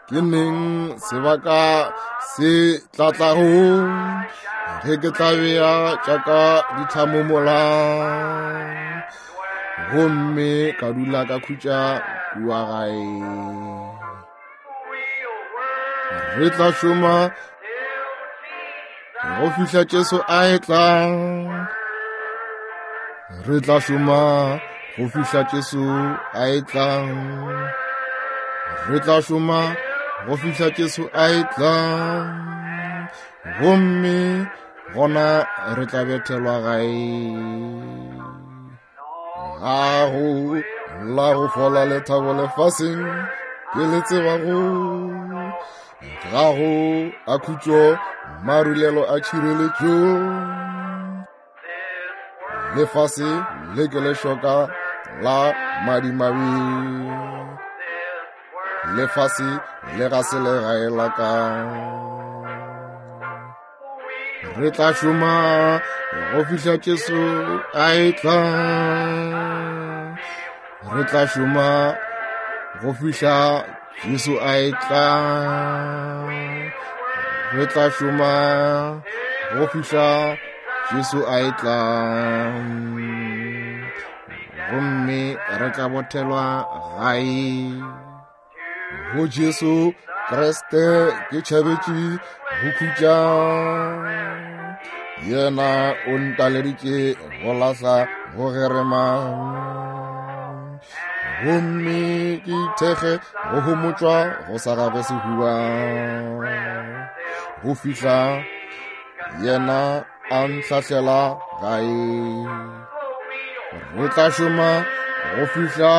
Ke neng sebaka se tla tlago ge ke tla bea tša ka ditlhamo mola gomme ka dula ka khutša kua gae. Re tla šoma go fihla Jesu a etla. Re tla šoma go fihla Jesu a etla. Re tla šoma go fihla Jesu a etla. Gomme gona re tla bethelwa gae. Ga go la go fola lethabo lefaseng ke le tsebago. Ga go a khutšo marulelo a tšhireletšo. Lefase le ke lešoka la madimabe. Lefase le ga se legae la ka. Re tla šoma go fihla Jesu a etla. Re tla šoma go fihla Jesu a etla. Re tla šoma go fihla Jesu a etla. Gomme re tla bothelwa gae. Go Jesu Kriste ke tšhabetše go khutša. Yena o ntaleditše go lahla go gerema. Gomme ke ithekge go homotšwa go sa gagwe sehuba. Go fihla yena a nhlahlela gae. Re tla šoma go fihla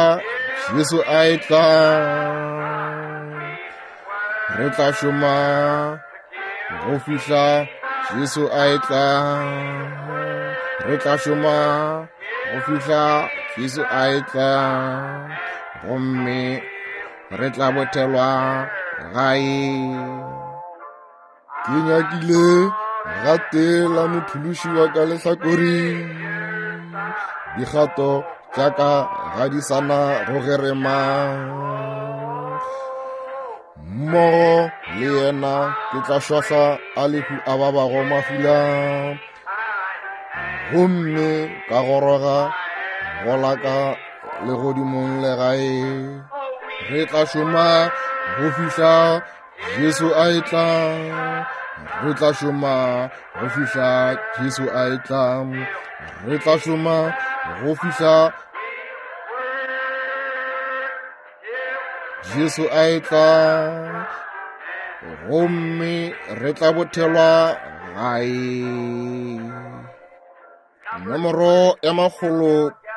Jesu a etla. Re tla šoma go fihla Jesu a etla. Re tla šoma go fihla Jesu a etla. Gomme re tla bothelwa gae. Ke nyakile gate la mophološi wa ka lehlakoreng. Dikgato tša ka ga di sa na go gerema. Mmogo le yena ke tla šwahla a lehu a babago mafula. Gomme ka goroga go la ka legodimong legae. Re tla šoma go fihla Jesu a etla. Re tla šoma go fihla Jesu a etla. Re tla šoma go fihla Jesu a etla. Gomme re tla bothelwa gae. Nomoro ya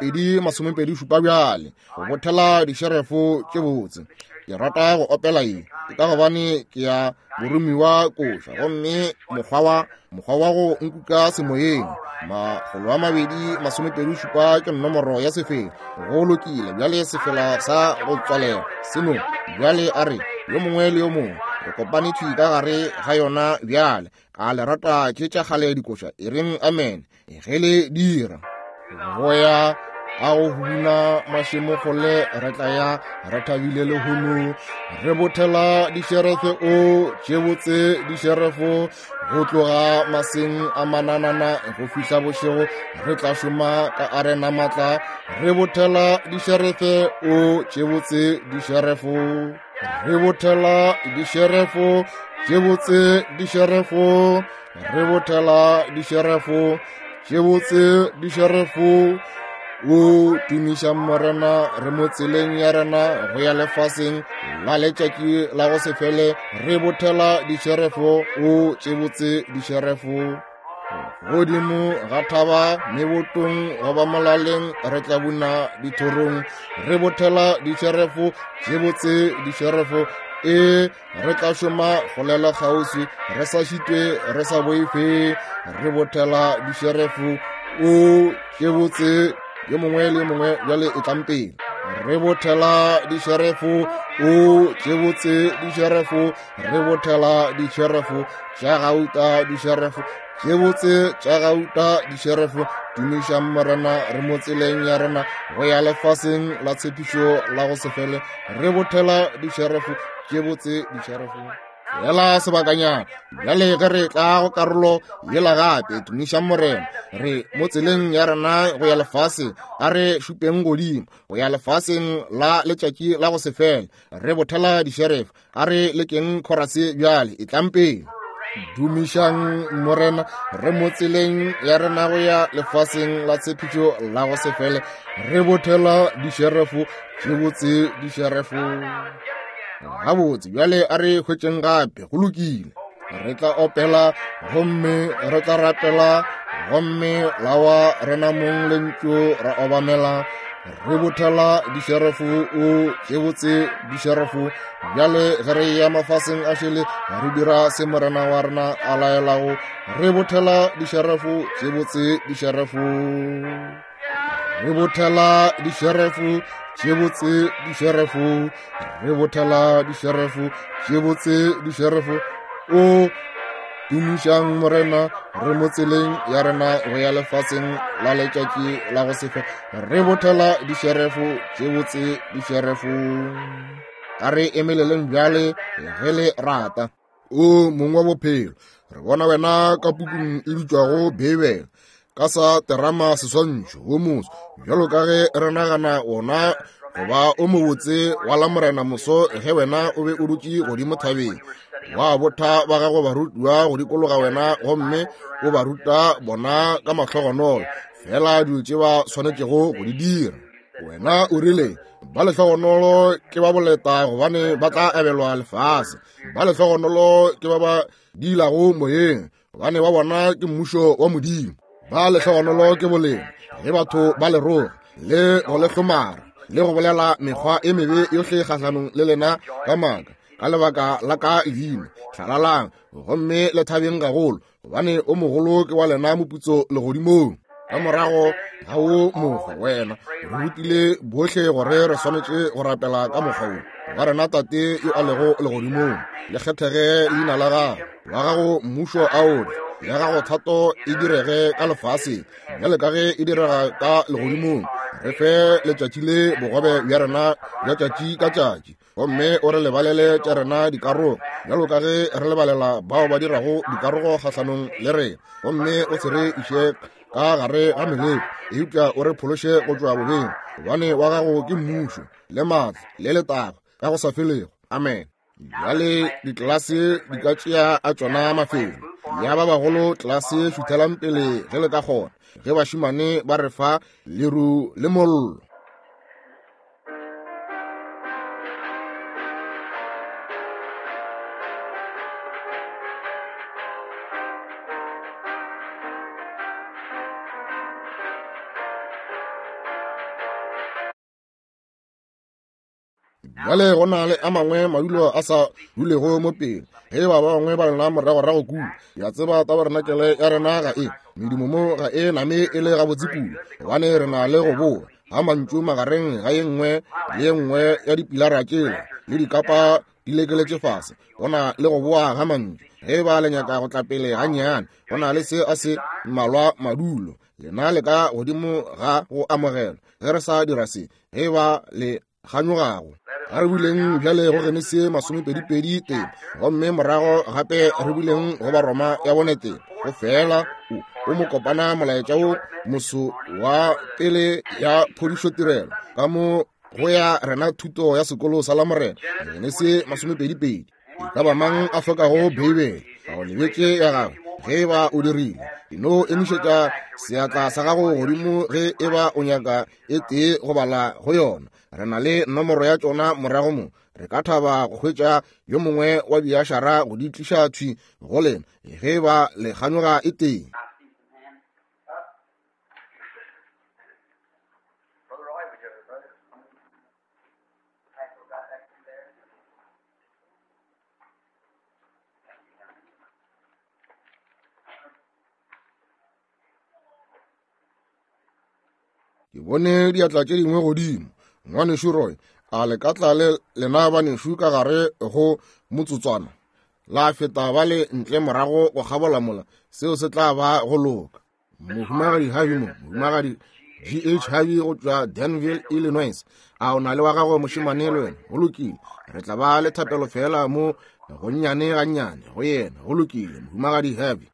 227 bjale, go bothela dišerefo tše botse. Ke rata go opela ye, ke ka gobane ke ya boromiwa koša, gomme mokgwa wa go nkuka semoyeng. 227 ke nomoro ya sefela. Go lokile, bjale sefela sa go tswalela seno. Bjale a re yo mongwe le yo mongwe re kopane thwi ka gare ga yona bjale. A le rata tše tša kgale dikoša? E reng amen ge le dira. Go ya a go huna mašemo kgole re tla ya re thabile lehono. Re bothela dišerefe o tše botse dišerefo go tloga maseng a mananana go fihla bošego. Re tla šoma ka arena matla. Re bothela dišerefe o tše botse dišerefo. Re bothela dišerefo tše botse dišerefo. Re bothela dišerefo tše botse dišerefo. O tumiša Morena, re mo tseleng ya rena go ya lefaseng la letšatši la go se fele. Re bothela dišerefo o tše botse dišerefo. Godimo ga thaba mebotong goba molaleng re tla buna dithorong. Re bothela dišerefo tše botse dišerefo. E re tla šoma go lela kgauswi re sa šitwe re sa boife. Re bothela dišerefo o tše botse. Yo mongwe le yo mongwe bjale e tlang pele. Re bothela dišerefo o tše botse dišerefo. Re bothela dišerefo tša gauta dišerefo tše botse tša gauta dišerefo. Tumišang Morena, re mo tseleng ya rena go ya lefaseng la tshepišo la go se fele. Re bothela dišerefo Tše botse dišerefo. Fela sebakanyana bjale ge re tla go karolo yela gape, tumišang Morena. Re mo tseleng ya rena go ya lefaseng, a re šupeng godimo go ya lefaseng la letšatši la go se fele. Re bothela dišerefo, a re lekeng khorase bjale, e tlang pele. Dumišang Morena, re mo tseleng ya rena go ya lefaseng la tshepišo la go se fele. Re bothela dišerefo, tše botse dišerefo. Gabotse bjale a re hwetšeng gape, go lokile. Re tla opela gomme re tla rapela gomme lawa rena mong lentšu ra obamela. Re bothela dišerefo, o tše botse dišerefo. Bjale ge re ya mafaseng a šele, re dira se Morena wa rena a laelago. Re bothela dišerefo, tše botse dišerefo. Re bothela dišerefo, tše botse dišerefo. Re bothela dišerefo, tše botse dišerefo. O tumišang Morena, re mo tseleng ya rena go ya lefaseng la letšatši la go se fe. Re bothela dišerefo, tše botse dišerefo. A re emeleleng bjale ge le rata. O mong wa bophelo, re bona wena ka pukung e bitšwago Beibele, ka sa terama seswantšho wo moso, bjalo ka ge re nagana wona goba o mobotse wa la Morena moso ge wena o be o dutše godimo thabeng, wa botha ba gago barutiwa go dikologa wena gomme o ba ruta bona ka mahlogonolo fela dilo tše ba swanetšego go di dira. Wena o rile, ba lehlogonolo ke ba boleta gobane ba tla abelwa lefase, ba lehlogonolo ke ba ba diilago moyeng gobane ba bona ke mmušo wa Modimo. Ba lehlogonolo ke bolena ge batho ba le roga le go le hlomara le go bolela mekgwa e mebe yohle kgahlanong le lena ka maaka ka lebaka la ka leina. Hlalalang gomme le thabeng gagolo, gobane o mogolo ke wa lena moputso legodimong. Ka morago ga wo mokgwa wena re rutile bohle gore re swanetše go rapela ka mokgwa wo. Wa rena Tate yo a lego legodimong, le kgethege leina la gago, wa gago mmušo a o tle, ya gago thato e direge ka lefaseng bjale ka ge e direga ka legodimong. Re fe letšatši le bogobe bja rena bja tšatši ka tšatši, gomme o re lebalele tša rena dikarogo bjalo ka ge re lebalela bao ba dirago dikarogo kgahlanong le rena, gomme o se re iše ka gare ga meleko, eupša o re phološe go tšwa bobeng, gobane wa gago ke mmušo le maatla le letago ka go sa felego. Amen. Bjale ditlelase di ka tšea a tšona mafelo ya ba bagolo. Tlelase šuthelang pele ge le ka kgona, ge bašemane ba re fa leru le mollo. Bjale go na le a mangwe madulo a sa dulego mo pele. Ge ba bangwe ba lena moragorago kua, ya tseba tabarenakele ya rena ga e medumo mo ga e name e le gabotse kudu, gobane re na le go boa ga mantšu magareng ga ye nngwe le ye nngwe ya dipilara tšela le dikapa di lekeletše fase. Go na le go boa ga mantšu. Ge ba le nyaka go tla pele gannyane, go na le se a se mmalwa madulo. Lena le ka godimo ga go amogelwa ge re sa dira se. Ge ba le kganyogago, a re buleng bjale go Genesi 22 tee, gomme morago gape re buleng go Baroma ya bone tee. Go fela o mo kopana molaetša wo moso wa pele ya phodišo tirelo ka mo go ya rena thuto ya sekolo sa Lamorena. Genesi 22. E ka ba mang a hlokago Beibele, a o lebetše ya gagwe? Ge e ba o dirile, e no emišetša seatla sa gago godimo ge e ba o nyaka e tee go bala go yona. Re na le nomoro ya tšona morago mo. Re ka thaba go hwetša yo mongwe wa diašara go di tliša thwi go lena ge e ba le kganyoga e tee. Ke bone diatla tše dingwe godimo. Ngwanešu Roy, a le ka tla le lena banešu ka gare go motsotswana la feta ba le ntle morago go kgabola mola? Seo se tla ba go loka. Mohumagadi Harvey mo, mohumagadi G.H. Harvey go tšwa Danville, Illinois. A o na le wa gago mošemane le wena? Go lokile. Re tla ba le thapelo fela mo gonnyane gannyane go yena. Go lokile, Mohumagadi Harvey.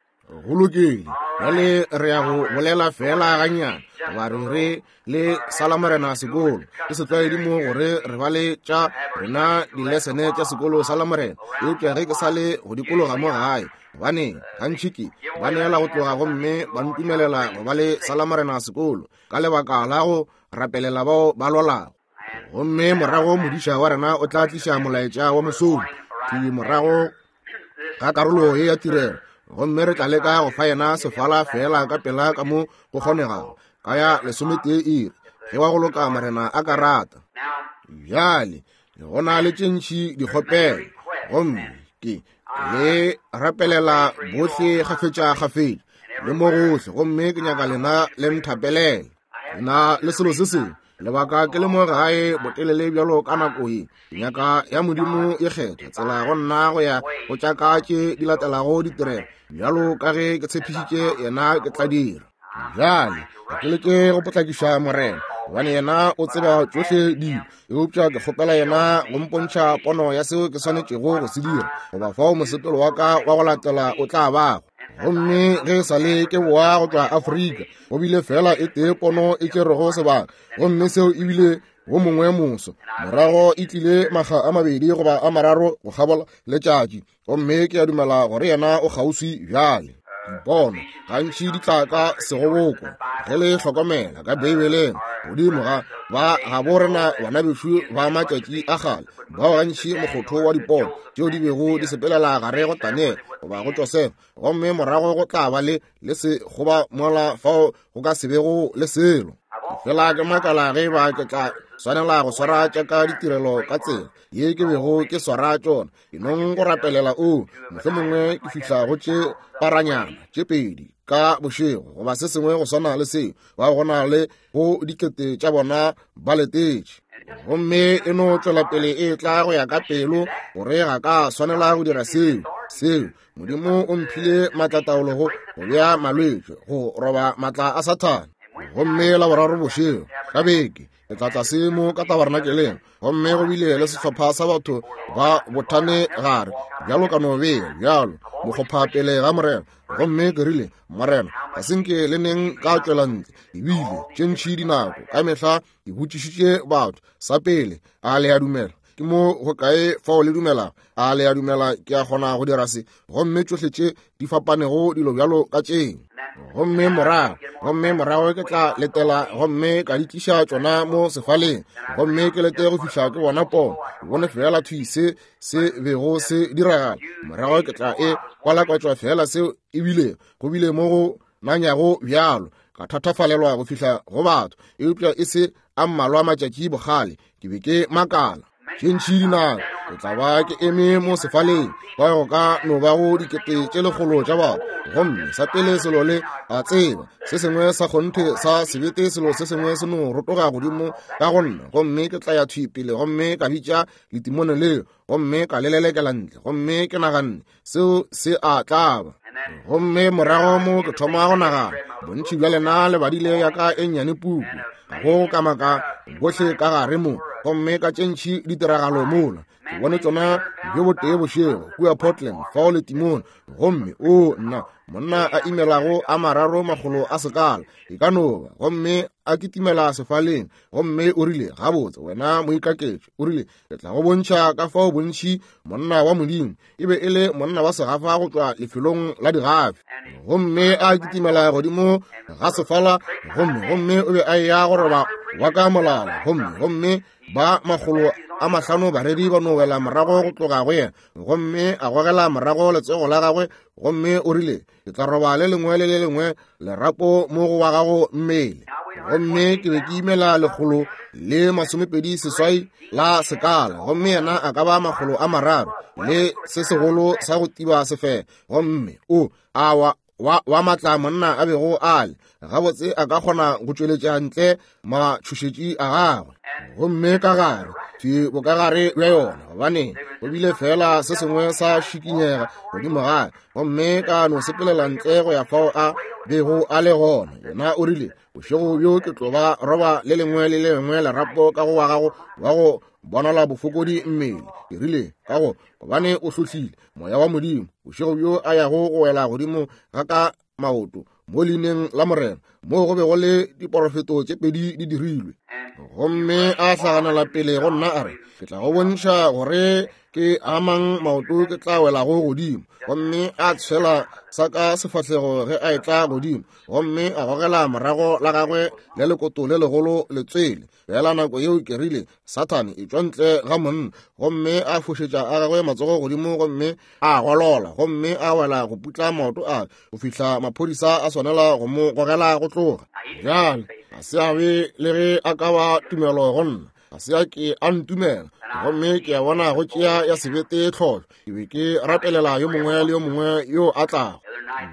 Go lokile. Bjale re ya go bolela fela gannyane goba re re le sala morena sekolo. Ke setlwaedi mo gore re ba le tša rena dilesene tša sekolo sa Lamorena, eupša ge ke sa le go dikologa mo gae, gobane gantši ke ba neela go tloga gomme ba ntumelela go ba le sa Lamorena sekolo ka lebaka la go rapelela bao ba lwalago. Gomme morago modiša wa rena o tla tliša molaetša wa mosong thwi morago ga karolo ye ya tirelo, gomme re tla leka go fa yena sefala feela ka pela ka mo go kgonegago ka ya 11 iri, ge wa go loka Morena a ka rata. Bjale go na le tše ntši dikgopelo, gomme ke le rapelela bohle kgafetša-kgafetša le mo gohle, gomme ke nyaka lena le nthapelele. Na le selo se sengwe lebaka ke le mo gae botelele bjalo ka nako ye, nyaka ya Modimo e kgetha tsela go nna go ya go tša ka tše di latelago ditirelo, bjalo ka ge ke tshepišitše yena ke tla dira. Bjale ga ke leke go potlakiša Morena, gobane yena o tseba tšohle dilo, eupša ke kgopela yena go mpontšha pono ya seo ke swanetšego go se dira, goba fao mosepelo wa ka wa go latela o tla bago. Gomme ge e sa le ke boa go tšwa Afrika, go bile fela e tee pono e tšerego sebaka, gomme seo e bile wo mongwe moso. Morago e tlile makga a mabedi goba a mararo go kgabola letšatši, gomme ke a dumela gore yena o kgauswi bjale. Dipono gantši di tla ka segoboko, ge le hlokomela ka Beibeleng, godimo ga ba gabo rena bana bešo ba matšatši a kgale, bao gantši mokgotho wa dipono tšeo di bego di sepelela gare go Daniele goba go Josefa, gomme morago go tla ba le le se goba mola fao go ka se bego le selo. Fela ke makala ge ba ke tla swanela go swara tša ka ditirelo ka tsela ye ke bego ke swara tšona, ke nong go rapelela o mohlomongwe ke fihla go tše paranyana tše pedi ka bošego goba se sengwe go swana le seo, ba go na le go dikete tša bona ba letetše. Gomme e no tšwela pele e tla go ya ka pelo gore ga ka swanela go dira seo. Seo Modimo o mphile maatlataolo go bea malwetši, go roba maatla a Sathane. Gomme la boraro bošego ka beke ke tla tlase mo ka tabernakeleng, gomme go bile le sehlopha sa batho ba bothane gare bjalo ka no bea bjalo mokgopha pele ga Morena. Gomme ke rile, Morena, ga se nke le neng ka tšwela ntle, ebile tše ntši dinako ka mehla ke botšišitše batho sa pele, a le a dumela? Ke mo go kae fao le dumelago? A le a dumela ke a kgona go dira se? Gomme tšohle tše di fapanego dilo bjalo ka tšeo. Gomme morago, gomme morago ke tla letela gomme ka di tliša tšona mo sefaleng, gomme ke lete go fihla ke bona pono, ke bone feela thwi se se bego se diragala. Morago ke tla e kwalakwatšwa feela seo ebile go bile mo go nanyago bjalo, ka thatafalelwa go fihla go batho, eupša e se a mmalwa matšatši bogale ke be ke makala. Tše ntši dinako ke tla ba ke eme mo sefaleng kwa go ka no ba go dikete tše lekgolo tša batho, gomme sa pele selo le a tseba, se sengwe sa kgonthe sa sebete selo se sengwe se no rotoga godimo ka go nna, gomme ke tla ya thwi pele gomme ka bitša letimone leo gomme ka le lelekela ntle, gomme ke naganne seo se a tlaba. Gomme morago mo ke thoma go nagana, bontši bja lena le badile ya ka e nnyane puku, ga go kamaka gohle ka gare mo, gomme ka tše ntši ditiragalo mola ke bone tšona bjo botee bošego kua Portland fao le timone, gomme o nna monna a imelago a 300 a sekala e ka no ba, gomme a kitimela sefaleng, gomme o rile, gabotse wena moikaketši, o rile, ke tla go bontšha ka fao bontši monna wa Modimo e be e le monna wa segafa go tšwa lefelong la digafi. Gomme a kitimela godimo ga sefala, gomme gomme o be a eya go roba wa ka molala, gomme gomme ba 500 bareri ba no wela morago go tloga go yena, gomme a gogela morago letsogo la gagwe, gomme o rile, ke tla roba le lengwe le le lengwe lerapo mo go wa gago mmele. Gomme ke be ke imela 128 la sekala, gomme yena a ka ba 300 le se segolo sa go tiba sefela. Gomme o a wa wa, wa matla monna a bego a le gabotse a ka kgona go tšweletša ntle matšhošetši a gagwe, gomme ka gare thwi bokagare bja yona, gobane go bile fela se sengwe sa šikinyega godimo gae, gomme ka no sepelela ntle go ya fao a bego a le gona. Yena o rile, bošego bjo ke tlo ba roba le lengwe le lengwe lerapo ka go wa gago wa go bonala bofokodi mmele. Ke rile, ka go gobane o hlohlile moya wa Modimo bošego bjo a yago go wela godimo ga ka maoto mo leineng la Morena, moo go be go le diporofeto tše pedi di dirilwe. Gomme a hlaganela pele go nna a re, ke tla go bontšha gore ke amang maoto ke tla welago godimo. Gomme a tshwela sa ka sefahlego ge a etla godimo, gomme a gogela morago la gagwe le lekoto le legolo letswele. Fela nako yeo ke rile, Sathane, etšwa ntle ga monna. Gomme a fošetša a gagwe matsogo godimo, gomme a golola, gomme a wela go putla maoto a go fihla maphodisa a swanela go mo gogela go tloga. Bjale ga se a be le ge a ka ba tumelo go nna, ga se a ke a ntumela. Gomme ke a bona go tšea ya sebete tlholo. Ke be ke rapelela yo mongwe le yo mongwe yo a tlago.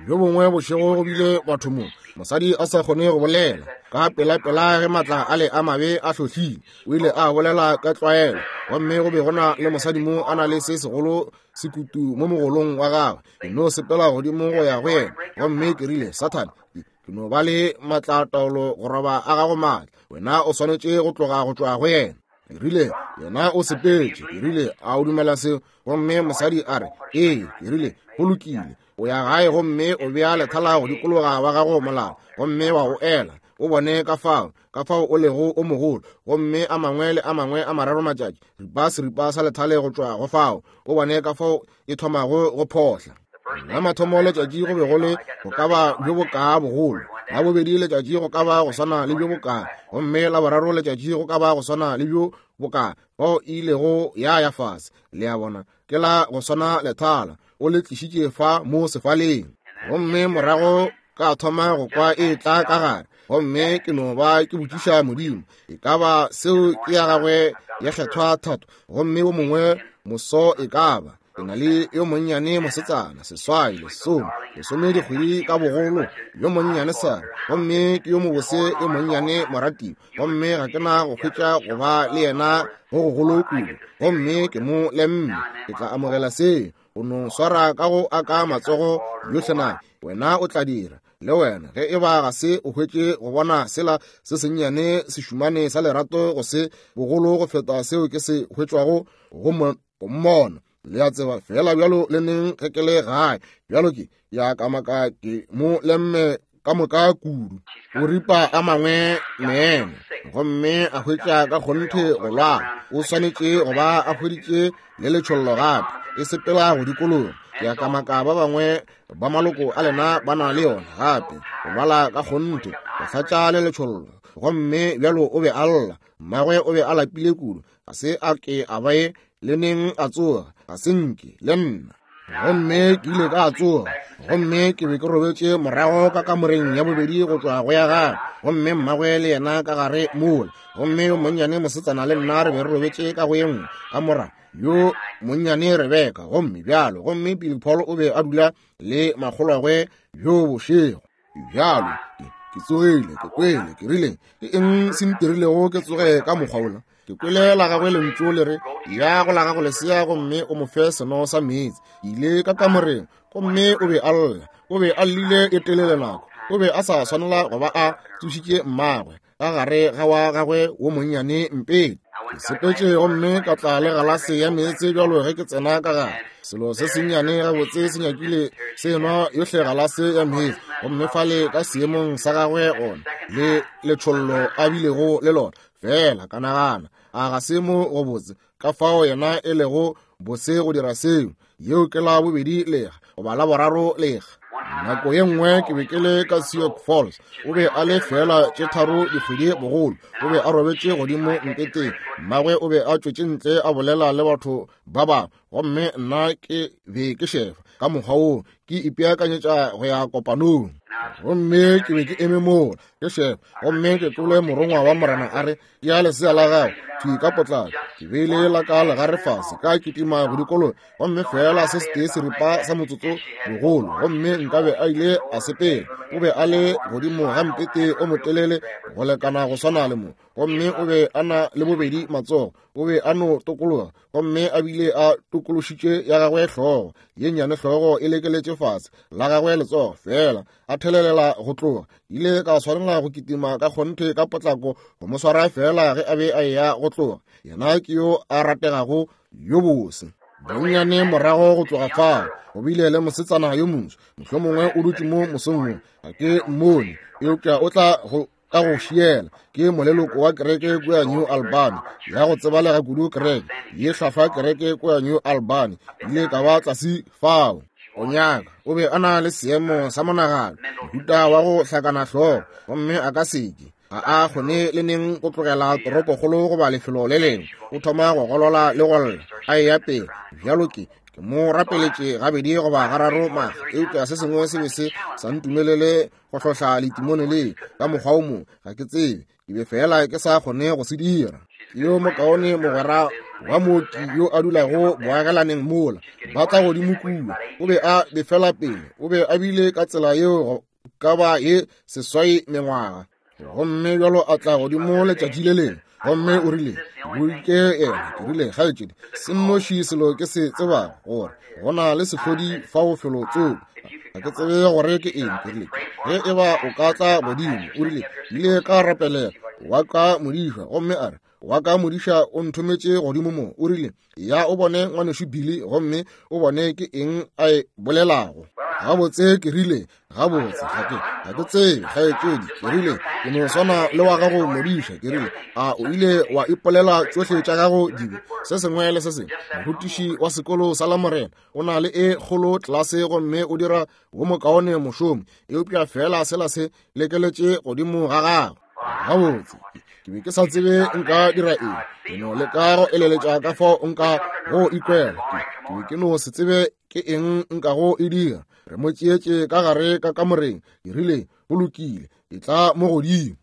Yo bongwe bošego go bile batho mo, mosadi a sa kgone go bolela. Ka pelapela ge matla a le a mabe a hlohlile, o ile a bolela ka tlwaelo. Gomme go be go na le mosadi mo a na le se segolo sekutu mo mogolong wa gagwe. Ke no sepela godimo go ya go yena, gomme ke rile, Sathane, ke no ba le matlataolo go roba a gago maatla, wena o swanetše go tloga go tšwa go yena. Ke rile, yena o sepetše. Ke rile, a o dumela seo? Gomme mosadi a re, ee. Ke rile, go lokile, o ya gae gomme o bea lethala go dikologa wa gago molala, gomme wa o ela, o bone ka fao, ka fao o lego o mogolo. Gomme a mangwe le a mangwe a mararo matšatši, ripa seripa sa lethale go tšwa go fao, o bone ka fao e thomago go phohla. La mathomo letšatši go be go le go ka ba bjo bokaa bogolo, la bobedi letšatši go ka ba go swana le bjo bokaa, gomme la boraro letšatši go ka ba go swana le bjo bokaa, fao e ilego ya ya fase. Le a bona, ke la go swana lethala, o le tlišitše fa mo sefaleng. Gomme morago ka thoma go kwa e tla ka gare, gomme ke no ba ke botšiša Modimo, e ka ba seo ke ya gagwe ya kgethwa thato, gomme wo mongwe moso e ka ba ke na le yo monnyane mosetsana, seswai, lesome, lesome dikgwedi ka bogolo, yo monnyane Sara, gomme ke yo mobose yo monnyane moratiwa, gomme ga ke na go hwetša go ba le yena go gogolo kudu, gomme ke mo lemme, ke tla amogela seo, go no swara ka go aka matsogo yohle na wena o tla dira le wena ge e ba ga se o hwetše go bona sela se sennyane sešumane sa lerato go se bogolo go feta seo ke se hwetšwago go mmona. Le a tseba fela bjalo le neng ge ke le gae bjalo ke ya kamaka ke mo lemme ka moka kudu. O ripa a mangwe meno gomme a hwetša ka kgonthe go lwala. O swanetše go ba a hweditše le letšhollo gape, e sepela go dikologa. Ke a kamaka ba bangwe ba maloko a lena ba na le yona gape, go lwala ka kgonthe, go hlatša le letšhollo. Gomme bjalo o be a lla, mmagwe o be a lapile kudu, ga se a ke a ba le neng a tsoga, ga se nke le nna. Gomme ke ile ka tsoga, gomme ke be ke robetše morago ka kamoreng ya bobedi go tšwa go ya gagwe, gomme mmagwe le yena ka gare mola, gomme yo monnyane mosetsana le nna re be re robetše ka go ye nngwe kamora, yo monnyane Rebeka, gomme bjalo, gomme Billy Paul o be a dula le makgolwagwe bjo bošego. Bjalo, ke tsogile, ke kwele, ke rile, ke eng se ntirilego ke tsoge ka mokgwa wola? Ke kwele la gagwe lentšu le re, ya go la gago lesea gomme o mo fe seno sa meetse. Ke ile ka kamoreng, gomme o be a lla, o be a llile e telele nako, o be a sa swanela go ba a tsošitše mmagwe ka gare ga wa gagwe wo monnyane mpete. Ke sepetše gomme ka tla le galase ya meetse bjalo ge ke tsena ka gare. Selo se sennyane gabotse se nyakile se nwa yohle galase ya meetse, gomme fale ka seemong sa gagwe gona le letšhollo a bilego le lona. Fela ka nagana, a ga se mo go botse ka fao yena e lego bose go dira seo. Yeo ke la bobedi lega goba la boraro lega. Nako ye nngwe ke be ke le ka Sioux Falls, o be a le feela tše tharo dikgwedi bogolo, o be a robetše godimo mpeteng, mmagwe o be a tšwetše ntle a bolela le batho ba bangwe, gomme nna ke be ke šefa ka mokgwa woo ke ipeakanyetša go ya kopanong. Gomme ke be ke eme mola ke šefa, gomme ke kwele morongwa wa Morena a re, ya lesea la gago thwi ka potlako. Ke beile la ka legare fase, ka kitima go dikologa, gomme feela se setee seripa sa motsotso bogolo, gomme nkabe a ile a sepela. O be a le godimo ga mpete o motelele go lekana go swana le mo. Gomme o be a na le bobedi matsogo, o be a no tokologa, gomme a bile a tokološitše ya gagwe hlogo, ye nnyane hlogo e lekeletše fase, la gagwe letsogo feela a thelelela go tloga. Ile ka swanela go kitima ka kgonthe ka potlako go mo swara feela ge a be a eya go tloga. Yena ke yo a rategago yo bose. Bonnyane morago go tloga fao go bile le mosetsana yo moswa, mohlomongwe o dutše mo mosong wo, ga ke mmone, eupša o tla go ka go šiela. Ke moleloko wa kereke kua New Albany, ya go tsebalega kudu kereke ye hlwahlwa kereke kua New Albany. Ile ka ba tlase fao. O nyaka, o be a na le seemo sa monagano, mohuta wa go hlakana hlogo, gomme a ka seke ga a kgone le neng go tlogela toropokgolo goba lefelo le lengwe. O thoma go golola le go lla a eya pele. Bjalo ke mo rapeletše gabedi goba gararo maga, eupša se sengwe se be se sa ntumelele go hlohla letimone le ka mokgwa o mongwe. Ga ke tsebe, ke be fela ke sa kgone go se dira. Yo mokaone mogwera wa mooki yo a dulago boagelaneng mola ba tla godimo kua, o be a befela pele, o be a bile ka tsela yeo ka ba ye 8 mengwaga. Gomme bjalo a tla godimo letšatši le lengwe, gomme o rile, Boike yena. Ke rile, kgaetšedi, se nnoši selo ke se tsebago, gore go na le sehlodi fao felo tsoko. Ga ke tsebe gore ke eng. Ke rile, ge e ba o ka tla godimo, o rile, ile ka rapelela wa ka modiša, gomme a re, wa ka modiša o nthometše godimo mo. O rile, ya o bone ngwanešu Billy, gomme o bone ke eng a e bolelago. Gabotse, ke rile, gabotse, ga ke tsebe, kgaetšedi. Ke rile, ke no swana le wa gago modiša. Ke rile, a o ile wa ipolela tšohle tša gago dibe, se sengwe le se sengwe? Morutiši wa sekolo sa Lamorena o na le e kgolo tlase, gomme o dira wo mokaone mošomo, eupša feela sela se lekeletše godimo ga gagwe. Gabotse, ke be ke sa tsebe nka dira eng. Ke no leka go eleletša ka fao nka go ikwela. Ke be ke no se tsebe ke eng nka go e dira. Re mo tšeetše ka gare ka kamoreng. Ke rile, go lokile, e tla mo godimo.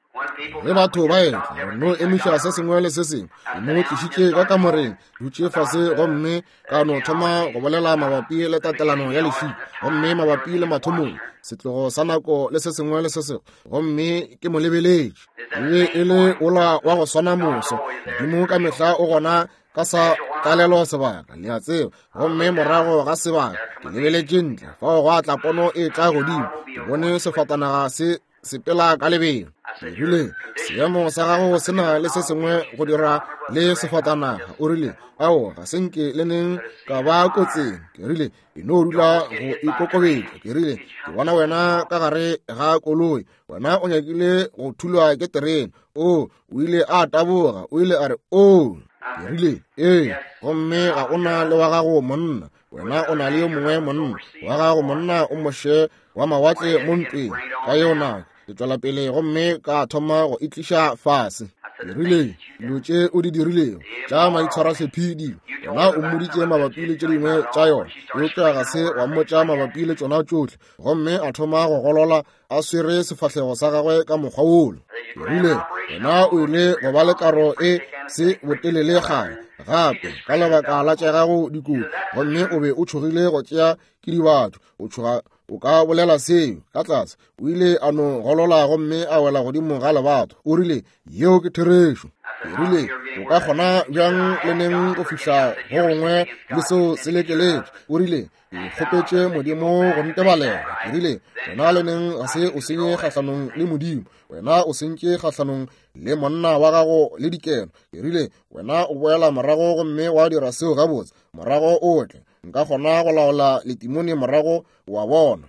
Ge batho ba etla, re no emiša se sengwe le se sengwe. Ke mo tlišitše ka kamoreng, dutše fase, gomme ka no thoma go bolela mabapi le tatelano ya lešika, gomme mabapi le mathomong, setlogo sa nako le se sengwe le se sengwe. Gomme ke mo lebeletše, e be e le ola wa go swana moso. Modimo ka mehla o gona ka sa tlalelo sebaka, le a tseba. Gomme morago ga sebaka ke lebeletše ntle, fao gwa tla pono e tla godimo. Ke bone sefatanaga se sepela ka lebelo. Ke rile, seemo sa gago se na le se sengwe go dira le sefatanaga. O rile, ao, ga se nke le neng ka ba kotsing. Ke rile, e no dula go ikokobetša. Ke rile, ke bona wena ka gare ga koloi, wena o nyakile go thulwa ke terene. O, o ile a taboga, o ile a re, o. Ke rile, ee, gomme ga o na le wa gago monna, wena o na le yo mongwe monna wa gago monna o moše wa mawatle mo ntweng. Ka yeo nako ke tšwela pele gomme ka thoma go itliša fase. Ke rile, dilo tše o di dirilego tša maitshwarahlephi dilo, wena o mmoditše mabapi le tše dingwe tša yona, eupša ga se wa mmotša mabapi le tšona tšohle. Gomme a thoma go golola a swere sefahlego sa gagwe ka mokgwa wolo. Ke rile, wena o ile go ba le karo e se botelele kgale gape ka lebaka la tša gago dikotsi, gomme o be o tšhogile go tšea ke dibatho, o tšhoga o ka bolela seo ka tlase. O ile a no golola gomme a wela godimo ga lebato. O rile, yeo ke therešo. Ke rile, o ka kgona bjang le neng go fihla go gongwe le seo se lekeletše? O rile, ke kgopetše Modimo go ntebalela. Ke rile, wena le neng ga se o senye kgahlanong le Modimo, wena o sentše kgahlanong le monna wa gago le dikeno. Ke rile, wena o boela morago gomme wa dira seo gabotse, morago o tle. Nka kgona go laola letimone morago, wa bona.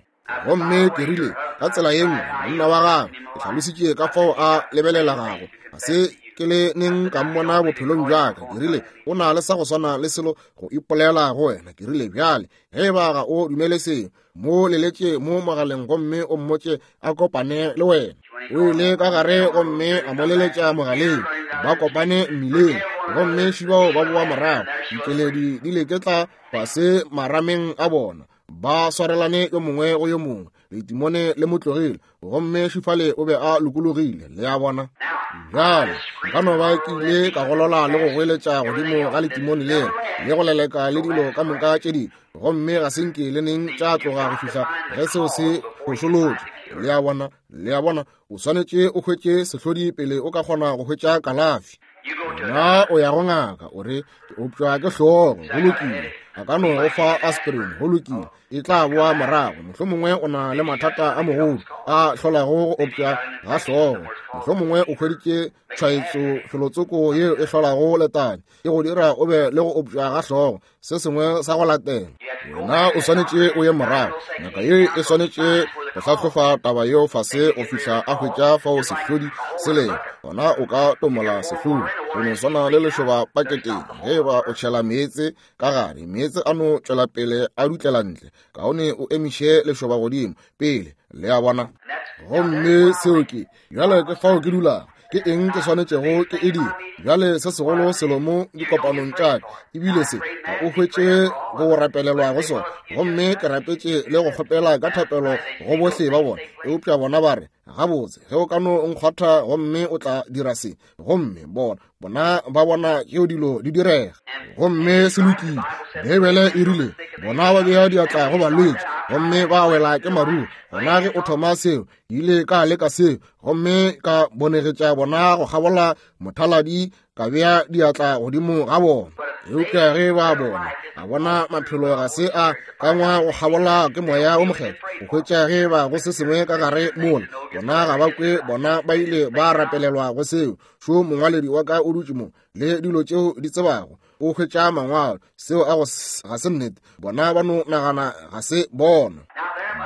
Gomme ke rile, ka tsela ye nngwe, monna wa gagwe, ke hlalositše ka fao a lebelelegago, ga se ke le neng ka mmona bophelong bja ka. Ke rile, o na le sa go swana le selo go ipolela go wena. Ke rile, bjale, ge e ba ga o dumele seo, mo leletše mo mogaleng gomme o mmotše a kopane le wena. O ile ka gare gomme a mo leletša mogaleng, ba kopane mmileng, gomme šibao ba boa morago, dikeledi di leketla fase marameng a bona, ba swarelane yo mongwe go yo mongwe. Letimone le mo tlogile, gomme šifale o be a lokologile. Le a bona? Bjale nka no ba ke ile ka golola le go goeletša godimo ga letimone lela le go leleka le dilo ka moka tše dingwe, gomme ga se nke le neng tša tloga go fihla ge seo se phošolotšwe. Le a bona? Le a bona, o swanetše o hwetše sehlodi pele o ka kgona go hwetša kalafi. Na o ya go ngaka, o re, Ke opšwa ke hlogo. Go lokile. A ka no go fa aspirin. Go lokile. E tla boa morago. Mohlomongwe o na le mathata a mogodu a hlolago go opša ga hlogo. Mohlomongwe o hweditše tshwaetso felotsoko yeo e hlolago letadi, e go dira o be le go opša ga hlogo, se sengwe sa go latela. Wena o swanetše o ye morago. Ngaka ye e swanetše go hlahlofa taba yeo fase go fihla a hwetša fao sehlodi se lego. Gona o ka tomola sehlodi. Go no swana le lešoba paketeng, ge e ba o tšhela meetse ka gare, meetse a no tšwela pele a dutlela ntle. Kaone o emiše lešoba godimo pele, le a bona. Gomme seo ke, bjale ke fao ke dulago. Ke eng ke swanetšego ke e dira bjale? Se segolo selo mo dikopanong tša ka ebile se, ga o hwetše go rapelelwa go sona. Gomme ke rapetše le go kgopela ka thapelo go bohle ba bona, eupša bona ba re, Gabotse, ge o ka no nkgwatha gomme o tla dira se. Gomme bona, bona ba bona tšeo dilo di direga. Gomme se lokile. Beibele e rile, Bona ba bea diatla go balwetši, gomme ba wela ke maruo. Gona ge o thoma seo, ke ile ka leka seo, gomme ka bonegetša bona go kgabola mothaladi, ka bea diatla godimo ga bona. Eupša ge ba bona, a bona maphelo ga se a kangwa go kgabola ke Moya wo Mokgethwa, go hwetša ge ba go se sengwe ka gare mola, bona ga ba kwe, bona ba ile ba rapelelwa go seo. Šo mongwaledi wa ka o dutše mo, le dilo tšeo di tsebago, o hwetša mangwalo, seo a go ga se nnete. Bona ba no nagana ga se bona.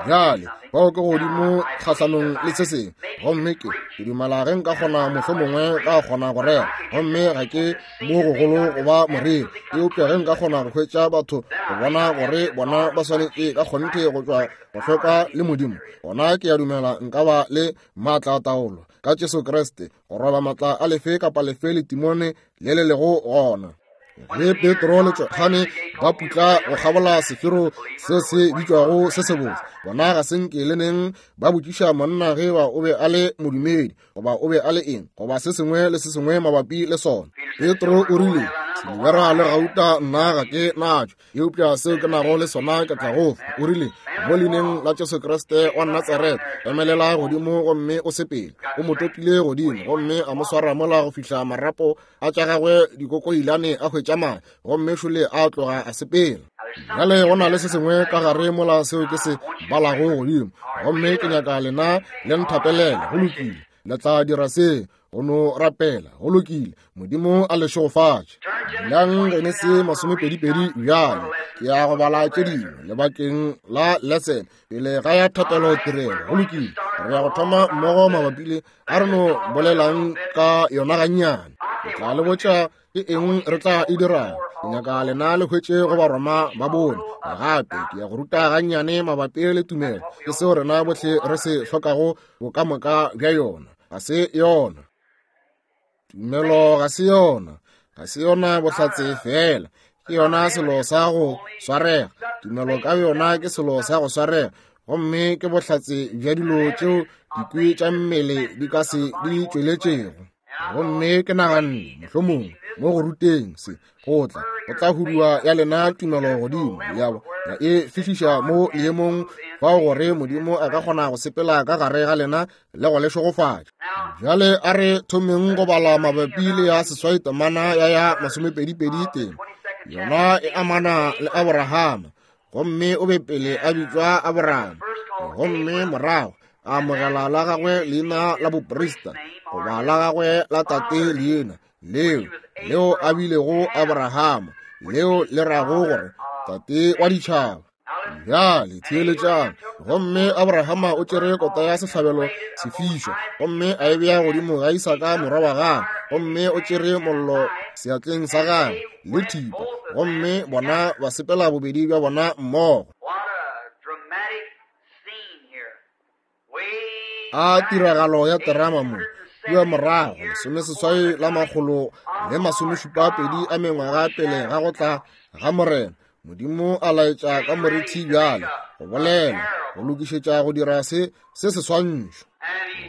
Bjale bao ke godimo kgahlanong le se sengwe, gomme ke dumela ge nka kgona mohlomongwe ka kgona go rera, gomme ga ke mo gogolo go ba moreri, eupša ge nka kgona go hwetša batho go bona gore bona ba swanetše ka kgonthe go tšwa go hlweka le Modimo, gona ke a dumela nka ba le maatla a taolo ka Jesu Kriste go roba maatla a lefe kapa lefe le timone le le lego gona. Ge Petro le Johane ba putla go kgabola sefero se se bitšwago se sebotse, bona ga se nke le neng ba botšiša monna ge ba o be a le modumedi goba o be a le eng goba se sengwe le se sengwe mabapi le sona. Petro o rile, Silibera le gauta nna ga ke natšo, eupša seo ke nago le sona ke tla go fa. O rile, Mo leineng la Jesu Kriste wa Natsaretha, emelela godimo gomme o sepele. O mo topile godimo gomme a mo swara mola go fihla marapo a tša gagwe dikokoilane a hwetša madi, gomme šole a tloga a sepela. Bjale go na le se sengwe ka gare mola seo ke se balago godimo, gomme ke nyaka lena le nthapelele. Go lokile, le tla dira se go no rapela. Go lokile, Modimo a le šegofatše. Dulang Genesi 20 bjale. Ke ya go bala tše dingwe lebakeng la lesson pele ga ya thapelo tirelo. Go lokile, re ya go thoma mmogo mabapi le a re no bolelang ka yona gannyane. Ke tla le botša ke eng re tla e dirago. Ke nyaka lena le hwetše go Baroma ba bone. Gape ke ya go ruta gannyane mabapi le tumelo, ke seo rena bohle re se hlokago bokamoka bja yona. Ga se yona tumelo, ga se yona, ga se yona bohlatse fela, ke yona selo sa go swarega. Tumelo ka yona ke selo sa go swarega, gomme ke bohlatse bja dilo tšeo dikwi tša mmele di ka se di tšweletšego. Gomme ke naganne mohlomongwe mo go ruteng se go tla go tla hudua ya lena tumelo godimo ya ya e fihliša mo leemong fao gore Modimo a ka kgona go sepela ka gare ga lena le go le šegofatša. Bjale a re thomeng go bala mabapi le ya seswai temana ya ya 22 teng. Yona e amana le Aborahama, gomme o be pele a bitšwa Aborahama, gomme morago a amogela la gagwe leina la boprista, goba la gagwe la tate leina leo, leo a bilego Aborahama, leo le rago gore tate wa ditšhaba. Bjale theeletšang. Gomme Abrahama o tšere kota ya sehlabelo sefišwa, gomme a e bea godimo ga Isaka morwa wa gagwe, gomme o tšere mollo seatleng sa gagwe le thipa, gomme bona ba sepela bobedi bja bona mmogo. A tiragalo ya terama mo kua morago 1872 a mengwaga pele ga go tla ga Morena, Modimo a laetša ka morithi bjale go bolela go lokišetša go dira se se seswantšho.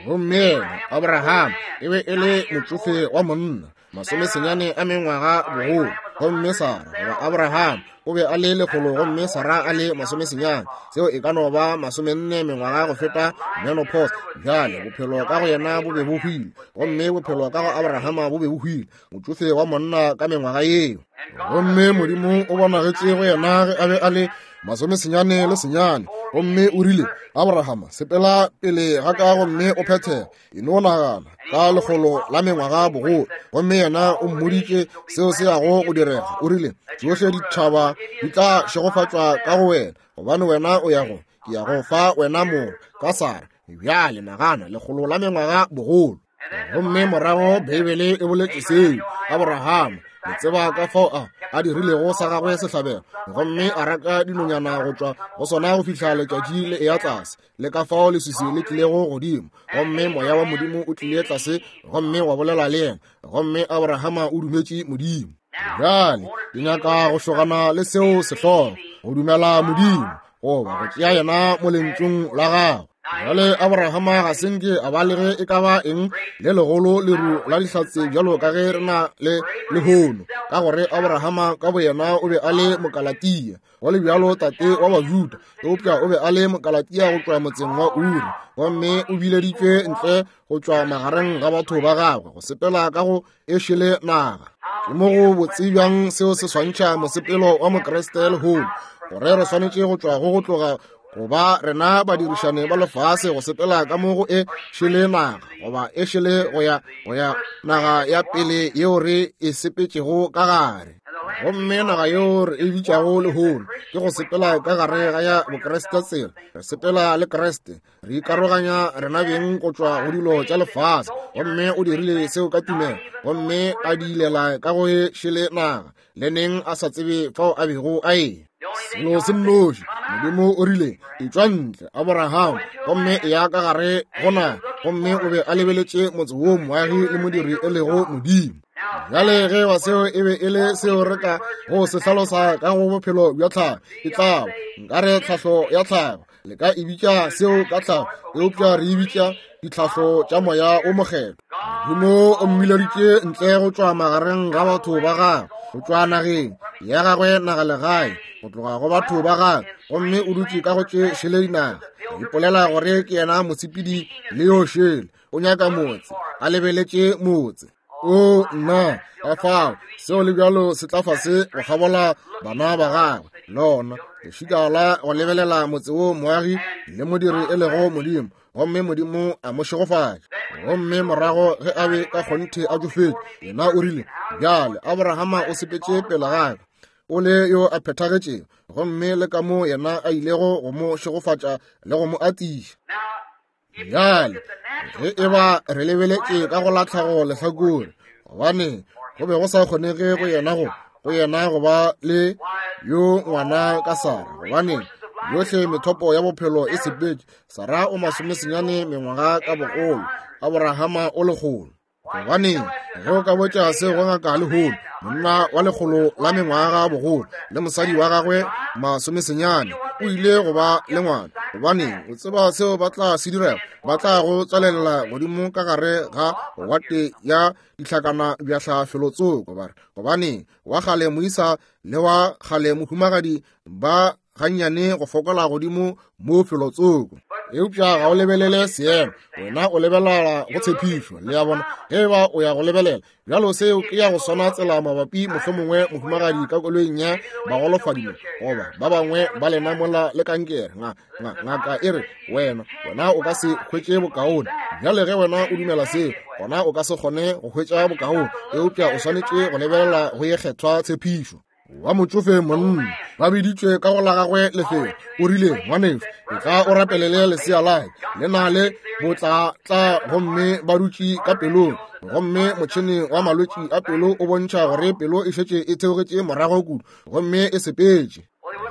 Gomme yena Abraham e be e le motšofe wa monna, 90 a mengwaga bogolo, gomme Sara goba Abraham O be a le lekgolo gomme Sarah a le masomesenyane. Seo e ka no ba masomenne mengwaga go feta menopause. Bjale, bophelo ka go yena bo be bo hwile, gomme bophelo ka go Abrahama bo be bo hwile, motšofe wa monna ka mengwaga yeo. Gomme Modimo o bonagetše go yena ge a be a le masomesenyane le senyane, gomme o rile, Abrahama, sepela pele ga ka gomme o phethege. E no nagana ka lekgolo la mengwaga bogolo, gomme yena o mmoditše seo se yago go direga. O rile, Tšohle ditšhaba di tla šegofatšwa ka go wena, gobane wena o ya go, ke ya go fa wena morwa ka Sara. Bjale nagana, lekgolo la mengwaga bogolo. Gomme morago Beibele e boletše seo, Abrahama, le tseba ka fao a a dirilego sa gagwe sehlabelo, gomme a raka dinonyana go tšwa go sona go fihla letšatši le eya tlase, le ka fao leswiswi le tlilego godimo, gomme moya wa Modimo o tlile tlase gomme wa bolela le yena, gomme Abrahama o dumetše Modimo. Bjale ke nyaka go šogana le seo sehlogo, go dumela Modimo, goba go tšea yena mo lentšung la gagwe. Bjale Abrahama ga se nke a ba le ge e ka ba eng le legolo leru la dihlatse bjalo ka ge re na le lehono, ka gore Abrahama ka boyena o be a le Mokalatia, go le bjalo tate wa Bajuda, eupša o be a le Mokalatia go tšwa motseng wa Uri, gomme o bileditšwe ntle go tšwa magareng ga batho ba gagwe go sepela ka go e šele naga. Ke mo go botse bjang seo se swantšha mosepelo wa Mokriste lehono, gore re swanetše go tšwa go go tloga go ba rena badirišane ba lefase go sepela ka mo go e šele naga, goba e šele go ya go ya naga ya pele yeo re e sepetšego ka gare. Gomme naga yeo re e bitšago lehono ke go sepela ka gare ga ya Bokriste tsela, re sepela le Kriste, re ikaroganya rena beng go tšwa go dilo tša lefase. Gomme o dirile seo ka tumelo, gomme a diilela ka go e šele naga, le neng a sa tsebe fao a bego a eya. Selo se nnoši, Modimo o rile, etšwa ntle, Abraham, gomme eya ka gare go naga. Gomme o be a lebeletše motse wo moagi le modiri e lego Modimo. Bjale ge ba seo e be e le seo re ka go se hlalosa ka go bophelo bja tlhago, e tlabo nkare tlhahlo ya tlhago, le ka e bitša seo ka tlhago, eupša re e bitša ditlhahlo tša Moya wo Mokgethwa. Modimo o mmileditše ntle go tšwa magareng ga batho ba gagwe, go tšwa nageng ya gagwe, nagalegae, go tloga go batho ba gagwe, gomme o dutše ka go tše šele dinaga. A ipolela gore ke yena mosepedi le yo šele, o nyaka motse, a lebeletše motse. O nna, ka fao seo le bjalo se tla fase go kgabola bana ba gagwe, lona lešika la go lebelela motse wo moagi le modiri e lego Modimo, gomme Modimo a mo šegofatša. Gomme morago ge a be ka kgonthe a tšofetše, yena o rile, Bjale Abrahama o sepetše pele ga ka, o le yo a phethagetšego, gomme le ka mo yena a ilego go mo šegofatša le go mo atiša. Bjale ge e ba re lebeletše ka go latlhago lehlakore, gobane go be go sa kgonege go yena go go yena go ba le yo ngwana ka Sara, gobane yohle methopo ya bophelo e sepetše. Sara o masomesenyane mengwaga ka bogolo, Abrahama o lekgolo. Gobaneng, ge o ka botša se go ngaka lehono, monna wa lekgolo la mengwaga bogolo le mosadi wa gagwe masomesenyane o ile go ba le ngwana, gobaneng, o tseba seo ba tla se direla? Ba tla go tswalelela godimo ka gare ga wate ya dihlakana bjahla felotsoko, ba re, gobaneng, wa kgale moisa le wa kgale mohumagadi ba gannyane go fokola godimo mo felotsoko. Eupša ga o lebelele seemo, wena o lebelela go tshepišo. Le a bona, ge e ba o ya go lebelela bjalo, seo ke ya go swana tsela mabapi mohlomongwe mohumagadi ka koloing ya bagolofadi mo, goba ba bangwe ba lena mola le kankere. Ngaka e re, wena, wena o ka se hwetše bokaone. Bjale ge wena o dumela seo, gona o ka se kgone go hwetša bokaone, eupša o swanetše go lebelela go ye kgethwa tshepišo. Wa motšofe monna ba biditšwe ka go la gagwe lefelo, o rile, ngwanešu, etla o rapelele lesea la ka, le na le botlatla gomme ba dutše ka pelong, gomme motšhene wa malwetši a pelo o bontšha gore pelo e šetše e theogetše morago kudu gomme e sepetše.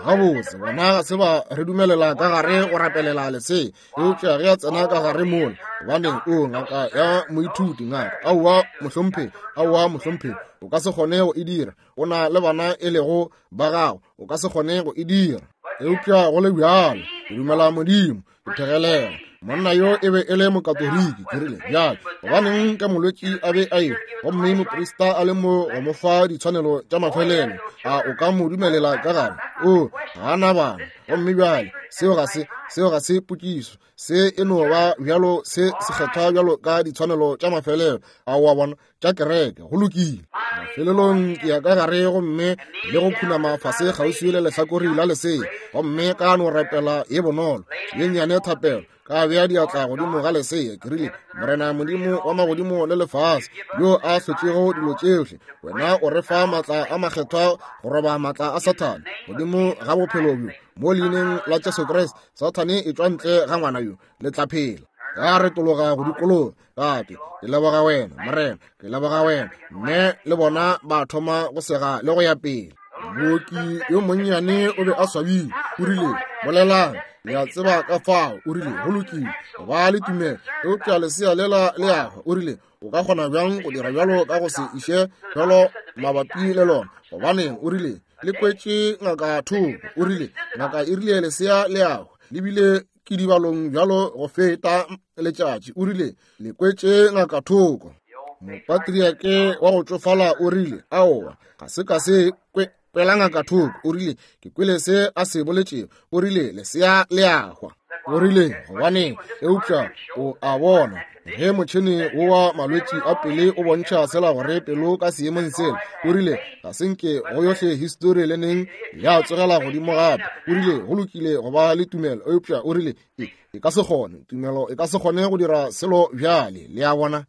Gabotse, bona ga se ba re dumelela ka gare go rapelela lesea, eupša ge a tsena ka gare mola, gobaneng, o ngaka ya moithuti, ngaka, aowa mohlomphegi, aowa mohlomphegi, o ka se kgone go e dira, o na le bana e lego ba gago, o ka se kgone go e dira. Eupša go le bjalo, ke dumela Modimo, ke phegelela. Monna yo e be e le Mokatoliki. Ke rile, Bjale, gobaneng ka molwetši a be a ehwa, gomme moprista a le mo go mo fa ditshwanelo tša mafelelo, a o ka mo dumelela ka gare? O, ga a na bana. Gomme bjale, seo ga se, seo ga se potšišo. Se e no ba bjalo se sekgethwa bjalo ka ditshwanelo tša mafelelo, a o a bona, tša kereke. Go lokile. Mafelelong ke ya ka gare gomme le go khunama fase kgauswi le lehlakori la lesea, gomme ka no rapela ye bonolo ye nnyane thapelo, ka bea diatla godimo ga lesea. Ke rile, Morena Modimo wa magodimo le lefase, yo a hlotšego dilo tšohle, wena o re fa maatla a makgethwa go roba maatla a Sathane godimo ga bophelo bjo, mo leineng la Jesu Kriste, Sathane e tšwa ntle ga ngwana yo, le tla phela. Ka retologa go dikologa, ka ke, ke leboga wena, Morena, ke leboga wena. Mme le bona ba thoma go sega le go ya pele. Mooki yo monnyane o be a swabile, o rile, Bolelang, le a tseba ka fao. O rile, Go lokile, ba le tumelo, eupša lesea lela le a hwa. O rile, O ka kgona bjang go dira bjalo ka go se iše bjalo mabapi le lona? Gobaneng, o rile, le kwetše ngaka thoko. O rile, Ngaka e rile lesea le a hwa, le bile ke dibalong bjalo go feta letšatši. O rile, Le kwetše ngaka thoko. Mopatriake wa go tšofala o rile, Aowa, ga se ka se kwe, kwela ngaka thoko. O rile, Ke kwele se a se boletšego. O rile, Lesea le a hwa. O rile, Gobaneng, eupša o a bona, ge motšhene wo wa malwetši a pele o bontšha sela gore pelo ka seemong sela, o rile, ga se nke go yohle histori le neng ya tsogela godimo gape. O rile, Go lokile go ba le tumelo, eupša o rile, e, e ka se kgone, tumelo e ka se kgone go dira selo bjale. Le a bona?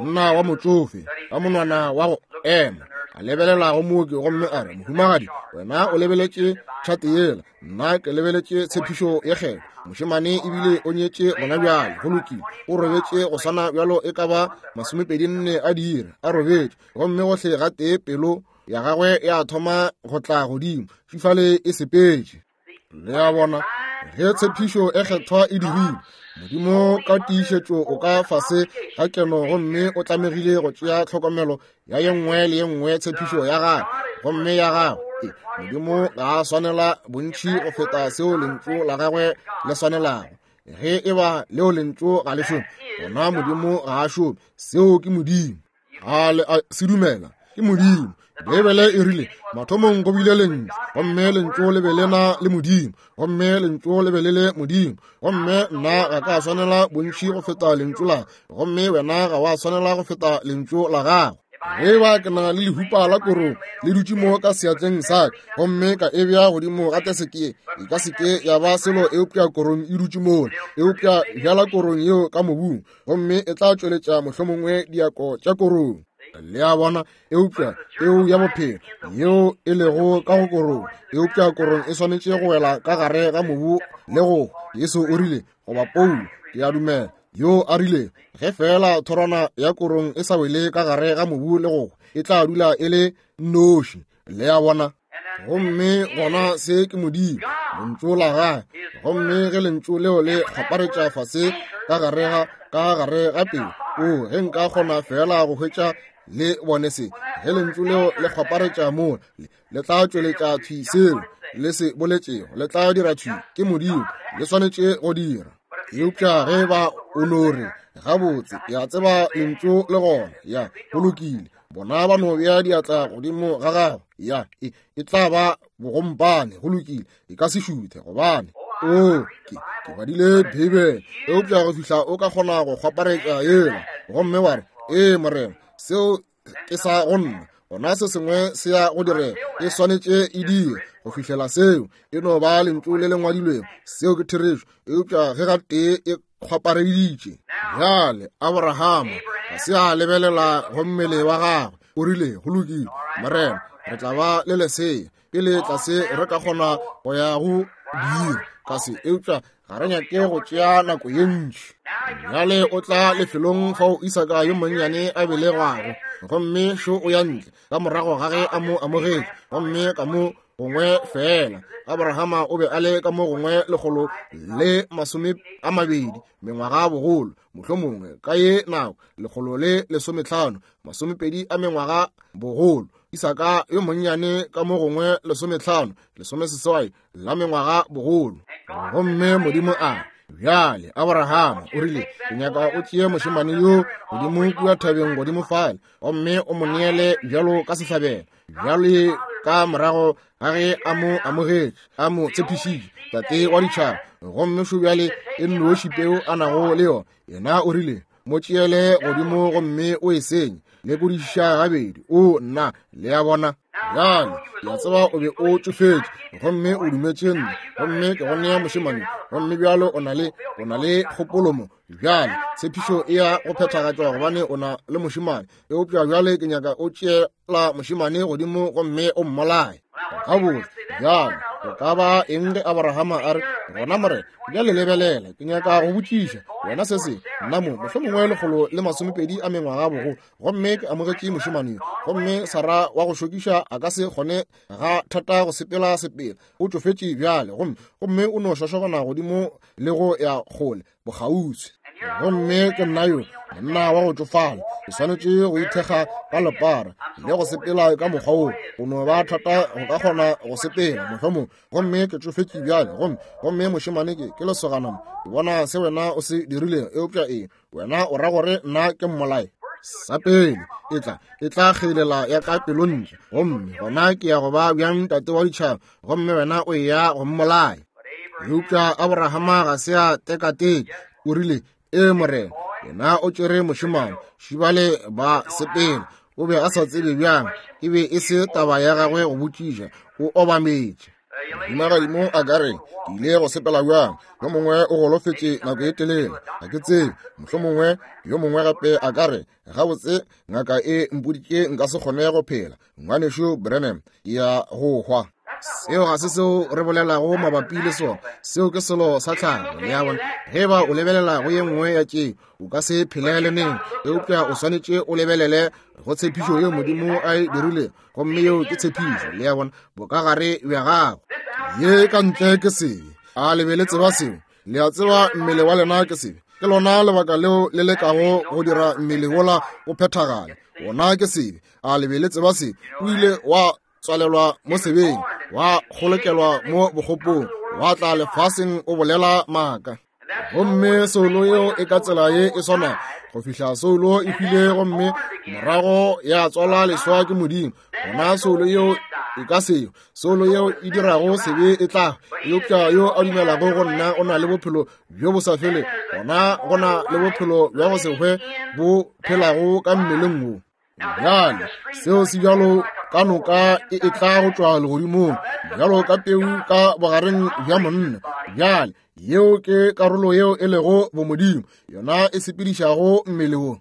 Monna wa motšofe ka monwana wa go ema a lebelela go mooki gomme a re, Mohumagadi, wena o lebeletše tšhate yela, nna ke lebeletše tshepišo ye kgethwa. Mošemane ebile o nyetše gona bjale. Go lokile, o robetše go swana bjalo e ka ba 24 a diiri a robetše, gomme gohle gatee pelo ya gagwe ya thoma go tla godimo, fifale e sepetše. Le a bona, ge tshepišo e kgethwa e dirilwe, Modimo ka tiišetšo o ka fase ga keno gomme o tlamegile go tšea tlhokomelo ya ye nngwe le ye nngwe tshepišo ya gagwe gomme ya gagwe. E, Modimo ga a swanela bontši go feta seo lentšu la gagwe le swanelago. Ge e ba leo lentšu ga le šome, gona Modimo ga a šome. Seo ke Modimo. A le a se dumela? Ke Modimo. Beibele e rile, mathomong go bile Lentšu, gomme Lentšu le be le na le Modimo, gomme Lentšu le be le le Modimo. Gomme nna ga ka swanela bontši go feta Lentšu la, gomme wena ga wa swanela go feta Lentšu la gago. Ge ba ke na le lehupa la korong le dutše mo ka seatleng sa ka, gomme ka e bea godimo ga teseke ye, e ka se ke ya ba selo eupša korong e dutše mola. Eupša bjala korong yeo ka mobung, gomme e tla tšweletša mohlomongwe diako tša korong. Le a bona? Eupša peu ya bophelo yeo e lego ka go korong, eupša korong e swanetše go wela ka gare ga mobu le go, Jesu o rile, goba Paulo, ke a dumela, yo a rile, ge feela thorwana ya korong e sa wele ka gare ga mobu le go, e tla dula e le noši. Le a bona? Gomme gona se ke Modimo, Lentšu la Gagwe. Gomme ge Lentšu leo le kgwaparetša fase ka gare ga, ka gare ga pelo, o, ge nka kgona feela go hwetša le bone se, ge Lentšu leo le kgwaparetša moo, le, le tla tšweletša thwi seo le se boletšego, le tla dira thwi. Ke Modimo, le swanetše go dira. Eupša ge ba o no re, Gabotse, ke a tseba Lentšu le gona, ya, go lokile, bona ba no bea diatla godimo ga gago, ya, e, e tla ba bogompane, go lokile, e ka se šuthe, gobane o, ke, ke badile Beibele. Eupša go fihla o ka kgona go kgwaparetša yela gomme wa re, Ee, Morena, seo ke sa go nna, gona se sengwe se ya go direga. E swanetše e dire go fihlela seo e no ba lentšu le le ngwadilwego, seo ke therešo. Eupša ge gatee e kgwapareditše bjale, Abrahama ga se a lebelela go mmele wa gagwe, o rile, Go lokile, Morena, re tla ba le lesea pele tlase re ka kgona go ya go dira ka se, eupša ga re nyake go tšea nako ye ntši. Bjale o tla lefelong fao Isaka yo monnyane a belegwago, gomme šo o ya ntle ka morago ga ge a mo amogetše, gomme ka mo gongwe feela Abrahama o be a le ka mo gongwe 120 mengwaga bogolo, mohlomongwe ka ye nako 115, 20 a mengwaga bogolo. Isaka yo monnyane ka mo gongwe 15, 18 la mengwaga bogolo. Gomme Modimo a re, Bjale, Abrahama o rile, ke nyaka o tšee mošemane yo godimo kua thabeng godimo fale, gomme o mo neele bjalo ka sehlabelo. Bjale ka morago ga ge a mo amogetše, a mo tshepišitše, tate wa ditšhaba, gomme šo bjale e nnoši peu a nago le yona, yena o rile, mo tšeele godimo gomme o e senye. Lekodišiša gabedi. O nna, le a bona. Bjale, ke a tseba o be o tšofetše, gomme o dumetše nna, gomme ke go nea mošemane, gomme bjalo o na le, o na le kgopolo mo. Bjale, tshepišo e ya go phethagatšwa gobane o na le mošemane, eupša bjale ke nyaka o tšeela mošemane godimo gomme o mmolaye. Gabotse, bjale, go ka ba eng ge Abrahama a re, gona Morena, bjale lebelela, ke nyaka go botšiša wena se sengwe. Nna mo, mohlomongwe 120 a mengwaga bogolo, gomme ke amogetše mošemane yo, gomme Sara wa go šokiša a ka se kgone ga thata go sepela sepela, o tšofetše bjale, gomme, gomme o no šošobana godimo le go ya kgole bokgauswi. Gomme ke nna yo, monna wa go tšofala, ke swanetše go ithekga ka lepara le go sepela ka mokgwa wo, go no ba thata go ka kgona go sepela mohlomong, gomme ke tšofetše bjale, gomme, gomme mošemane ke, ke lesogana mo, ke bona se wena o se dirilego, eupša eng, wena o ra gore nna ke mmolai? Sa pele, e tla, e tla kgeilela ya ka pelontle, gomme gona ke ya go ba bjang tate wa ditšhaba, gomme wena o eya go mmolaya. Eupša Abrahama ga se a tekateke, o rile, Ee, Morena, yena o tšere mošemane, šibale ba sepela. O be a sa tsebe bjang, e be e se taba ya gagwe go botšiša, o obametše. Mohumagadimo a ka re, ke ile go sepela bjang? Yo mongwe o golofetše nako e telele, ga ke tsebe. Mohlomongwe yo mongwe gape a ka re, gabotse, ngaka e mpoditše nka se kgone go phela. Ngwanešu Branham, ke ya go hwa. Seo ga se seo re bolelago mabapi le sona. Seo ke selo sa tlhago, le a bona. Ge eba o lebelela go ye nngwe ya tšeo, o ka se phele le neng, eupša o swanetše o lebelele go tshepišo yeo Modimo a e dirilego, gomme yeo ke tshepišo, le a bona, bokagare bja gago. Ye ka ntle ke sebe. A le be le tseba seo? Le a tseba mmele wa lena ke sebe. Ke lona lebaka leo le lekago go dira mmele wola o phethagale. Wona ke sebe. A le be le tseba se? O ile wa tswalelwa mo sebeng, wa kgolokelwa mo bokgopong, wa tla lefaseng o bolela maaka. Gomme soulo yeo e ka tsela ye e swanago go fihla soulo e hwile gomme morago ya tswalwa leswa ke Modimo. Gona soulo yeo e ka seo soulo yeo e dirago sebe e tla, eupša yo a dumelago go nna o na le bophelo bjo bo sa fele. Gona go na le bophelo bja go se hwe bo phelago ka mmeleng wo. Bjale seo se bjalo ka noka e etla go tšwa legodimong, bjalo ka peu ka bogareng bja monna. Bjale yeo ke karolo yeo e lego bomodimo, yona e sepedišago mmele wo.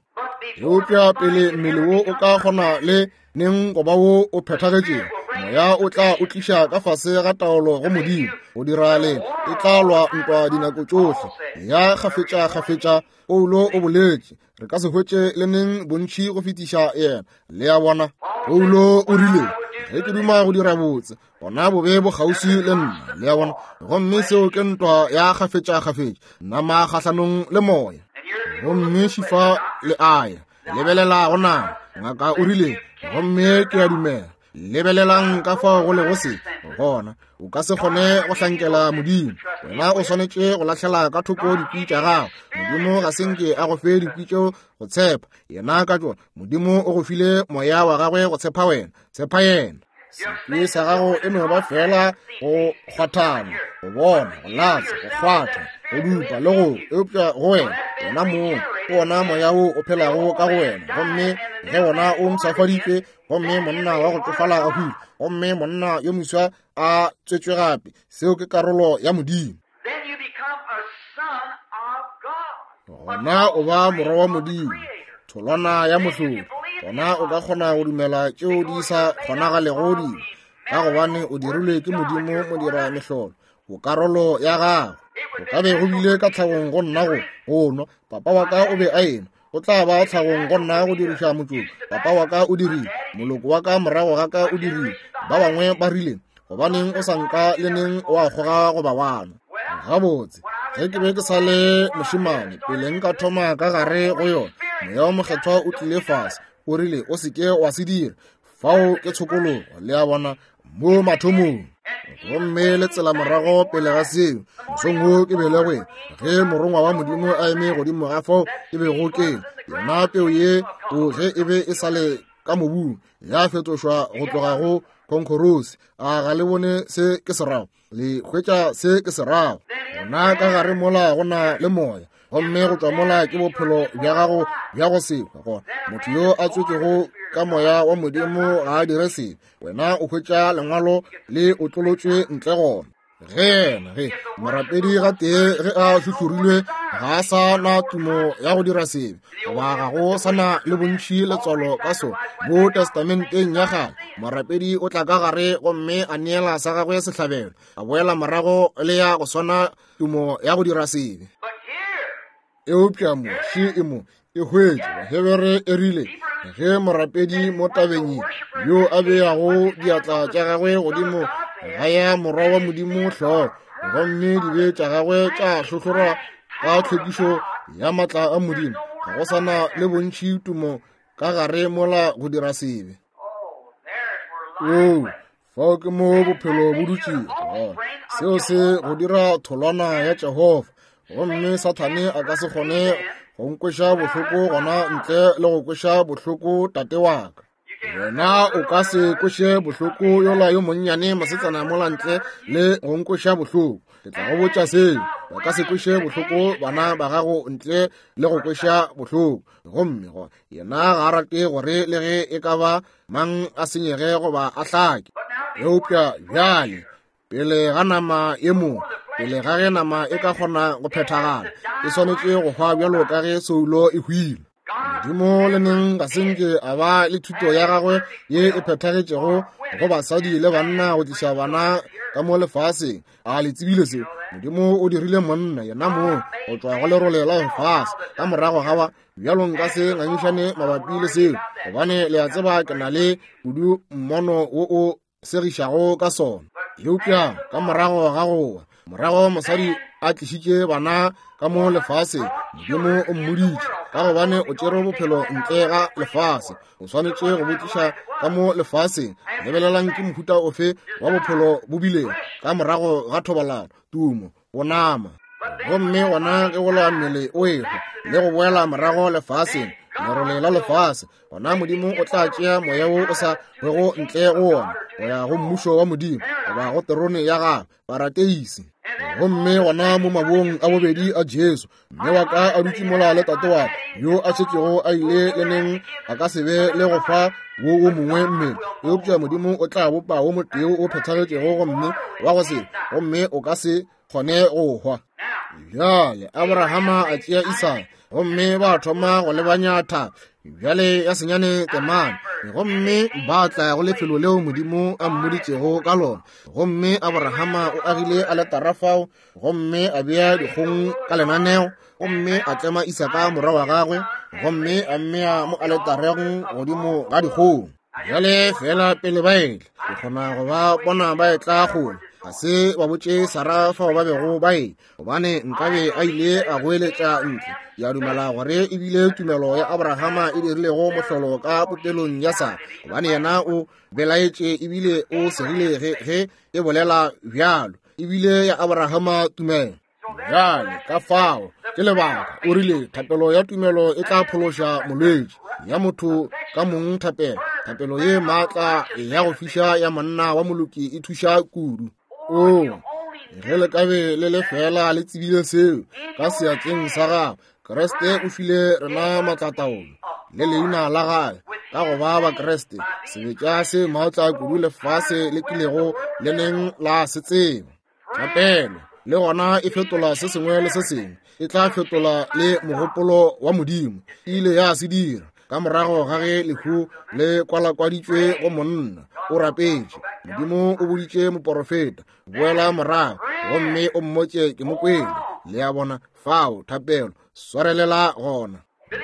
Eupša pele mmele wo o ka kgona le neng go ba wo o phethagetšego, moya o tla o tliša ka fase ga taolo go Modimo go dira le e tla lwa ntwa dinako tšohle ya kgafetša-kgafetša. Paulo o boletše, re ka se hwetše le neng bontši go fetiša yena. Le a bona? Paulo o rile, ge ke duma go dira botse, gona bobe bo kgauswi le nna. Le a bona? Gomme seo ke ntwa ya kgafetša-kgafetša, nama kgahlanong le moya. Gomme šifa le aya, lebelela go nama. Ngaka o rile, gomme ke a dumela. Lebelelang ka fao go lego se gona. O ka se kgone go hlankela Modimo. Wena o swanetše go lahlela ka thoko dikwi tša gago. Modimo ga se nke a go fe dikwi tšeo go tshepa yena ka tšona. Modimo o go file moya wa gagwe go tshepa wena. Tshepa yena. Sekwi sa gago e no ba fela go kgwathana, go bona, go latswa, go kgwatha, go dupa le go, eupša go wena, wena mong, ke wona moya wo o phelago ka go wena. Gomme ge wona o mpshafaditšwe, gomme monna wa go tšofala a hwile, gomme monna yo moswa a tswetšwe gape, seo ke karolo ya Modimo. Gona o ba morwa wa Modimo, tholwana ya mohlodi. Gona o ka kgona go dumela tšeo di sa kgonagalego dilo, ka gobane o dirilwe ke Modimo modira mehlolo. O karolo ya gago. Go ka be go bile ka tlhagong go nna go go nwa. Papa wa ka o be a enwa. Go tla ba tlhagong go nna go diriša motšoko. Papa wa ka o dirile. Moloko wa ka morago ga ka o dirile. Ba bangwe ba rile, gobaneng o sa nka le neng wa kgoga goba wa nwa? Gabotse, ge ke be ke sa le mošemane, pele nka thoma ka gare go yona, Moya wo Mokgethwa o tlile fase, o rile, o se ke wa se dira. Fao ke tshokologo, le a bona, mo mathomong. Gomme le tsela morago pele ga seo, mosong wo ke belegwe, ge morongwa wa Modimo a eme godimo ga fao ke bego ke, yona peu ye o ge e be e sa le ka mobung, ya fetošwa go tloga go konkorose. A ga le bone se ke se rago? Le hwetša se ke se rago? Gona ka gare mola go na le moya, gomme go tšwa mola ke bophelo bja gago bja go se hwe. Gona motho yo a tswetšego ka moya wa Modimo ga a dire sebe. Wena o hwetša lengwalo le otlolotšwe ntle gona. Ge yena, ge morapedi gatee ge a hlohlorilwe, ga a sa na tumo ya go dira sebe, goba ga go sa na le bontši letswalo ka sona. Mo Testamenteng ya Kgale, morapedi o tla ka gare gomme a neela sa gagwe sehlabelo, a boela morago le ya go swana tumo ya go dira sebe. Eupša mo, še e mo, e hwetše, Bahebere e rile, ge morapedi mo tabeng ye, yo a beago diatla tša gagwe godimo ga ya morwa wa Modimo hlogo, gomme dibe tša gagwe tša hlohlorwa ka tlhwekišo ya maatla a Modimo, ga go sa na le bontši tumo ka gare mola go dira sebe. Oo, fao ke mo bophelo bo dutšego gona. Seo se go dira tholwana ya Jehofa, gomme Sathane a ka se kgone go nkweša bohloko gona ntle le go kweša bohloko tate wa ka. Wena o ka se kweše bohloko yola yo monnyane mosetsana mola ntle le go nkweša bohloko. Ke tla go botša seo, ba ka se kweše bohloko bana ba gago ntle le go kweša bohloko. Gomme go yena ga a rate gore le ge e ka ba mang a senyege goba a hlake. Eupša bjale, pele ga nama ye mo, pele ga ge nama e ka kgona go phethagala, e swanetše go hwa bjalo ka ge soulo e hwile. Modimo le neng ga se nke a ba le thuto ya gagwe ye e phethagetšego go basadi le banna go tliša bana ka mo lefaseng. A le tsebile seo? Modimo o dirile monna yena mong go tšwa go lerole la lefase ka morago ga ba. Bjalo nka se ngangišane mabapi le seo, gobane le a tseba ke na le kudu mmono wo o segišago ka sona. Eupša ka morago ga go wa, morago mosadi a tlišitše bana ka mo lefaseng, Modimo o mmoditše, ka gobane o tšere bophelo ntle ga lefase, o swanetše go bo tliša ka mo lefaseng. Lebelelang ke mohuta ofe wa bophelo bo bilego ka morago ga thobalano, tumo, go nama. Gomme gona ge go lwa mmele o ehwa le go boela morago lefaseng, lerole la lefase, gona Modimo o tla tšea moya wo o sa hwego ntle go wona go ya go mmušo wa Modimo goba go terone ya gagwe, parateisi. Gomme gona mo mabong a bobedi a Jesu, mme wa ka a dutše mola le tate wa ka yo a šetšego a ile le neng a ka se be le go fa wo wo mongwe mmele, eupša Modimo o tla bopa wo motee o phethagetšego gomme wa go se, gomme o ka se kgone go hwa. Bjale Abrahama a tšea Isaka gomme ba thoma go lebanya thaba bjale ya senyane temana, gomme ba tla go lefelo leo Modimo a mmoditšego ka lona. Gomme Abrahama o agile aletara fao gomme a bea dikgong ka lenaneo, gomme a tlema Isaka morwa wa gagwe gomme a mmea mo aletareng godimo ga dikgong. Bjale fela pele ba etla, ke kgona go ba bona ba etla kgole. Ga se ba botše Sara fao ba bego ba e, gobane nkabe a ile a goeletša ntle. Ke a dumela gore e bile tumelo ya Abrahama e dirilego mohlolo ka popelong ya Sara, gobane yena o belaetše ebile o segile ge, ge e bolela bjalo. E bile ya Abrahama tumelo. Bjale ka fao ke lebaka o rile thapelo ya tumelo e tla phološa molwetši, ya motho ka mong thapelo, thapelo ye maatla ya go fiša ya monna wa moloki e thuša kudu. Oo, ge le ka be le le fela le tsebile seo ka seatleng sa gagwe, Kriste o file rena maatlataolo le leina la gagwe ka go ba Bakriste, sebetša se maatla kudu lefase le kilego le neng la se tseba. Thapelo le gona e fetola se sengwe le se sengwe, e tla fetola le mogopolo wa Modimo. E ile ya se dira ka morago ga ge lehu le kwalakwaditšwe go monna. O rapetše, Modimo o boditše moporofeta, boela morago gomme o mmotše ke mo kwele. Le a bona fao, thapelo, swarelela gona.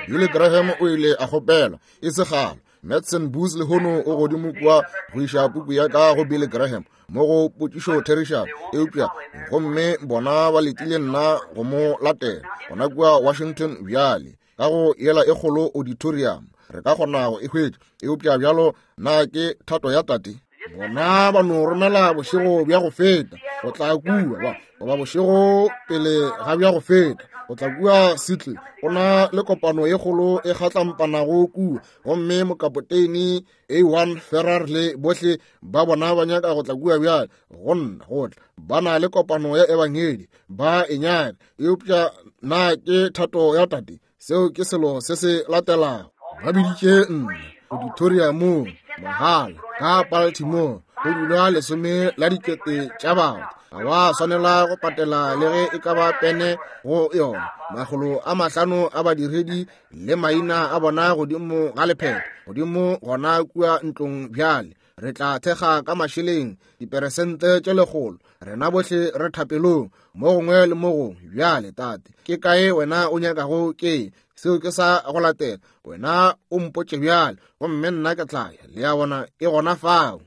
Billy Graham o ile a kgopela e se kgale Madison Booth lehono o godimo kua go iša puku ya ka go Billy Graham mo go potšišo therišano, eupša gomme bona ba letile nna go mo latela gona kua Washington bjale ka go yela e kgolo auditorium. Re ka kgona go e hwetša, eupša bjalo na ke thato ya Tate? Bona ba no romela bošego bja go feta go tla kua, goba bošego pele ga bja go feta go tla kua Seattle. Go na le kopano ye kgolo e kgatlampanago kua, gomme mokapoteini A1 Ferrar le bohle ba bona ba nyaka go tla kua bjale go nna go tla. Ba na le kopano ya ebangedi, ba e nyaka, eupša na ke thato ya Tate? Seo ke selo se se latelago. Ba biditše nna auditoriumong mahala ka Baltimore, go dula 10 la 000 tša batho. Ga wa swanela go patela le ge e ka ba pene go yona. 500 a badiredi le maina a bona godimo ga lephephe, godimo gona kua ntlong bjale. Re tla thekga ka mašeleng diperesente tše 100. Rena bohle re thapelong mo gongwe le mo gongwe. Bjale, Tate, ke kae wena o nyakago ke? Seo ke sa go latela. Wena o mpotše bjale, gomme nna ke tla ya. Le a bona, e gona fao.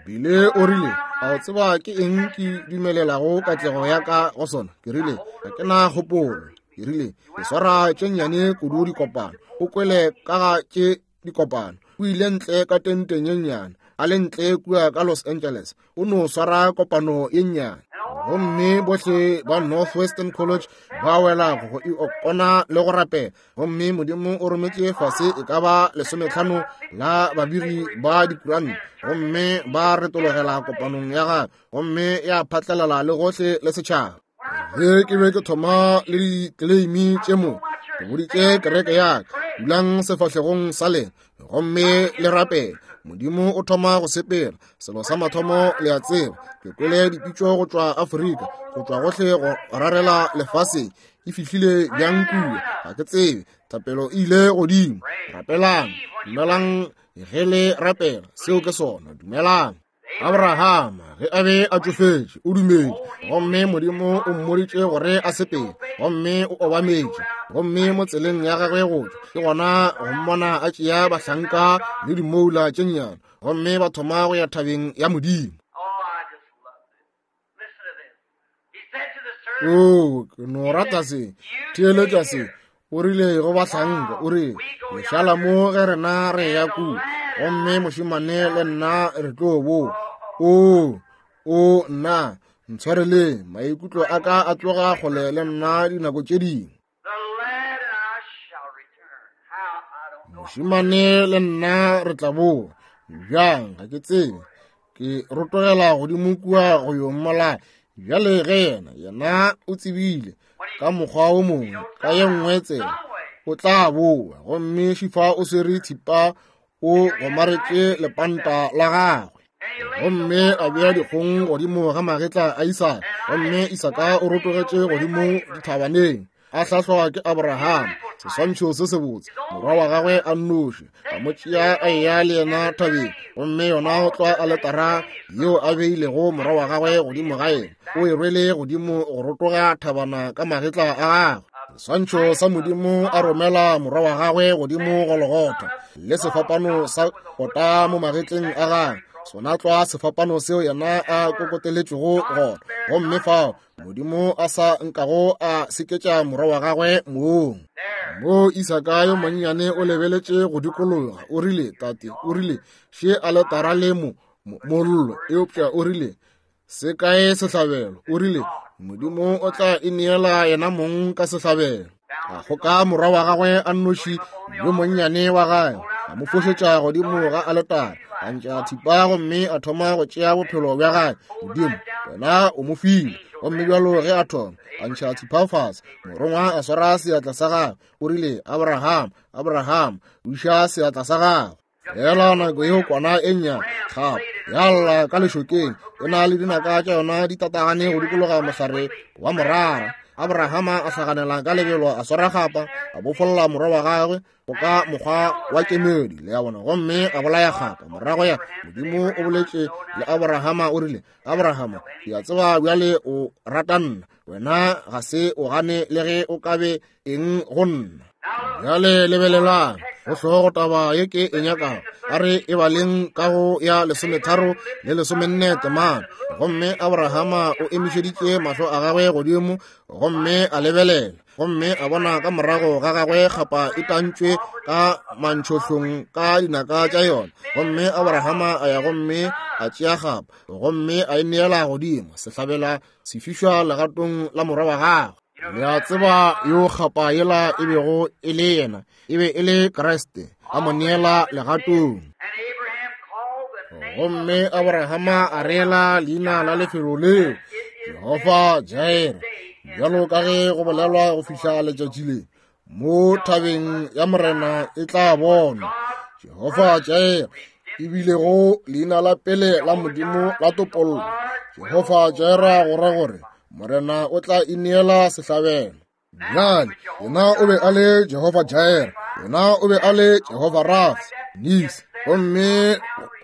Bile o rile, a o tseba ke eng ke dumelelago katlego ya ka go sona? Ke rile, ga ke na kgopolo. Ke rile, ke swara tše nnyane kudu dikopano. O kwele ka ga tše dikopano. O ile ntle ka tenteng ye nnyane, a le ntle kua ka Los Angeles, o no swara kopano ye nnyane. Gomme bohle ba Northwestern College ba wela go e okona le go rapela. Gomme Modimo o rometše fase e ka ba 15 la babiri ba dikuranta, gomme ba retologela kopanong ya gagwe, gomme ya phatlalala le gohle le setšhaba. Ge ke be ke thoma le dikleimi tše mo, ke boditše kereke ya ka, dulang sefahlegong sa lena gomme le rapele. Modimo o thoma go sepela. Selo sa mathomo le a tseba, ke kwele dipitšo go tšwa Afrika, go tšwa gohle go rarela lefaseng. E fihlile bjang kua? Ga ke tsebe. Thapelo e ile godimo. Rapelang, dumelang ge le rapela. Seo ke sona, dumelang. Abrahama ge a be a tšofetše o dumetše, gomme Modimo o mmoditše gore a sepele, gomme o obametše. Gomme mo tseleng ya gagwe go tšwa, ke gona go mmona a tšea bahlanka le dimoula tše nnyane, gomme ba thoma go ya thabeng ya Modimo. Oo, ke no rata se. Theeletša se. O rile go bahlanka, o rile, le šala mo ge rena re ya kua, gomme mošemane le nna re tlo boa. Oo, o nna, ntshwareleng, maikutlo a ka a tloga kgole le nna dinako tše dingwe. Mošemane le nna re tla boa. Bjang, ga ke tsebe. Ke rotogela godimo kua go yo mmolaya. Bjale ge yena, yena o tsebile ka mokgwa wo mongwe, ka ye nngwe tsela, o tla boa. Gomme Šifa o swere thipa, o gomaretše lepanta la gagwe, gomme a bea dikgong godimo ga magetla a Isaka. Gomme Isaka o rotogetše godimo dithabaneng, a hlahlwa ke Abraham, seswantšho se sebotse, morwa wa gagwe a nnoši, a mo tšea a eya le yena thabeng. Gomme yona go tloga aletara yeo a beilego morwa wa gagwe godimo ga yena, o e rwele godimo go rotoga thabana ka magetla a gagwe. Seswantšho sa Modimo a romela morwa wa gagwe godimo Golgotha, le sefapano sa kota mo magetleng a gagwe, sona tlwa sefapano seo yena a kokoteletšego gona. Gomme fao Modimo a sa nkago a seketša morwa wa gagwe mong. Mo Isaka yo monnyane o lebeletše go dikologa, o rile, Tate, o rile, še aletara le mo, mollo, eupša o rile, se kae sehlabelo? O rile, Modimo o tla ineela yena mong ka sehlabelo. A kgoka morwa wa gagwe a nnoši yo monnyane wa gagwe, a mo fošetša godimo ga aletara, a ntša thipa gomme a thoma go tšea bophelo bja gagwe. Modimo, wena o mo file. Gomme bjalo ge a thoma, a ntšha thipa fase, morongwa a swara seatla sa gagwe, o rile, Abraham, Abraham, buša seatla sa gagwe. Fela nako yeo kwana e nnyane gape ya lla ka lešokeng, e na le dinaka tša yona di tatagane go dikologa mohlare wa morara. Abrahama a hlaganela ka lebelo, a swara kgapa, a bofolla morwa wa gagwe go ka mokgwa wa kemedi, le a bona, gomme a bolaya kgapa. Morago ya Modimo o boletše le Abrahama, o rile, Abrahama, ke a tseba bjale o rata nna, wena ga se o gane le ge o ka be eng go nna. Bjale lebelelang. Go hlogo taba ye ke e nyakago, a re e baleng ka go ya 13 le 14 temana. Gomme Abrahama o emišeditše mahlo a gagwe godimo gomme a lebelela, gomme a bona ka morago ga gagwe kgapa e tantšwe ka mantšhohlong ka dinaka tša yona. Gomme Abrahama a ya gomme a tšea kgapa gomme a e neela godimo sehlabela sefišwa legatong la morwa wa gagwe. Le a tseba yo kgapa yela e bego e le yena, e be e le Kriste, a mo neela legatong. Gomme Abrahama a reela leina la lefelo leo Jehofa Jaire, bjalo ka ge go bolelwa go fihla letšatši le, mo thabeng ya Morena e tla bonwa. Jehofa Jaire e bilego leina la pele la Modimo la topollo. Jehofa Jaire go ra gore Morena o tla ineela sehlabelo. Bjale, yena o be a le Jehofa Jaire, yena o be a le Jehofa Rafa, Nisi, gomme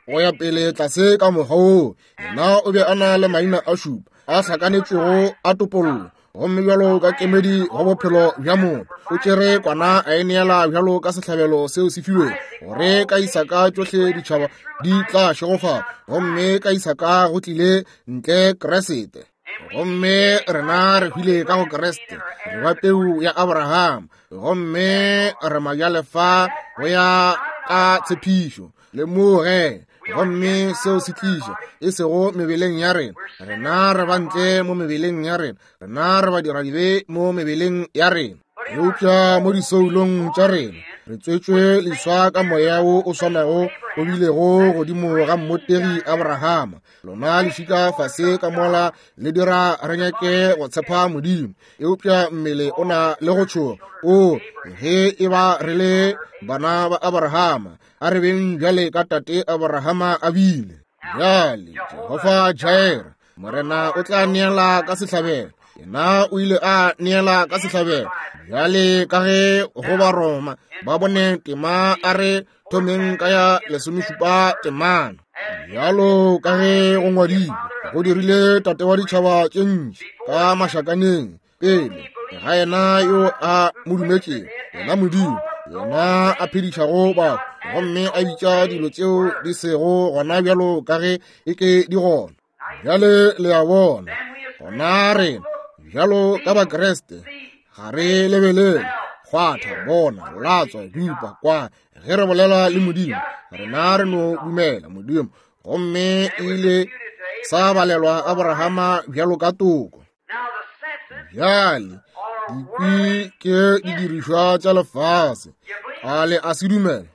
go ya pele tlase ka mokgwa woo. Yena o be a na le maina a šupa a hlakanetšwego a topollo, gomme bjalo ka kemedi go bophelo bja motho, o tšere kwana a e neela bjalo ka sehlabelo seo se filwego, gore ka Isaka tšohle ditšhaba di tla šegofala, gomme ka Isaka go tlile ntle Kriste. Gomme rena re hwile ka go Kriste, re ba peu ya Abraham, gomme re majalefa go ya ka tshepišo. Le moge, gomme seo se tliša e sego mebeleng ya rena, rena re ba ntle mo mebeleng ya rena, rena re badiradibe mo mebeleng ya rena, eupša mo disoulong tša rena re tswetšwe leswa ka moya wo o swanago o bilego godimo ga mmotegi Abrahama. Lona lešika fase ka mola le dira re nyake go tshepa Modimo, eupša mmele o na le go tšhoga. O ge e ba re le bana ba Abrahama, a re beng bjale ka tate Abrahama a bile. Bjale Jehofa Jaire, Morena o tla neela ka sehlabelo. Yena o ile a neela ka sehlabelo. Bjale ka ge go ba Roma ba bone tema, a re thomeng ka ya 17 temana. Bjalo ka ge go ngwadilwe, go dirile tate wa ditšhaba tše ntši ka mašakaneng pele ga yena yo a mo dumetšego, yena Modimo, yena a phedišago batho, gomme a bitša dilo tšeo di sego gona bjalo ka ge e ke di gona. Bjale le a bona, gona rena bjalo ka Bakriste ga re lebelele, kgwatha, bona, latswa, dupa, kwa. Ge re bolela le Modimo, rena re no dumela Modimo, gomme e ile sa balelwa Abrahama bjalo ka toko. Bjale dikwi ke didirišwa tša lefase, a le a se dumela?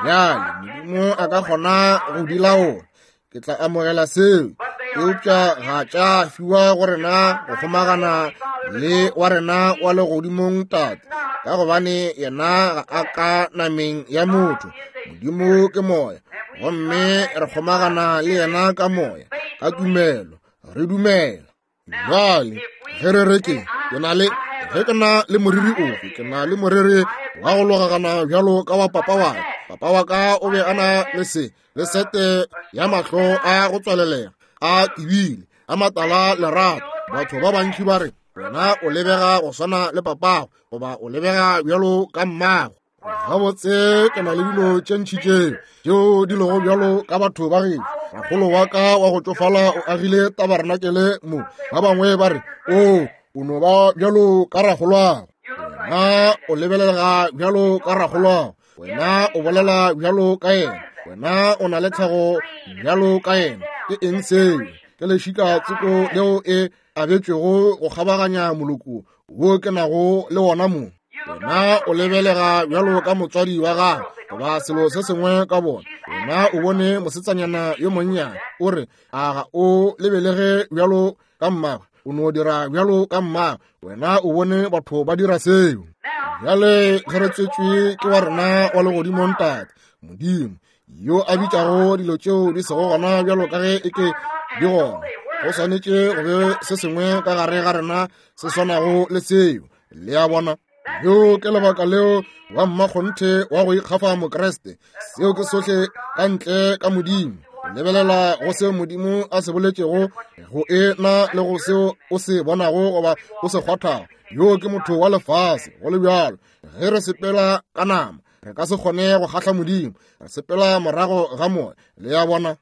Bjale Modimo a ka kgona go di laola, ke tla amogela seo, eupša ga tša fiwa go rena go kgomagana le wa rena wa legodimong Tate, ka gobane yena ga a ka nameng ya motho. Modimo ke moya, gomme re kgomagana le yena ka moya, ka tumelo re dumela. Bjale ge re re ke na le, ge ke na le moriri ofe, ke na le moriri wa go logagana bjalo ka wa papa wa ka. Papa wa ka o be a na le se, le sete ya mahlo a go tswalelega, a tibile, a matala lerato. Batho ba bantši ba re, wena o lebega go swana le papago, goba o lebega bjalo ka mmago. Gabotse ke na le dilo tše ntši tšeo tšeo di lego bjalo ka batho ba gešo. Rakgolo wa ka wa go tšofala o agile tabarenakele mo. Ba bangwe ba re, o o no ba bjalo ka rakgolwago. Wena o lebelega bjalo ka rakgolwago. Wena o bolela bjalo ka yena. Wena o na le tlhago bjalo ka yena. Ke eng seo? Ke lešika tsoko leo e abetšwego go kgabaganya moloko wo ke nago le wona mo. Wena o lebelega bjalo ka motswadi wa gago goba selo se sengwe ka bona. Wena o bone mosetsanyana yo monnyane, o re, a ga o lebelege bjalo ka mmagwe, o no dira bjalo ka mmagwe. Wena o bone batho ba dira seo. Bjale ge re tswetšwe ke wa rena wa legodimong Tate, Modimo, yo a bitšago dilo tšeo di sego gona bjalo ka ge e ke di gona, go swanetše go be se sengwe ka gare ga rena se swanago le seo. Le a bona? Leo ke lebaka leo wa mmakgonthe wa go ikgafa Mokriste. Seo ke sohle ka ntle ka Modimo. Lebelela go seo Modimo a se boletšego go e na le go seo o se bonago goba o se kgwathago. Yo ke motho wa lefase, go le bjalo. Ge re sepela ka nama, Re ka se kgone go kgahla Modimo. Re sepela morago ga Moya. Le a bona?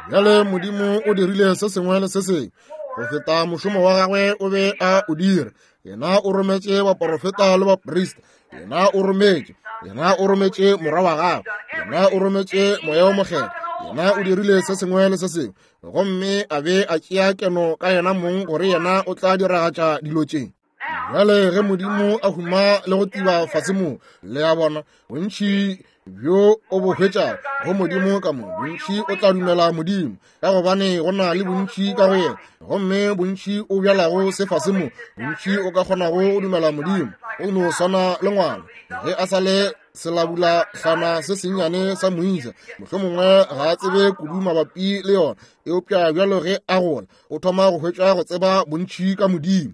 Bjale Modimo o dirile se sengwe le se sengwe go feta mošomo wa gagwe o be a o dira. Yena o rometše baporofeta le baprista. Yena o rometše, yena o rometše morwa wa gagwe. Yena o rometše Moya wo Mokgethwa. Yena o dirile se sengwe le se sengwe, gomme a be a tšea keno ka yena mong gore yena o tla diragatša dilo tše. Bjale ge Modimo a huma le go tiba fase mo, le a bona, bontši bjo o bo hwetša go Modimo ka mo, bontši o tla dumela Modimo, ka gobane go na le bontši ka go yena. Gomme bontši o bjalago se fase mo, bontši o ka kgonago go dumela Modimo. O no swana le ngwana ge a sa le selabulahlana se sennyane sa moisa, mohlomongwe ga a tsebe kudu mabapi le yona, eupša bjalo ge a gola o thoma go hwetša go tseba bontši ka Modimo.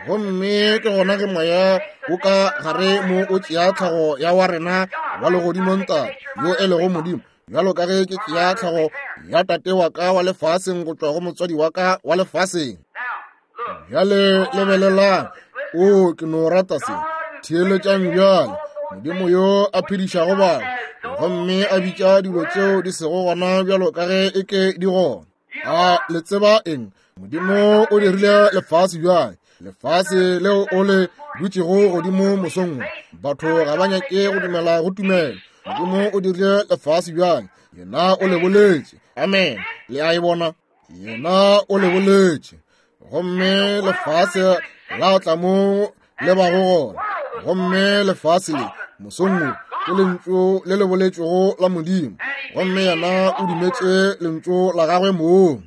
Gomme ke gona ge moya o ka gare mo o tšea tlhago ya wa rena wa legodimo Ntate, yo e lego Modimo, bjalo ka ge ke tšea tlhago ya tate wa ka wa lefaseng go tšwa go motswadi wa ka wa lefaseng. Bjale lebelelang, o ke no rata se. Theeletšang bjale, Modimo yo a phedišago batho gomme a bitša dilo tšeo di sego gona bjalo ka ge e ke di gona. A le tseba eng? Modimo o dirile lefase bjale, lefase leo o le dutšego godimo mosong wo. Batho ga ba nyake go dumela go tumelo. Modimo o dirile lefase bjale, yena o le boletše. Amen. Le a e bona? Yena o le boletše, gomme lefase la tla mo le bago gona. Gomme lefase le mosong wo ke lentšu le le boletšego la Modimo, gomme yena o dumetše lentšu la gagwe mong.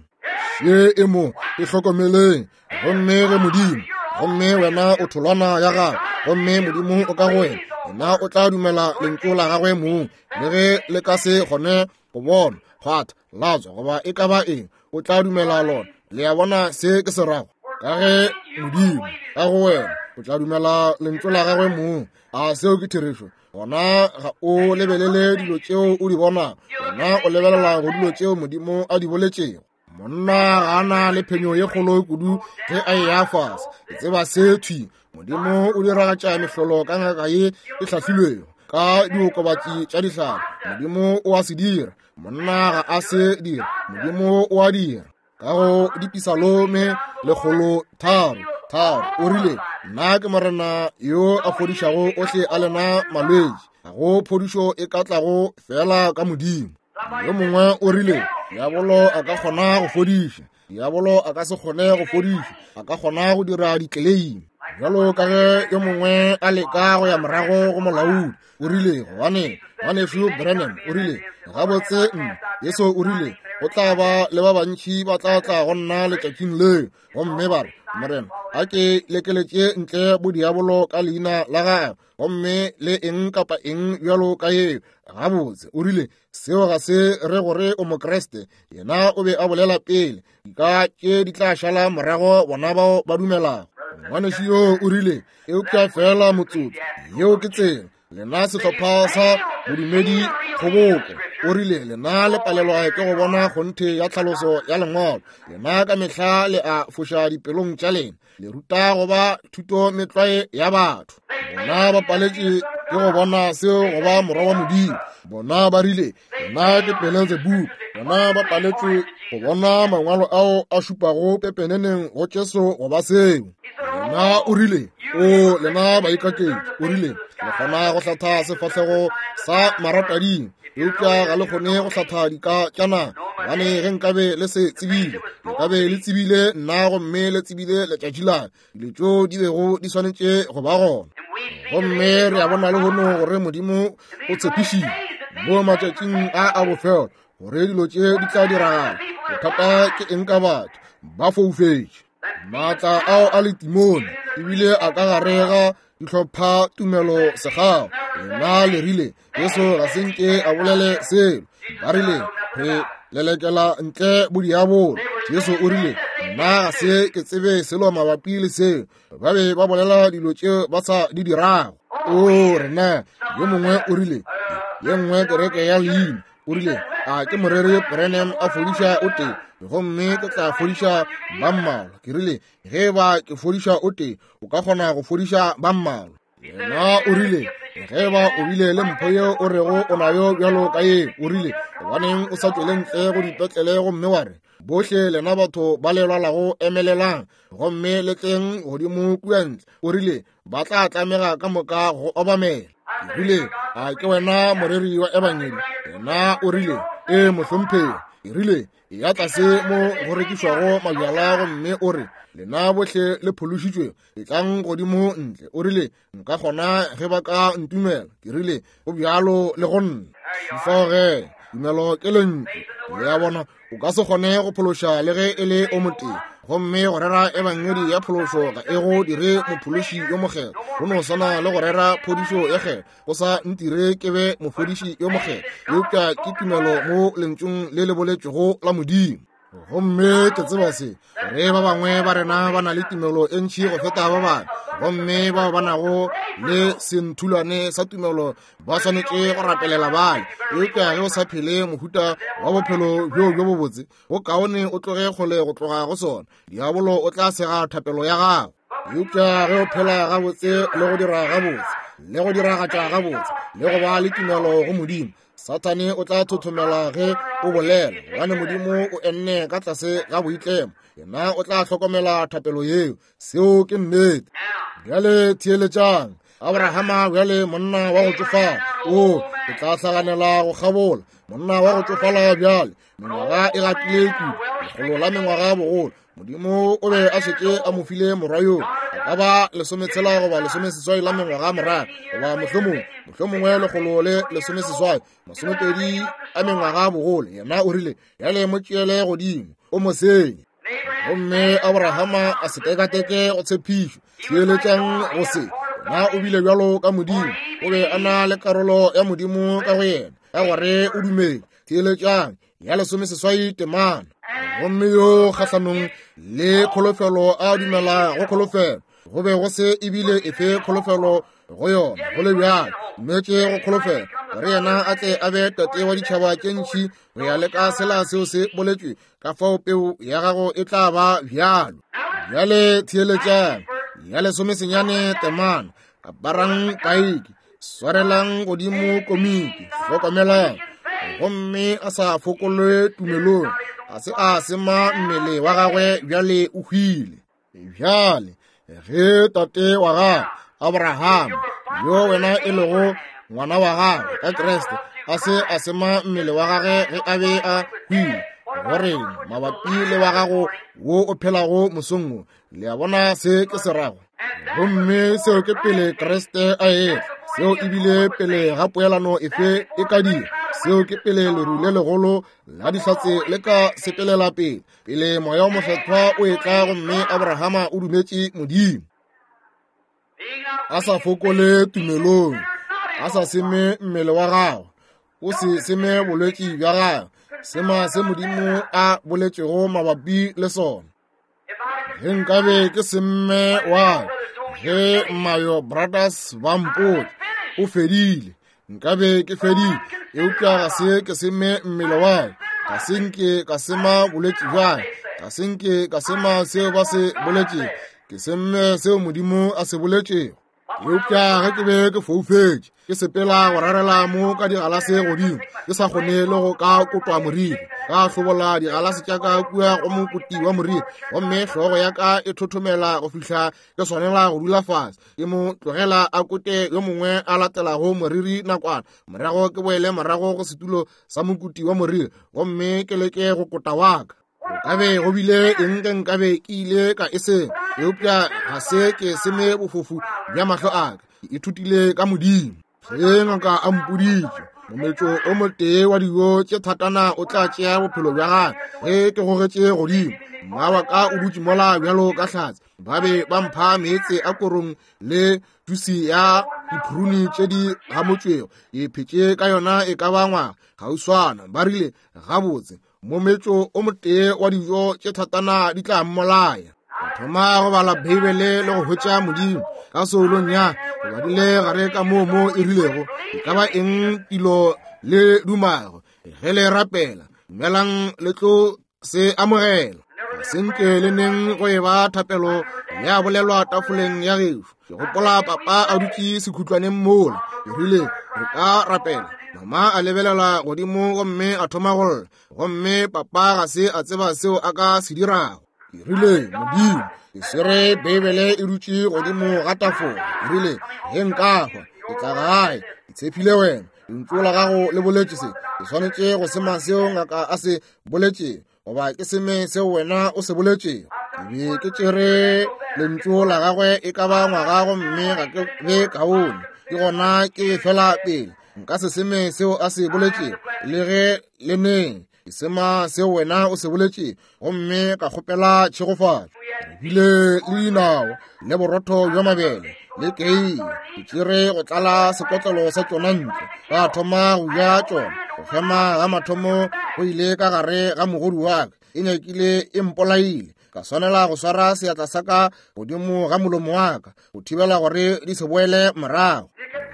Ye e mo e hlokomeleng. Gomme ge Modimo, gomme wena o tholwana ya gagwe, gomme Modimo o ka go wena, yena o tla dumela lentšu la gagwe mong, le ge le ka se kgone go bona, kgwatha, latswa, goba e ka ba eng, o tla dumela lona. Le a bona se ke se rago? Ka ge Modimo ka go wena, o tla dumela lentšu la gagwe mong. A seo ke therešo? Gona ga o lebelele dilo tšeo o di bonago, wena o lebelela go dilo tšeo Modimo a di boletšego. Monna ga a na le phenyo ye kgolo kudu ge a eya fase. Ke tseba se thwi. Modimo o diragatša mehlolo ka ngaka ye e hlahlilwego ka diokobatši tša dihlare. Modimo o a se dira. Monna ga a se dira. Modimo o a dira. Ka go dipisalome 103:3 o rile, Nna ke Morena yo a fodišago ohle a lena malwetši. Ga go phodišo e ka tlago fela ka Modimo. Yo mongwe o rile, Diabolo a ka kgona go fodiša. Diabolo a ka se kgone go fodiša, a ka kgona go dira ditleleimi. Bjalo ka ge yo mongwe a leka go ya morago go molaodi, o rile, gobane ngwanešu Branham o rile, gabotse, Jesu o rile, go tla ba le ba bantši ba tla tla go nna letšatšing leo, gomme ba re, Morena, a ke lekeletše ntle bodiabolo ka leina la gago, gomme le eng kapa eng bjalo ka yeo. Gabotse, o rile, seo ga se re gore o Mokriste. Yena o be a bolela pele, dika tše di tla šala morago bona bao ba dumelago. Ngwanešu yo o rile, eupša feela motsotso, yeo ke tsela. Lena sehlopha sa bodumedi kgoboko, o rile, lena le palelwa ke go bona kgonthe ya tlhaloso ya Lengwalo. Lena ka mehla le a foša dipelong tša lena. Le ruta go ba thuto metlwae ya batho. Bona ba paletše ke go bona seo go ba morwa wa Modimo. Bona ba rile, yena ke Beelzebub. Bona ba paletšwe go bona mangwalo ao a šupago pepeneneng go Jesu go ba seo. Yena o rile, o lena baikaketši, o rile, le kgona go hlatha sefahlego sa maratading, eupša ga le kgone go hlatha dika tša naga. Gobane ge nkabe le se tsebile, le ka be le tsebile nna, gomme le tsebile letšatši la dilo tšeo di bego di swanetše go ba gona. Gomme re a bona lehono gore Modimo o tshepišitše mo matšatšing a a bofelo gore dilo tše di tla diragala. Bothata ke eng ka batho? Ba foufetše. Maatla ao a letimone ebile a ka gare ga dihlopha tumelo segao. Lena le rile Jesu ga se nke a bolele selo. Ba rile re lelekela ntle bodiabolo. Jesu o rile, nna ga se ke tsebe selo mabapi le seo. Ba be ba bolela dilo tšeo ba sa di dirago. O rena, yo mongwe o rile, ye nngwe kereke ya leina, o rile, a ke moreri Branham a fodiša o tee, gomme ke tla fodiša ba mmalwa. Ke rile, ge ba ke fodiša o tee, o ka kgona go fodiša ba mmalwa. Yena o rile, Ge eba o bile le mpho yeo o rego o nayo bjalo ka ye, o rile, gobaneng o sa tšwele ntle go dipetlele gomme wa re, Bohle lena batho ba le lwalago emelelang gomme le tleng godimo kua ntle. O rile, Ba tla tlamega ka moka go obamela. Ke rile, A ke wena moreri wa ebangedi? Yena o rile, Ee, mohlomphegi. Ke rile, Eya tlase mo go rekišwago mabjala gomme o re, Lena bohle le phološitšwe, etlang godimo ntle. O rile, Nka kgona ge ba ka ntumela. Ke rile, Go bjalo le go nna. Fao ge, tumelo ke lentšu. Le a bona, o ka se kgone go phološa le ge e le o motee. Gomme go rera ebangedi ya phološo ga e go dire mophološi yo mokgethwa. Go no swana le go rera phodišo ya kgetho go sa ntire ke be mofodiši yo mokgethwa, eupša ke tumelo mo lentšung le le boletšwego la Modimo. Gomme ke tseba se, gore ba bangwe ba rena ba na le tumelo e ntši go feta ba bangwe, gomme bao ba nago le senthulwane sa tumelo ba swanetše go rapelela bale. Eupša ge o sa phele mohuta wa bophelo bjo bjo bobotse, go kaone o tloge kgole go tloga go sona. Diabolo o tla sega thapelo ya gago. Eupša ge o phela gabotse le go dira gabotse le go diragatša gabotse le go ba le tumelo go Modimo, Sathane o tla thothomela ge o bolela, gobane Modimo o enne ka tlase ga boitlemo. Yena o tla hlokomela thapelo yeo. Seo ke nnete. Bjale theeletšang. Abrahama bjale monna wa go tšofala, o ke tla hlaganela go kgabola. Monna wa go tšofala bjale, mengwaga e gatile kudu, lekgolo la mengwaga bogolo. Modimo o be a šetše a mo file morwa yo a ka ba lesometshela goba lesomeseswai la mengwaga morago, goba mohlomongwe mohlomongwe lekgolo le lesomeseswai masomepedi a mengwaga bogolo. Yena o rile, Bjale mo tšeele godimo o mo senye. Gomme Abrahama a se tekateke go tshepišo. Theeletšang go se. Yena o bile bjalo ka Modimo, o be a na le karolo ya Modimo ka go yena, ka gore o dumele. Theeletšang ya lesomeseswai temana. Gomme yo kgahlanong le kholofelo a dumela go kholofelo, go be go se ebile efe kholofelo go yona, go le bjalo mmetše go kholofelo, gore yena a tle a be tate wa ditšhaba tše ntši go ya le ka sela seo se boletšwe, ka fao peu ya gago e tla ba bjalo. Bjale theeletšang ya lesomesenyane temana. Aparang paiki, swarelang godimo komiki, hlokomelang. Gomme a sa fokolwe tumelong, ga se a sema mmele wa gagwe, bjale o hwile. Bjale ge tate wa gago Abrahama, yo wena e lego ngwana wa gagwe ka Kriste, a se a sema mmele wa gagwe ge a be a hwile, goreng mabapi le wa gago wo o phelago mosong wo? Le a bona se ke se rago? Gomme seo ke pele Kriste a etla, seo ebile pele ga poelano efe e ka dira, seo ke pele leru le legolo la dihlatse le ka sepelela pele, pele Moya o Mokgethwa o etla. Gomme Abrahama o dumetše Modimo, a sa fokole tumelong, a sa seme mmele wa gagwe, o se seme bolwetši bja gagwe, sema se Modimo a boletšego mabapi le sona. Ge nkabe ke semme wa ge Mayo Brothers ba mpotša o fedile, nkabe ke fedile, eupša ga se ke seme mmele wa ka, ga se nke ka sema bolwetši bja ka, ga se nke ka sema seo ba se boletšego, ke semme seo Modimo a se boletšego. Eupša ge ke be ke foufetše, ke sepela go rarela mo ka digalase godimo, ke sa kgone le go ka kotwa moriri, ka hlobola digalase tša ka kua go mokoti wa moriri, gomme hlogo ya ka e thothomela go fihla ke swanela go dula fase, ke mo tlogela a kote yo mongwe a latelago moriri nakwana, morago ke boele morago go setulo sa mokoti wa moriri gomme ke leke go kota wa ka. Go ka be go bile eng ge nkabe ke ile ka e seng, eupša ga se ke seme bofofu bja mahlo a ka. Ke ithutile ka Modimo. Ge ngaka a mpoditše, mometšo o motee wa dijo tše thatana o tla tšea bophelo bja gagwe, ge ke gogetše godimo, mma wa ka o dutše mola bjalo ka hlatse. Ba be ba mpha meetse a korong le jusi ya diphruni tše di gamotšwego. Ke phetše ka yona e ka ba ngwaga kgauswana. Ba rile, Gabotse, mometšo o motee wa dijo tše thatana di tla mmolaya. Ka thoma go bala Beibele le go hwetša Modimo ka soulong ya ke badile gare ka moo mo e rilego, e ka ba eng tilo le dumago ge le rapela, dumelang le tlo se amogela. Ga se nke le neng go e ba thapelo Ya bolelwa tafoleng ya gešo. Ke gopola papa a dutše sekhutlwaneng mola. Ke rile, re ka rapela. Mama a lebelela godimo gomme a thoma go lla. Gomme papa ga se a tseba seo a ka se dirago. Ke rile, Modimo, ke swere Beibele e dutše godimo ga tafola. Ke rile, ge nka hwa, ke tla gae. Ke tshepile wena. Lentšu la gago le boletše se. Ke swanetše go sema seo ngaka a se boletšego, goba ke seme seo wena o se boletšego. Ke be ke tšere lentšu la gagwe e ka ba ngwaga gomme ga ke be kaone. Ke gona ke fela pele. Nka se seme seo a se boletšego, le ge le neng. Ke sema seo wena o se boletšego, gomme ka kgopela tšhegofatšo. Re bile le dinao le borotho bja mabele le kei. Ke tšere go tlala sekotlelo sa tšona ntle, ka thoma go ja tšona. Go hema ga mathomo go ile ka gare ga mogodu wa ka, e nyakile e mpolaile. Ka swanela go swara seatla sa ka godimo ga molomo wa ka go thibela gore di se boele morago,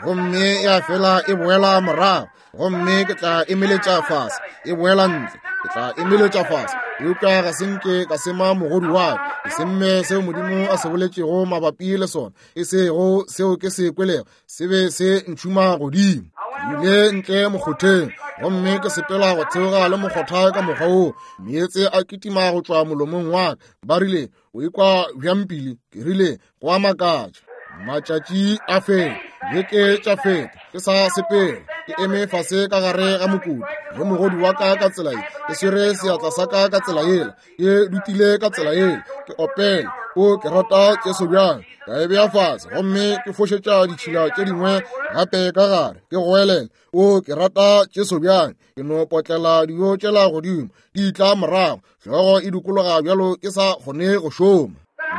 gomme ya fela e boela morago. Gomme ke tla emeletša fase, e boela ntle, ke tla emeletša fase. Eupša ga se nke ka sema mogodu wa ka, ke semme seo Modimo a se boletšego mabapi le sona, e sego seo ke se kwelego, se be se ntšhuma godimo. Ke ile ntle mokgotheng, gomme ke sepela go theoga le mokgotha ka mokgwa woo, meetse a kitima go tšwa molomong wa ka. Ba rile, o ikwa bjang pele? Ke rile, go a makatša. Matšatši a feta, beke tša feta, ke sa sepela, ke eme fase ka gare ga mokoti le mogodi wa ka ka tsela ye, ke swere seatla sa ka ka tsela yela, ke dutile ka tsela yela, ke opela, o ke rata Jesu bjang. Ka e bea fase gomme ke fošetša ditšhila tše dingwe gape ka gare, ke goelela, o ke rata Jesu bjang. Ke no potlela dijo tšela godimo, di tla morago, hlogo e dikologa bjalo ke sa kgone go šoma.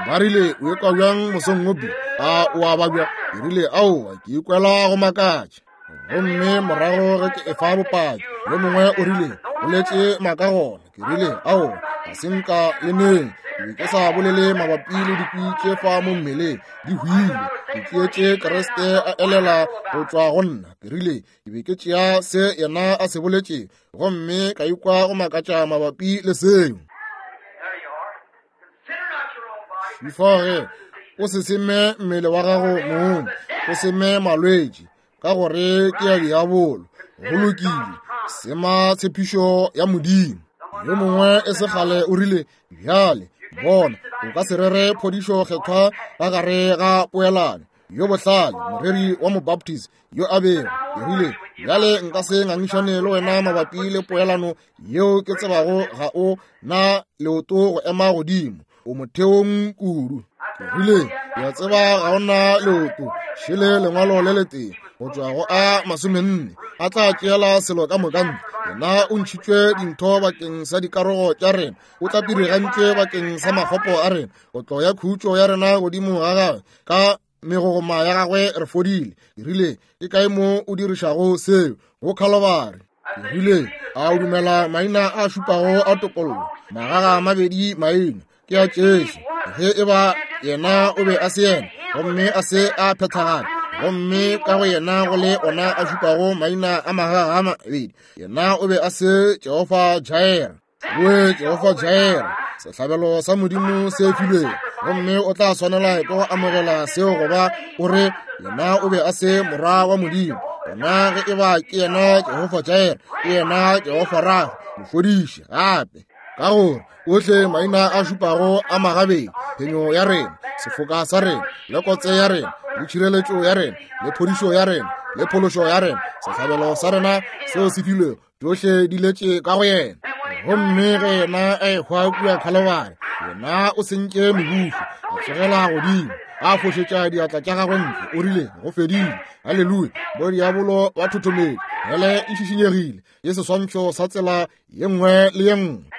Ba rile, o ikwa bjang mosong wo, Bill? A o a babja? Ke rile, aowa, ke ikwela go makatša. Gomme morago ge ke efa bopaki, yo mongwe o rile, boletše maaka gona. Ke rile, aowa, ga se nka le neng. Ke be ke sa bolele mabapi le dikwi tše fa mo mmeleng, di hwile. Ke tšeetše Kriste a elela go tšwa go nna. Ke rile, ke be ke tšea se yena a se boletše, gomme ka ikwa go makatša mabapi le seo. Before o se seme mmele wa gago mong, o seme malwetši, ka gore ke ya diabolo. Go lokile, sema tshepišo ya Modimo. Yo mongwe e se kgale o rile, bjale bona, o ka se rere phodišo kgethwa ka gare ga poelano. Yo bohlale, moreri wa Mobaptist yo a bego, ke rile, bjale nka se ngangišane le wena mabapi le poelano yeo ke tsebago ga o na leoto go ema godimo, o motheong kudu. Ke rile, ke a tseba ga o na leoto, šele lengwalo le letee go tšwa go a 40 a tla tšeela selo ka moka ntle. Yena o ntšhitšwe dintho bakeng sa dikarogo tša rena, o tlapirigantšwe bakeng sa makgopo a rena, kotlo ya khutšo ya rena godimo ga gagwe, ka megogoma ya gagwe re fodile. Ke rile, ke kae mo o dirišago seo? Go Khalobari. Ke rile, a o dumela maina a šupago a topollo? Magaga a mabedi maina ke a Jesu. Ge e ba yena o be a se yena, gomme a se a phethagala, gomme ka go yena go le ona a šupago maina a magaga a mabedi, yena o be a se Jehofa Jireh. Oe Jehofa Jireh, sehlabelo sa Modimo se filwego, gomme o tla swanela ke go amogela seo goba o re yena o be a se morwa wa Modimo. Gona ge e ba ke yena Jehofa Jireh, ke yena Jehofa Rafa, mofodiši gape. Ka gore ohle maina a šupago a magabedi, phenyo ya rena, sefoka sa rena, le kotse ya rena, le tšhireletšo ya rena, le phodišo ya rena, le phološo ya rena, sehlabelo sa rena seo se filwego, tšohle di letše ka go yena. Gomme ge yena a ehwa kua Khalobari, yena o sentše mebušo, a tsogela godimo, a fošetša diatla tša gagwe ntle, o rile, go fedile. Haleluya! Bodiabolo ba thothometše, hele e šišinyegile, ke seswantšho sa tsela ye nngwe le ye nngwe.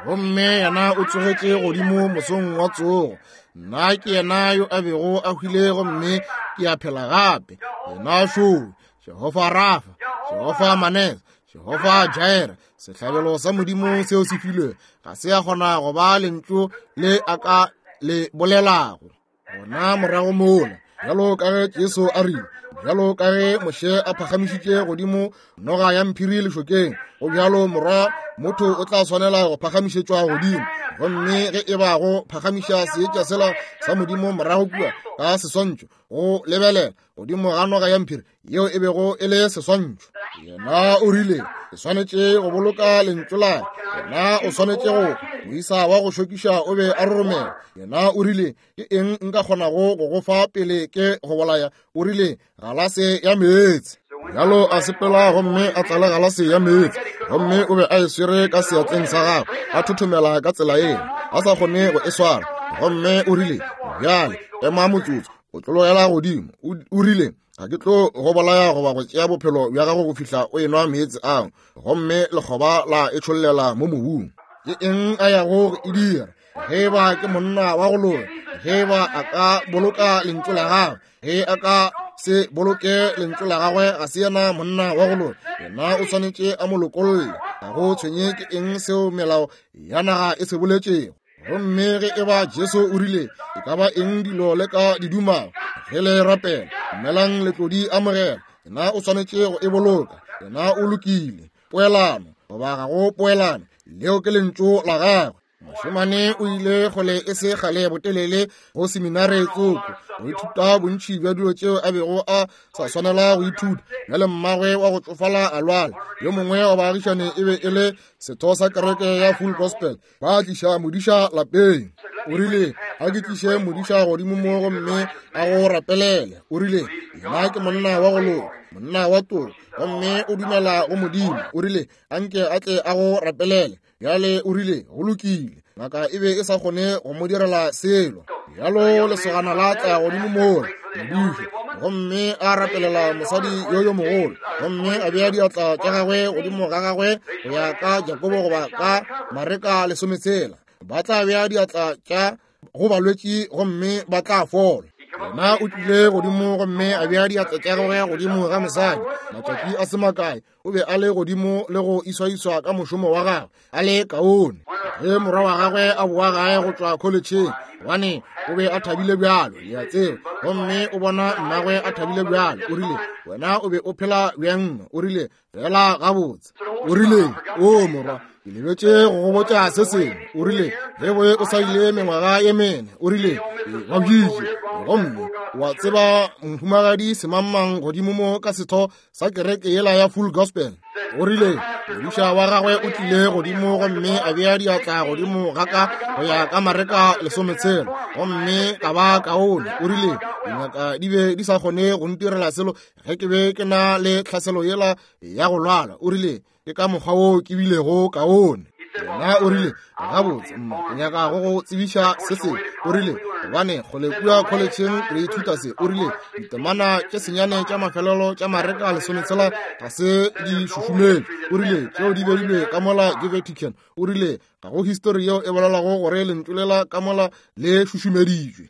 Gomme yena o tsogetše godimo mosong wa tsogo. Nna ke yena yo a bego a hwile gomme ke a phela gape. Yena šo, Jehofa Rafa, Jehofa Manese, Jehofa Jireh, sehlabelo sa Modimo seo se filwe, ga se a kgona go ba lentšu le a ka le bolelago. Gona morago mola, bjalo ka ge Jesu a rile, bjalo ka ge Moshe a phagamišitše godimo noga ya mphiri lešokeng, go bjalo morwa motho o tla swanela go phagamišetšwa godimo. Gomme ge e ba go phagamiša seetša sela sa Modimo morago kua ka seswantšho, go lebelela godimo ga noga ya mphiri yeo e bego e le seswantšho, yena o rile, ke swanetše go boloka lentšu la ka. Yena o swanetše go moisa wa go šokiša o be a roromela. Yena o rile, ke eng nka kgonago go go fa pele ke go bolaya? O rile, galase ya meetse. Bjalo a sepela gomme a tlala galase ya meetse, gomme o be a e swere ka seatleng sa gagwe, a thothomela ka tsela yeo, a sa kgone go e swara. Gomme o rile, bjale ema motsotso, o tlologela godimo. O rile, ga ke tlo go bolaya goba go tšea bophelo bja gago go fihla o enwa meetse ao. Gomme lekgoba la e tšhollela mo mobung. Ke eng a yago go e dira? Ge ba ke monna wa go loka, ge ba a ka boloka lentšu la gagwe, ge a ka se boloke lentšu la gagwe, ga se yena monna wa go loka. Yena o swanetše a mo lokolle. Ga go tshwenye ke eng seo melao ya naga e se boletšego. Gomme ge e ba Jesu o rile, e ka ba eng dilo le ka di dumago, ge le rapela, dumelang le tlo di amogela. Yena o swanetše go e boloka. Yena o lokile. Poelano goba ga go poelano, leo ke lentšu la gagwe. Mošemane o ile kgole e se kgale botelele go seminare tsoko go ithuta bontši bja dilo tšeo a bego a sa swanela go ithuta. Bjale mmagwe wa go tšofala a lwala. Yo mongwe wa baagišane e be e le setho sa kereke ya Full Gospel. Ba tliša modiša lapeng. O rile, a ke tliše modiša godimo mo gomme a go rapelele. O rile, yena ke monna wa go loka, monna wa toro, gomme o dumela go Modimo. O rile, anke a tle a go rapelele. Bjale o rile, go lokile. Ngaka e be e sa kgone go mo direla selo. Bjalo lesogana la tla godimo mola, modiši, gomme a rapelela mosadi yo yo mogolo, gomme a bea diatla tša gagwe godimo ga gagwe go ya ka Jakobo goba ka Mareka 16. Ba tla bea diatla tša go balwetši gomme ba tla fola. Yena o tlile godimo gomme a bea diatla tša gagwe godimo ga mosadi. Matšatši a se makae o be a le godimo le go iswaiswa ka mošomo wa gagwe a le kaone. Ge morwa wa gagwe a boa gae go tšwa kholetšheng, gobane o be a thabile bjalo, le a tseba, gomme o bona mmagwe a thabile bjalo, o rile, wena o be o phela bjang? O rile, fela gabotse. O rile, o morwa, ke lebetše go go botša se sengwe. O rile, ge boe o sa ile mengwaga ye mene, o rile, ke babjitše, gomme wa tseba mohumagadi semangmang godimo mo ka setho sa kereke yela ya Full Gospel. O rile, modiša wa gagwe o tlile godimo gomme a bea diatla godimo ga ka go ya ka Mareka 16, gomme ka ba kaone. O rile, dingaka di be di sa kgone go ntirela selo ge ke be ke na le tlhaselo yela ya go lwala. O rile, ke ka mokgwa wo ke bilego kaone. Yena o rile, gabotse mma, ke nyaka go go tsebiša se sengwe. O rile, gobane kgole kua kholetšheng re ithuta se. O rile, ditemana tše senyane tša mafelelo tša Mareka 16 ga se di šušumetšwe. O rile, tšeo di beilwe ka mola ke Vatican. O rile, ga go histori yeo e bolelago gore lentšu lela ka mola le šušumeditšwe.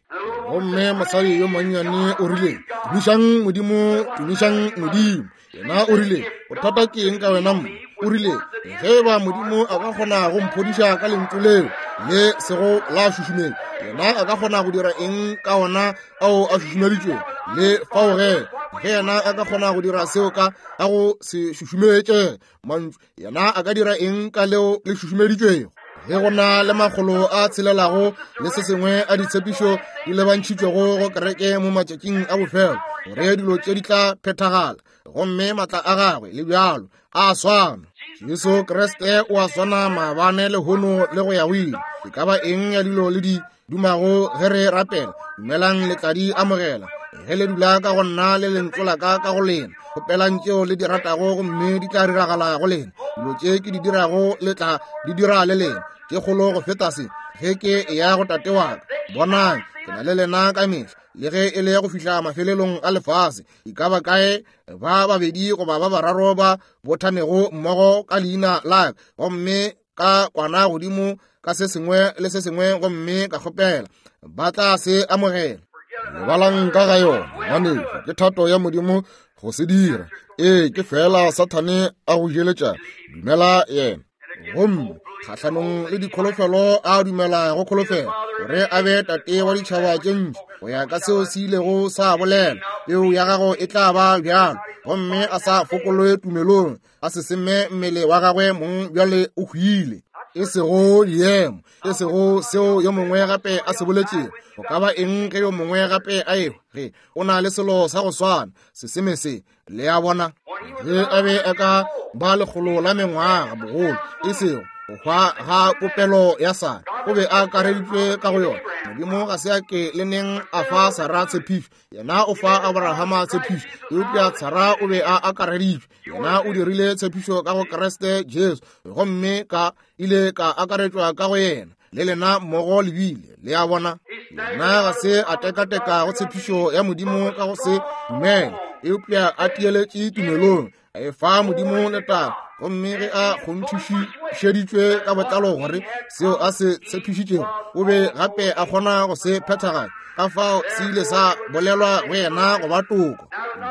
Gomme mosadi yo monnyane o rile, tumišang Modimo, tumišang Modimo. Yena o rile, bothata ke eng ka wena mma? O rile, ge e ba Modimo a ka kgona go mphodiša ka lentšu leo le sego la šušumetšwa, yena a ka kgona go dira eng ka ona ao a šušumeditšwego? Le fao ge, ge yena a ka kgona go dira seo ka a go se šušumetše mantšu, yena a ka dira eng ka leo le šušumeditšwego? Ge go na le makgolo a tshelelago le se sengwe a ditshepišo di lebantšhitšwego go kereke mo matšatšing a bofelo, gore dilo tše di tla phethagala, gomme matla a gagwe le bjalo a swana. Jesu Kriste o a swana maabane, lehono le go ya go ile. E ka ba eng ya dilo le di dumago ge re rapela, dumelang le tla di amogela. Ge le dula ka go nna le lentšu la ka ka go lena, kgopelang tšeo le di ratago gomme di tla diragala go lena. Dilo tše ke di dirago le tla di dira le lena, tše kgolo go feta se, ge ke eya go Tate wa ka. Bonang, ke na le lena ka mehla, le ge e le go fihla mafelelong a lefase. E ka ba kae ba babedi goba ba bararo ba bothanego mmogo ka leina la ka, gomme ka kwana godimo ka se sengwe le se sengwe gomme ka kgopela, ba tla se amogela. Lebalang ka ga yona, ngwanešu, ke thato ya Modimo go se dira. Ee, ke fela Sathane a go jeletša, dumela yena. Gomme kgahlanong le dikholofelo a dumela go kholofelo gore a be tate wa ditšhaba tše ntši, go ya ka seo se ilego sa bolela, peo ya gago e tla ba bjalo. Gomme a sa fokolwe tumelong, a se seme mmele wa gagwe mong bjale o hwile. E sego diemo, e sego seo yo mongwe gape a se boletšego. Go ka ba eng ge yo mongwe gape a ehwa, ge o na le selo sa go swana, seseme se, le a bona. Ge a be a ka ba lekgolo la mengwaga bogolo, e sego go hwa ga popelo ya Sara, o be a akareditšwe ka go yona. Modimo ga se a ke le neng a fa Sara tshepišo, yena o fa Abrahama tshepišo, eupša Sara o be a akareditšwe. Yena o dirile tshepišo ka go Kriste Jesu, gomme ka ile ka akaretšwa ka go yena, le lena mmogo le bile. Le a bona, yena ga se a tekateka go tshepišo ya Modimo ka go se dumele, eupša a tieletše tumelong, a e fa Modimo letago. Gomme ge a kgonthišeditšwe ka botlalo gore seo a se tshepišitšego o be gape a kgona go se phethagatša, ka fao se ile sa bolelwa go yena go ba toko.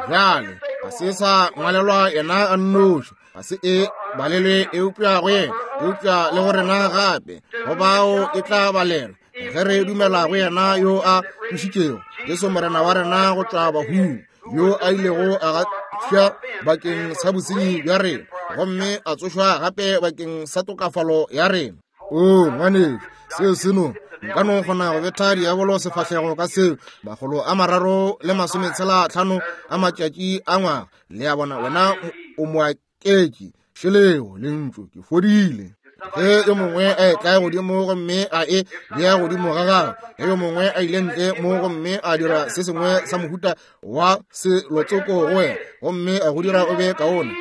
Bjale ga se sa ngwalelwa yena a nnoši, ga se e balelwe eupša go yena, eupša le go rena gape, go bao e tla balelwa ge re dumela go yena yo a tsošitšego Jesu Morena wa rena go tšwa bahung, yo a ilego a gafša bakeng sa bosenyi bja rena, gomme a tsošwa gape bakeng sa tokafalo ya rena. O ngwanešu, seo se no nka no kgona go betha diabolo sefahlego ka seo, 365 a matšatši a ngwaga. Le a bona, wena o moaketši, šeleo lentšu, ke fodile. Ge yo mongwe a etla godimo gomme a e bea godimo ga gagwe, ge yo mongwe a ile ntle mo gomme a dira se sengwe sa mohuta wa selotsoko go wena, gomme a go dira o be kaone,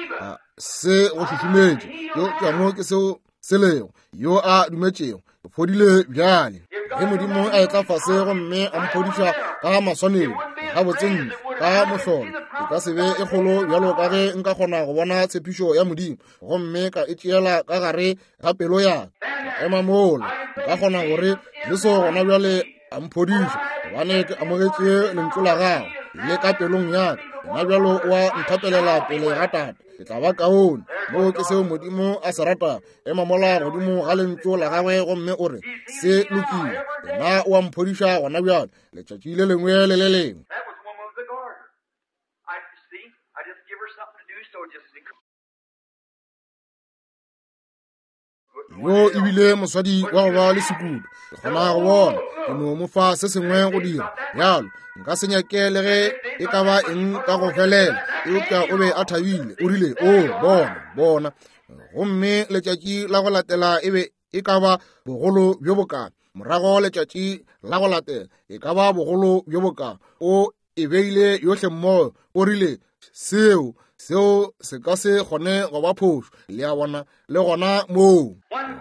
se go šušumetše, eupša mo ke seo se lego, yo a dumetšego fodile bjale. Ge Modimo a etla fase gomme a mphodiša ka maswanedi gabotse ntle ka mohlolo, e ka se be e kgolo bjalo ka ge nka kgona go bona tshepišo ya Modimo gomme ka e tšeela ka gare ga pelo ya ka, ka ema mola, nka kgona gore Jesu gona bjale a mphodiša, gobane ke amogetše lentšu la gagwe le ka pelong ya ka. Gona bjalo o a nthapelela pele ga Tate, ke tla ba kaone. Moo ke seo Modimo a se ratago. Ema mola godimo ga lentšu la gagwe gomme o re, se lokile, yena o a mphodiša gona bjale, letšatši le lengwe le le lengwe. That was one of the garden. I see, I just give her something to do, so just Yo e bile mosadi wa go ba le sekudu, ke kgona go bona, ke no mo fa se sengwe go dira bjalo. Nka se nyake le ge e ka ba eng ka go felela, eupša o be a thabile. O rile, o bona, bona. Gomme letšatši la go latela e be e ka ba bogolo bjo bokaa, morago letšatši la go latela e ka ba bogolo bjo bokaa. O e beile yohle mmogo, o rile, seo, seo se ka se kgone go ba phošo. Le a bona, le gona moo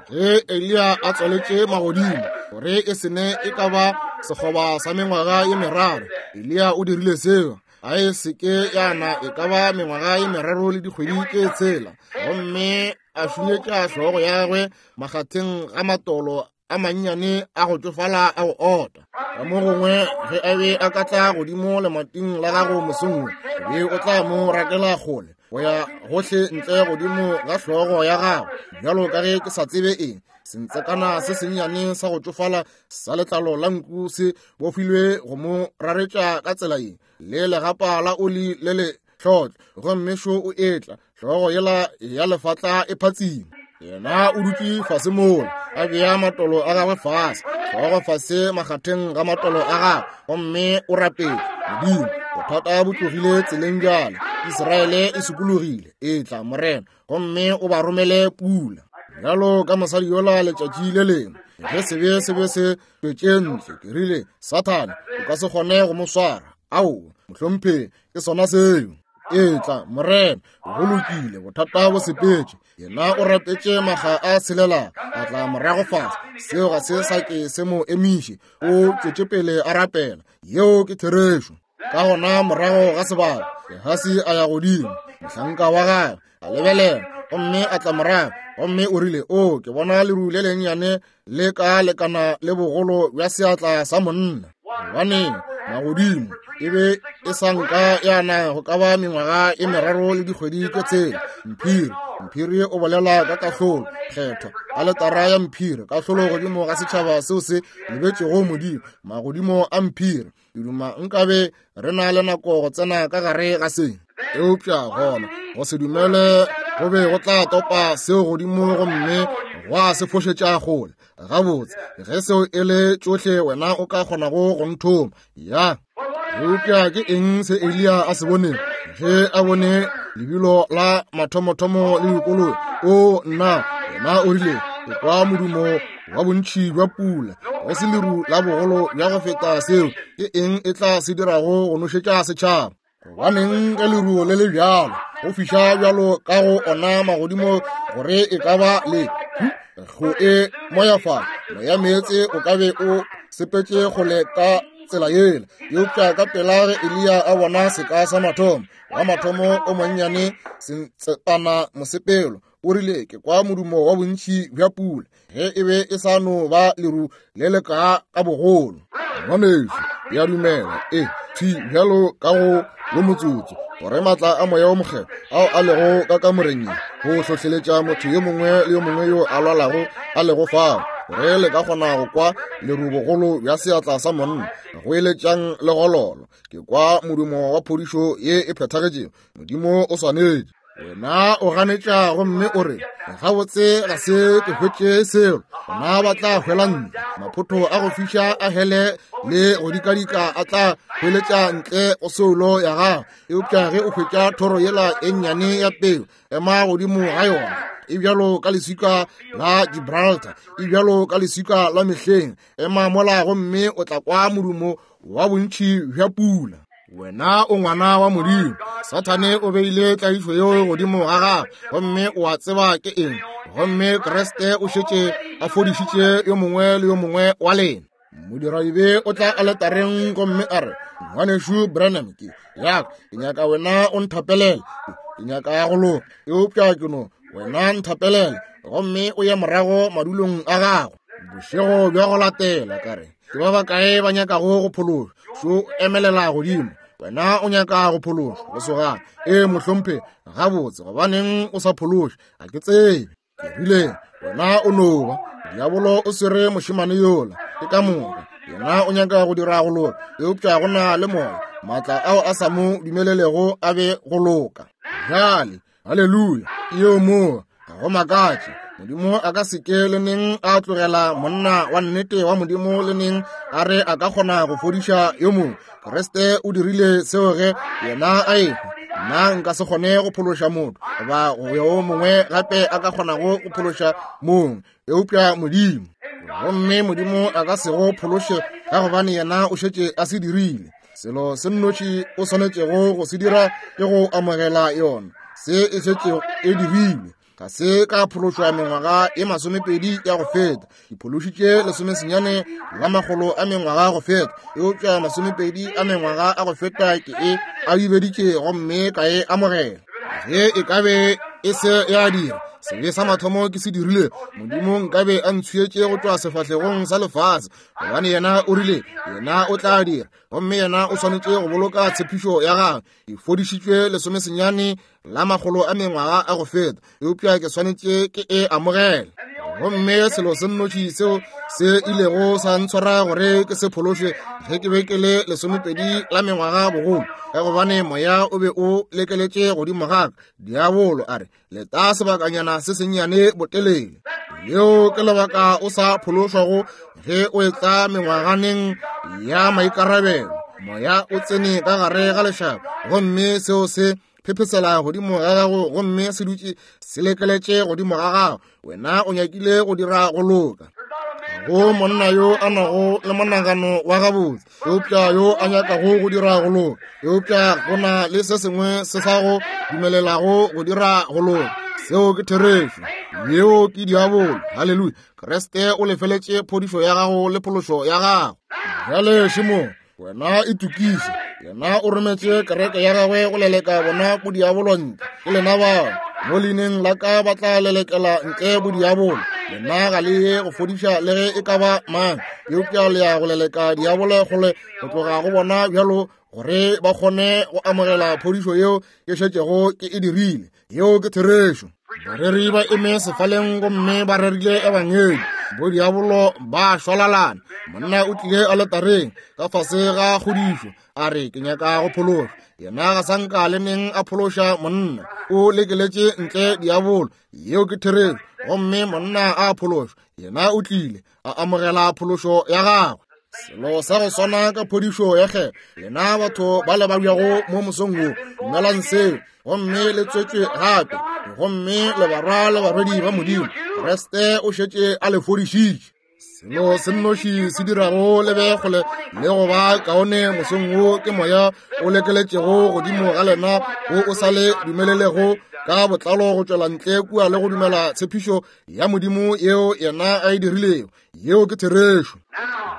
ge Eliya a tswaletše magodimo gore e se ne e ka ba sekgoba sa mengwaga ye meraro, Eliya o dirile seo, a e se ke ya na e ka ba mengwaga ye meraro le dikgwedi tše tshela, gomme a šunyetša hlogo ya gagwe makgatheng ga matolo a mannyane a go tšofala a go ota. Ka mo gongwe ge a be a ka tla godimo lemating la gago mosong wo, o be o tla mo rakela kgole go ya gohle ntle godimo ga hlogo ya gago, bjalo ka ge ke sa tsebe eng. Sentsekana se sennyane sa go tšofala sa letlalo la nku se bofilwe go mo raretša ka tsela ye, le legapa la oli le le hlotlo, gomme šo o etla, hlogo yela ya lefatla e phatsima. Yena o dutše fase mola, a bea matolo a gagwe fase, hlogo fase makgatheng ga matolo a gagwe, gomme o rapetše. Modimo, bothata bo tlogile tseleng bjale, Israele e sokologile, etla Morena, gomme o ba romele pula. Bjalo ka mosadi yola letšatši le lengwe, ge sebe se be se tšwetše ntle, ke rile, Sathane, o ka se kgone go mo swara. Aowa, mohlomphegi, ke sona seo. Etla Morena, go lokile, bothata bo sepetše. Yena o rapetše makga a tshelela, a tla morago fase. Seo ga se sa ke se mo emiše, o tšwetše pele a rapela. Yeo ke therešo. Ka gona morago ga sebaka, Gehasi a ya godimo, mohlanka wa gagwe a lebelela, gomme a tla morago, gomme o rile, O, ke bona leru le lennyane le ka lekana le bogolo bja seatla sa monna. Gobaneng, magodimo e be e sa nka ya na go ka ba mengwaga e meraro le dikgwedi tše tshela. Mphiri, mphiri o bolela ka kahlolo, kgethwa, aletara ya mphiri, kahlolo godimo ga setšhaba seo se lebetšego Modimo, magodimo a mphiri. Ke duma nkabe re na le nako go tsena ka gare ga se, eupša gona go se dumele Go be go tla topa seo godimo gomme gwa se fošetša kgole. Gabotse, ge seo e le tšohle wena o ka kgonago go nthoma. Ya. Eupša ke eng se Eliya a se boneng ge a bone lebilo la mathomothomo le dikoloi? O nna, yena o rile, ke kwa modumo wa bontši bja pula, go se leru la bogolo bja go feta seo. Ke eng e tla se dirago go nošetša setšhaba? Gobaneng ge leruo le le bjalo go fiša bjalo ka go ona magodimo gore e ka ba le go e moyafala moya meetse o ka be o sepetše kgole ka tsela yela. Eupša ka pela ge Eliya a bona seka sa mathomo wa mathomo o monnyane sentsepana mosepelo, o rile, ke kwa modumo wa bontši bja pula. Ge e be e sa no ba leru le le ka ka bogolo. Ngwanešu, ke a dumela, e thwi bjalo ka go wo motsotso, gore maatla a Moya wo Mokgethwa ao a lego ka kamoreng ye go hlohleletša motho yo mongwe le yo mongwe yo a lwalago a lego fao, gore le ka kgona go kwa leru bogolo bja seatla sa monna go eletšang legololo. Ke kwa modumo wa phodišo ye e phethagetšego. Modimo o swanetše. Wena o ganetša gomme o re, gabotse ga se ke hwetše selo. Bona ba tla hwela ntle, maphotho a go fiša a hele le go dikadika a tla hweletša ntle go soulo ya gago. Eupša ge o hwetša thoro yela e nnyane ya peo, ema godimo ga yona. E bjalo ka leswika la Gibraltar, e bjalo ka leswika la mehleng. Ema mola gomme o tla kwa modumo wa bontši bja pula. Wena o ngwana wa Modimo. Sathane o beile tlaišo yeo godimo ga gago, gomme o a tseba ke eng. Gomme Kriste o šetše a fodišitše yo mongwe le yo mongwe wa lena. Modiradibe o tla aletareng gomme a re, Ngwanešu Branham, ke ya ke nyaka wena o nthapelele. Ke nyaka go loka, eupša ke no wena nthapelele, gomme o ye morago madulong a gago. Bošego bja go latela ka re, ke ba bakae ba nyakago go phološwa? Šo emelela godimo. Wena o nyaka go phološwa, lesogana? Ee, mohlomphegi. Gabotse, gobaneng o sa phološwe? Ga ke tsebe. Ke rile, wena o no ba diabolo o swere mošemane yola, ke ka moka. Yena o nyaka go dira go loka, eupša go na le moya, maatla ao a sa mo dumelelego a be go loka. Bjale, haleluya, ke yeo moo. Ga go makatše Modimo a ka se ke le neng a tlogela monna wa nnete wa Modimo le neng a re a ka kgona go fodiša yo mongwe. Kriste o dirile seo ge yena a ehwa. Nna nka se kgone go phološa motho goba yo mongwe gape a ka kgonago go phološa mongwe, eupša Modimo. Gomme Modimo a ka se go phološe ka gobane yena o šetše a se dirile. Selo se nnoši o swanetšego go se dira ke go amogela yona. Se e šetše e dirilwe. Ga se ka phološwa mengwaga e 20 ya go feta. Ke phološitše 19 la makgolo a mengwaga go feta, eupša 20 a mengwaga a go feta ke e abibeditše gomme ka e amogela. Ge e ka be e se ya dira sebe sa mathomo ke se dirile, Modimo nkabe a ntshuetše go tšwa sefahlegong sa lefase, gobane yena o rile yena o tla dira, gomme yena o swanetše go boloka tshepišo ya gagwe. Ke fodišitšwe 19 la makgolo a mengwaga a go feta, eupša ke swanetše ke e amogele. Gomme selo se nnoši seo se ilego sa ntshwara gore ke se phološwe ge ke be ke le 20 la mengwaga bogolo, ka gobane moya o be o lekeletše godimo ga ka. Diabolo a re, leta sebakanyana se sennyane botelele. Leo ke lebaka o sa phološwago ge o etla mengwaganeng ya maikarabelo. Moya o tsene ka gare ga lešaba, gomme seo se phephesela godimo ga gago, gomme se dutše se lekeletše godimo ga gago. Wena o nyakile go dira go loka. Go monna yo a nago le monagano wa gabotse, eupša yo a nyakago go dira go loka, eupša go na le se sengwe se sa go dumelelago go dira go loka. Seo ke therešo. Yeo ke diabolo. Haleluya. Kriste o lefeletše phodišo ya gago le phološo ya gago. Bjale šemo, wena itokiše. Yena o rometše kereke ya gagwe go leleka bona bodiabolo ntle. Ke lena bao mo leineng la ka ba tla lelekela ntle bodiabolo. Lena ga le ye go fodiša le ge e ka ba mang, eupša le ya go leleka diabolo kgole go tloga go bona bjalo, gore ba kgone go amogela phodišo yeo ke šetšego ke e dirile. Yeo ke therešo. Bareri ba eme sefaleng gomme ba rerile ebangedi. Bodiabolo ba šwalalana. Monna o tlile aletareng ka fase ga kgodišo, a re, Ke nyaka go phološwa. Yena ga sa nka le neng a phološa monna. O lekeletše ntle diabolo. Yeo ke therešo. Gomme monna a phološwa. Yena o tlile a amogela phološo ya gagwe. Selo sa go swana ka phodišo ya kgetho. Lena batho ba le babjago mo mosong wo, dumelang seo, gomme le tswetšwe gape, gomme le barwa le barwedi ba Modimo. Kriste o šetše a le fodišitše. Selo se nnoši se dirago le be kgole le go ba kaone mosong wo ke moya o lekeletšego godimo ga lena wo o sa le dumelelego ka botlalo go tšwela ntle kua le go dumela tshepišo ya Modimo yeo yena a e dirilego. Yeo ke therešo.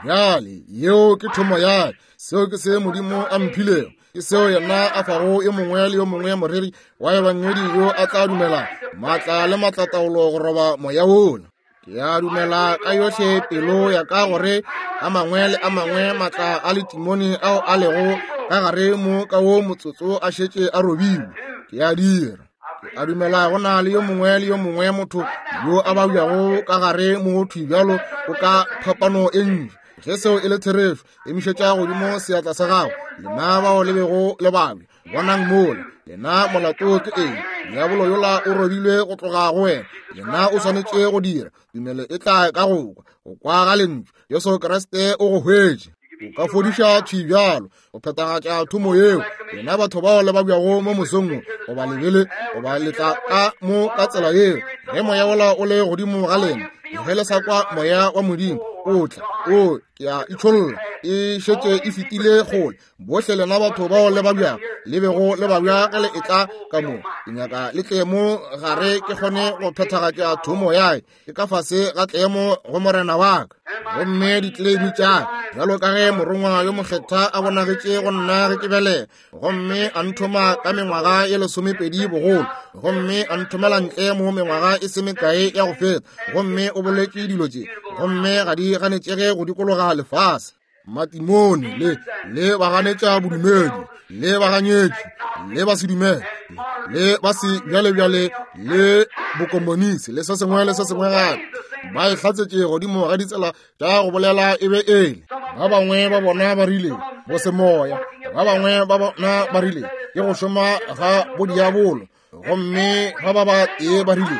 Bjale, yeo ke thomo ya seo ke se Modimo a mphilego. Ke seo yena a fago yo mongwe le yo mongwe moreri wa ebangedi yo a tla dumela maatla le maatlataolo go roba moya wola. Ke a dumela ka yohle pelo ya ka gore a mangwe le a mangwe maatla a letimone ao a lego ka gare mo ka wo motsotso a šetše a robilwe. Ke a dira. Ke a dumela go na le yo mongwe le yo mongwe motho yo a babjago ka gare mo thwi bjalo o ka phapano e ntši. Ge seo e le therešo, emišetša godimo seatla sa gago, lena bao le bego le babja. Bonang mola, lena molato ke eng? Diabolo yola o robilwe go tloga go wena. Yena o swanetše go dira. Tumelo e tla ka go kwa, go kwa ga lentšu. Jesu Kriste o go hwetše. O ka fodiša thwi bjalo, go phethagatša thomo yeo. Lena batho bao le babjago mo mosong wo, goba lebele, goba le tla ka mo ka tsela yeo, ge moya wola o le godimo ga lena, ge le sa kwa moya wa Modimo o tla, o ke a itšholla, e šetše e fetile kgole. Bohle lena batho bao le babjago, le bego le babja ge le etla ka mo, ke nyaka le tle mo gare ke kgone go phethagatša thomo ya ke ka fase ga tlemo go Morena wa ka. Gomme ditleleimi tša bjalo ka ge morongwa yo mokgethwa a bonagetše go nna ge ke belega, gomme a nthoma ka mengwaga ye 12 bogolo, gomme a nthomela ntle mo mengwaga e se mekae ya go feta, gomme o boletše dilo tše, gomme ga di ganetšege go dikologa lefase. Matimone le le baganetša bodumedi, le baganyetši, le ba sedumele, le ba se bjalebjale, le bokomonisi, le se sengwe le se sengwe gape, ba e hlatsetše godimo ga ditsela tša go bolela e be ele. Ba bangwe ba bona ba rile bo semoya, ba bangwe ba bona ba rile ke go šoma ga bodiabolo, gomme ba ba ba tee ba rile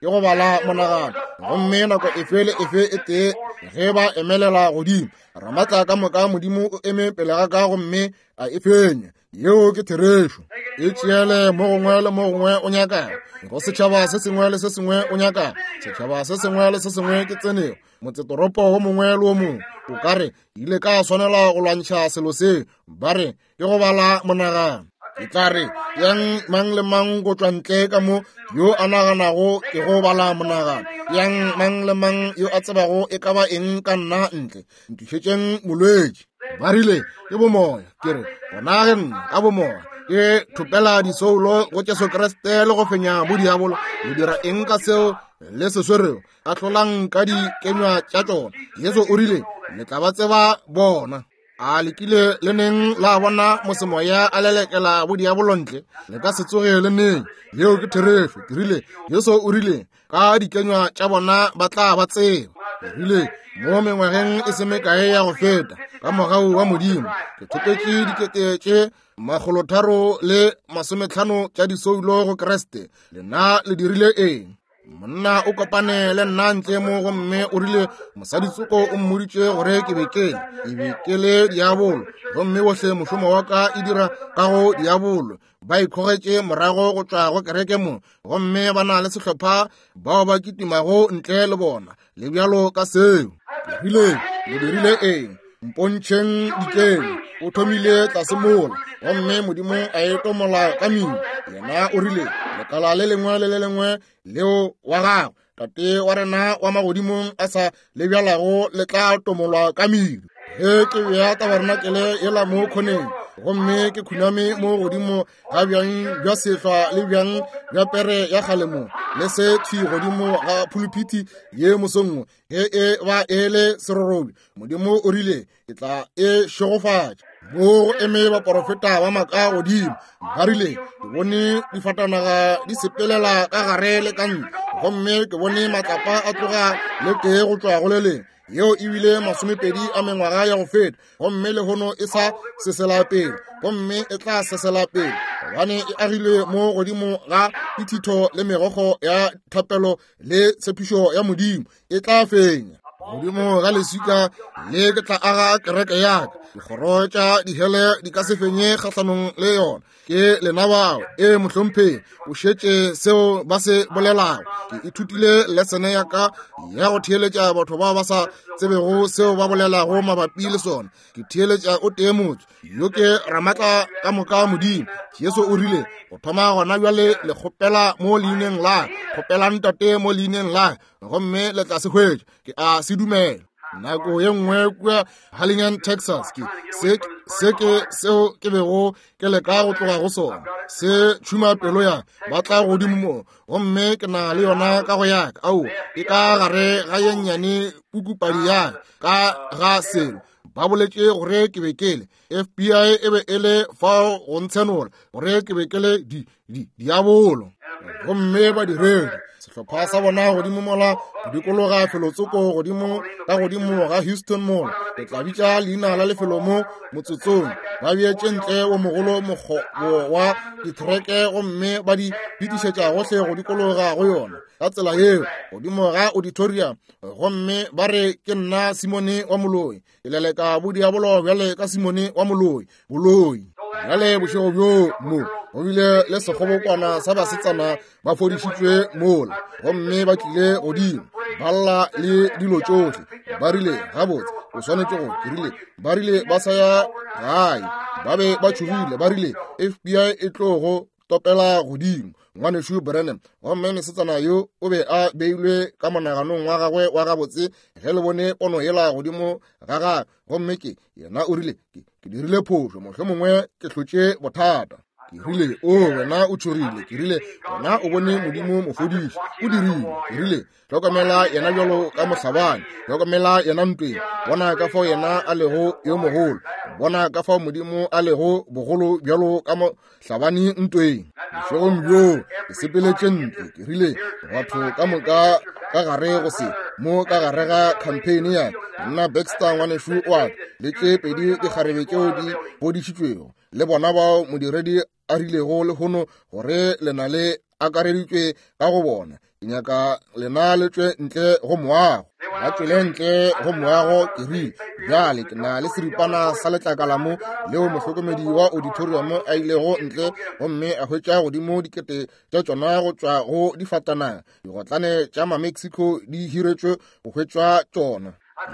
ke go bala monagano. Gomme nako efe le efe e tee ge ba emelela godimo, Ramatla ka moka Modimo o eme pele ga ka gomme a e fenya. Yeo ke therešo. E tšeele mo gongwe le mo gongwe o nyakago, go setšhaba se sengwe le se sengwe o nyakago, setšhaba se sengwe le se sengwe ke tsenego, motsetoropo wo mongwe le wo mongwe. O ka re ile ka swanela go lwantšha selo se, ba re ke go bala monagano. Ke tla re yang mang le mang go tšwa ntle ka mo yo a naganago ke go bala monagano, yang mang le mang yo a tsebago e ka ba eng ka nna ntle, ntlišetšeng molwetši. Ba rile ke bomoya. Ke re gona ge nna ka bomoya ke thopela disoulo go Jesu Kriste le go fenya bodiabolo, le dira eng ka seo le se swerego? Ahlolang ka dikenywa tša tšona. Jesu o rile le tla ba tseba bona. A le kile le neng la bona mosemoya a lelekela bodiabolo ntle? Le ka se tsoge le neng. Yeo ke therešo. Ke rile, Jesu o rile, ka dikenywa tša bona ba tla ba tseba. Ke rile, mo mengwageng e se mekae ya go feta, ka mogau wa Modimo, ke thopetše 350 tša disoulo go Kriste. Lena le dirile eng? Monna o kopane le nna ntle mo gomme o rile mosaditsoko o mmoditše gore ke be ke e be ke le diabolo, gomme bohle mošomo wa ka e dira ka go diabolo. Ba ikgogetše morago go tšwa go kereke mo, gomme ba na le sehlopha bao ba kitimago ntle le bona, le bjalo ka seo. Ke rile, le dirile eng? Mpontšheng dikeng. O thomile tlase mola, gomme Modimo a e tomola ka mino. Yena o rile, lekala le lengwe le le lengwe leo wa gagwe Tate wa rena wa magodimong a sa le bjalago le tla tomolwa ka mino. Ge ke bea tabarenakele yela mo khoneng, gomme ke khuname mo godimo ga bjang bja sehlwa le bjang bja pere ya kgale mo, le se thwi godimo ga phuluphiti ye mosong, ge e ba e le serorobi, Modimo o rile ke tla e šegofatša. Mo go eme baporofeta ba maaka godimo, ba rile ke bone difatanaga di sepelela ka gare le ka ntle, Gomme ke bone matlapa a tloga le tee go tšwa go le lengwe. Yeo e bile 20 a mengwaga ya go feta, gomme lehono e sa sesela pele, gomme e tla sesela pele, gobane e agilwe mo godimo ga dithitho le megokgo ya thapelo le tshepišo ya Modimo. E tla fenya. Godimo ga leswika le ke tla aga kereke ya ka. Dikgoro tša dihele di ka se fenye kgahlanong le yona. Ke lena bao. Ee, mohlomphegi, o šetše seo ba se bolelago. Ke ithutile lesene ya ka ya go theeletša batho bao ba sa tsebego seo ba bolelago mabapi le sona. Ke theeletša o tee motho yo ke ramatla ka moka Modimo. Jesu o rile go thoma gona bjale le kgopela mo leineng la, kgopelang Tate mo leineng la, gomme le tla se hwetša. Ke a se dumela. Nako ye nngwe kua Harlingen, Texas, ke se ke seo ke bego ke leka go tloga go sona, se tšhuma pelo ya ba tla godimo mo, gomme ke na le yona ka go yaka. Ao, e ka gare ga ye nnyane pukupadi ya ka ga selo. Ba boletše gore ke be ke le FBI, e be e le fao go ntshenola gore ke be ke le diabolo. Gomme badiredi sehlopha sa bona godimo mola go dikologa felotsoko godimo ka godimo ga Houston mola, ke tla bitša leina la lefelo mo motsotsong, ba beetše ntle wo mogolo mokgobo wa dithereke gomme ba di fetišetša gohle go dikologa go yona ka tsela yeo godimo ga auditorium, gomme ba re ke nna Simone wa moloi, ke leleka bodiabolo bjale ka Simone wa moloi, boloi. Bjale bošego bjo mo go bile le sekgobokwana sa basetsana ba fodišitšwe mola, gomme ba tlile godimo ba lla le dilo tšohle. Ba rile, gabotse o swanetše go, ke rile, ba rile ba sa ya gae, ba be ba tšhogile, ba rile FBI e tlo go topela godimo. Ngwanešu Branham, gomme mesetsana yo o be a beilwe ka monaganong wa gagwe wa gabotse ge le bone pono yela godimo ga gagwe, gomme ke yena o rile, ke dirile phošo, mohlomongwe ke hlotše bothata. Ke rile, o wena o tšhogile. Ke rile, wena o bone Modimo mofodiši, o dirile. Ke rile, hlokomela yena bjalo ka mohlabani, hlokomela yena ntweng, bona ka fao yena a lego yo mogolo, bona ka fao Modimo a lego bogolo bjalo ka mohlabani ntweng. Bošegong bjoo ke sepeletše ntle, ke rile, batho ka moka ka gare go se mo ka gare ga campaign ya nna Baxter ngwanešu wa ka le tše pedi dikgarebe tšeo di fodišitšwego, le bona bao modiredi a rilego lehono gore le na le akareditšwe ka go bona. Ke nyaka lena le tšwe ntle go moago. Ba tšwele ntle go moago. Ke rile, bjale ke na le seripana sa letlakala mo leo mohlokomedi wa auditorium a ilego ntle gomme a hwetša godimo dikete tša tšona go tšwa go difatanaga. Digotlane tša ma-Mexico di hiretšwe go hwetšwa tšona.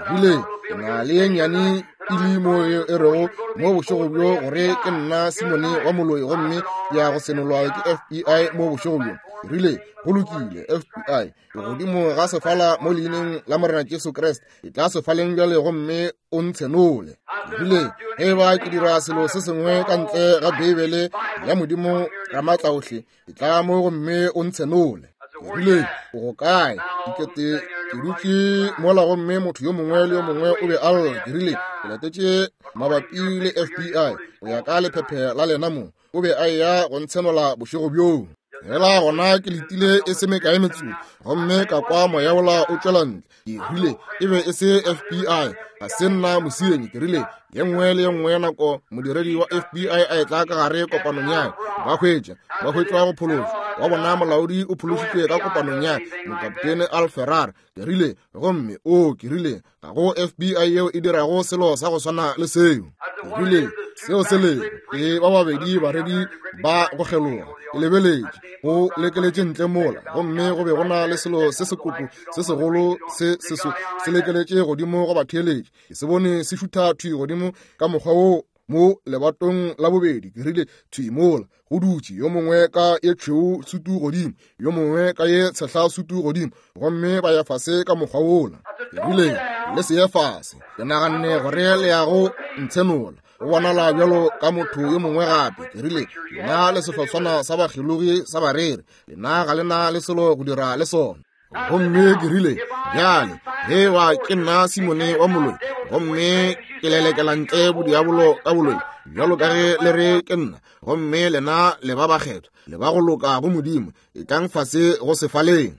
Rile, ke na le ye nnyane pili mo e rego mo bošego bjo gore ke nna Simone wa moloi gomme ke ya go senolwa ke FBI mo bošego bjo. Rile, go lokile, FBI, ke godimo ga sefala mo leineng la Morena Jesu Kriste, ke tla sefaleng bjale gomme o ntshenole. Rile, ge e ba ke dira selo se sengwe ka ntle ga Beibele ya Modimo Ramatlaohle, ke tla mo gomme o ntshenole. Ke rile, o go kae? Dikete ke dutše mola gomme motho yo mongwe le yo mongwe o be a lla. Ke rile, ke latetše mabapi le FBI go ya ka lephephe la lena mo. O be a eya go ntshenola bošego bjoo. Fela gona ke letile e se mekae metsotso gomme ka kwa moya wola o tšwela ntle. Ke rile, e be e se FBI, ga se nna mosenyi. Ke rile, ye nngwe le ye nngwe ya nako modiredi wa FBI a etla ka gare kopanong ya ba hwetša, ba hwetšwa go phološwa wa bona molaodi o phološitšwe ka kopanong ya mokaptene Al Ferrar. Ke rile, gomme o, ke rile, ga go FBI yeo e dirago selo sa go swana le seo. Ke rile, seo se lego ke ba babedi baredi ba go kgeloga. Ke lebeletše go lekeletše ntle mola, gomme go be go na le selo se sekoto se segolo se seso se lekeletše godimo go batheeletši. Ke se bone se šutha thwi godimo ka mokgwa wo mo lebatong la bobedi. Ke rile, thwi mola go dutše yo mongwe ka ye tšhweu sutu godimo, yo mongwe ka ye tshehla sutu godimo, gomme ba ya fase ka mokgwa wola. Ke rile, le se ye fase. Ke naganne gore le ya go ntshenola. Go bonala bjalo ka motho yo mongwe gape. Ke rile, lena le sehlotswana sa bakgelogi sa bareri, lena ga le na le selo go dira le sona. Gomme ke rile, bjale ge ba ke nna Simone wa moloi, gomme ke lelekela ntle bodiabolo ka boloi, bjalo ka ge le re ke nna, gomme lena le ba bakgethwa, le ba go loka go Modimo, etlang fase go sefaleng.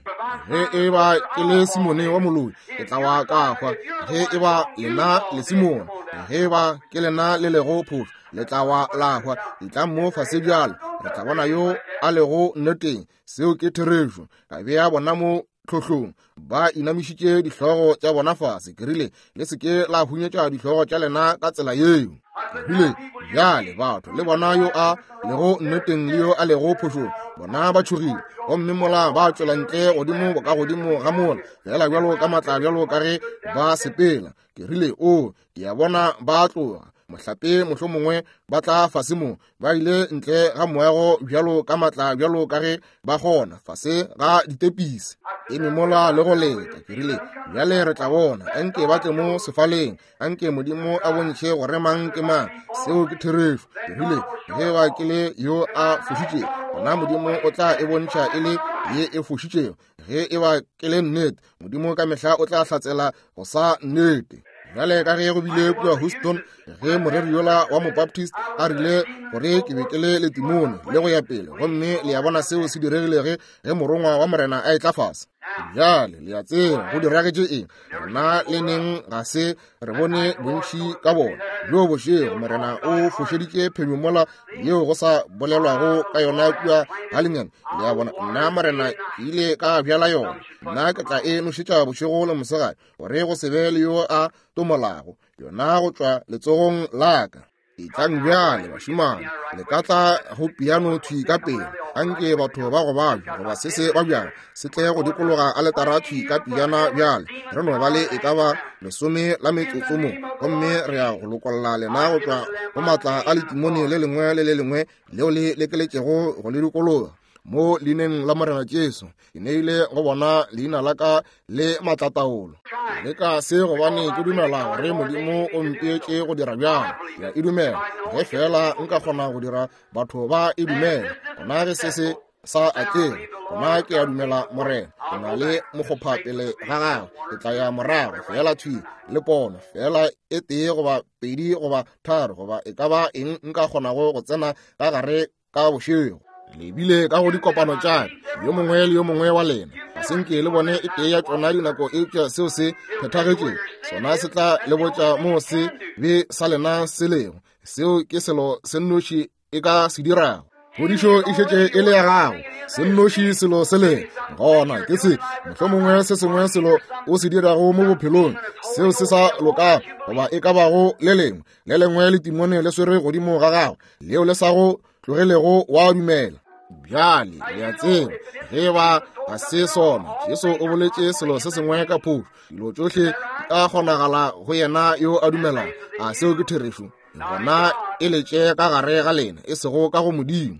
Ge e ba ke le Simone wa moloi, ke tla wa ka hwa. Ge e ba lena le Simone, ge e ba ke lena le lego phošo, le tla wa la hwa. Etlang mo fase bjalo, re tla bona yo a lego nneteng. Seo ke therešo. Ka bea bona mo tlhohlong, ba inamišitše dihlogo tša bona fase. Ke rile, le se ke la hunyetša dihlogo tša lena ka tsela yeo. Ke rile, bjale batho le bona yo a lego nneteng le yo a lego phošong, bona ba tšhogile, gomme mola ba tšwela ntle godimo ka godimo ga mola, fela bjalo ka matla bjalo ka ge ba sepela. Ke rile, o, ke a bona ba tloga, mohlape mohlomongwe ba tla fase mo, ba ile ntle ga moago bjalo ka matla bjalo ka ge ba kgona, fase ga ditepisi, eme mola le go leta. Ke rile, bjale re tla bona, anke ba tle mo sefaleng, anke Modimo a bontšhe gore mang ke mang. Seo ke therešo. Ke rile, ge ba ke le yo a fošitšego, gona Modimo o tla e bontšha e le ye e fošitšego. Ge e ba ke le nnete, Modimo ka mehla o tla hlatsela go sa nnete. Bjale ka ge go bile kua Houston, ge moreri yola wa Mobaptist a rile gore ke be ke le letimone le go ya pele, gomme le a bona seo se diregilege ge morongwa wa Morena a etla fase. Bjale le a tseba go diragetše eng. Rena le neng ga se re bone bontši ka bona. Bjo bošego Morena o fošeditše phenyo mola yeo go sa bolelwago ka yona kua Halligan. Le a bona, nna Morena ke ile ka bjala yona, nna ke tla e nošetša bošego le mosegare, gore go se be le yo a tomolago yona go tšwa letsogong la ka. Etlang bjale, bašemane, le ka tla go piano thwi ka pele. Anke batho ba go babja goba se se babjago se tle go dikologa aletara thwi ka pejana bjale. Re no ba le e ka ba 10 la metsotso mo, gomme re ya go lokolla lena go tšwa go matla a letimone le lengwe le le lengwe leo le lekeletšego go le dikologa. Mo leineng la Morena Jesu, ke neile go bona leina la ka le matlataolo. Ke leka se gobane ke dumela gore Modimo o mpeetše go dira bjalo. Ke a e dumela. Ge feela nka kgona go dira batho ba e dumela, gona ge se se sa atlege, gona ke a dumela Morena ke na le mokgopha pele ga gagwe. Ke tla ya morago feela thwi le pono, feela e tee goba pedi goba tharo goba e ka ba eng nka kgonago go tsena ka gare ka bošego. Le bile ka go dikopano tša ka, yo mongwe le yo mongwe wa lena. Ga se nke le bone e tee ya tšona dinako, eupša seo se phethagetšego sona se tla le botša moo se be sa lena se lego. Seo ke selo se nnoši e ka se dirago. Phodišo e šetše e le ya gago, se nnoši selo se leng gona ke se. Mohlomongwe se sengwe selo o se dirago mo bophelong seo se sa lokago, goba e ka bago le lengwe le lengwe letimone le swere godimo ga gago leo le sa go tlogelego wa dumela. Bjale le a tseba ge ba ga se sona. Jesu o boletše selo se sengwe ka phošo. Dilo tšohle di ka kgonagala go yena yo a dumelago. A seo ke therešo? Gona e letše ka gare ga lena, e sego ka go Modimo.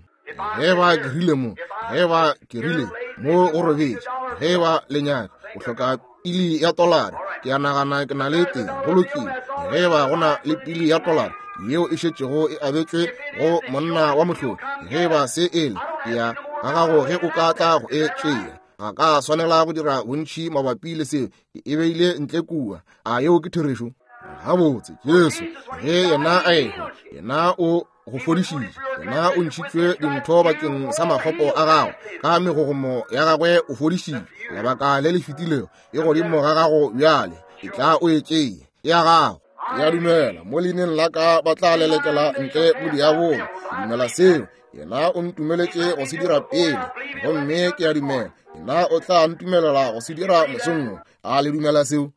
Ge ba ke rile mo, ge ba ke rile mo go robetše, ge ba le nyaka, o hloka pili ya tolara, ke a nagana ke na le teng. Go lokile. Ge ba go na le pili ya tolara yeo e šetšego e abetšwe go monna wa mohlodi, ge ba se ele, ke ya ga gago ge o ka tla go e tšea. Ga ka swanela go dira bontši mabapi le seo, ke e beile ntle kua. A yeo ke therešo? Gabotse, Jesu ge yena a ehwa, yena o go fodišitše, yena o ntšhitšwe dintho bakeng sa makgopo a gago, ka megogomo ya gagwe o fodišitše. Lebaka le le fetilego e godimo ga gago bjale, e tla o e tšee, e ya gago. Ke a dumela mo leineng la ka ba tla lelekela ntle bodiabolo. Ke dumela seo. Yena o ntumeletše go se dira pele, gomme ke a dumela yena o tla ntumelela go se dira mosong wo. A le dumela seo?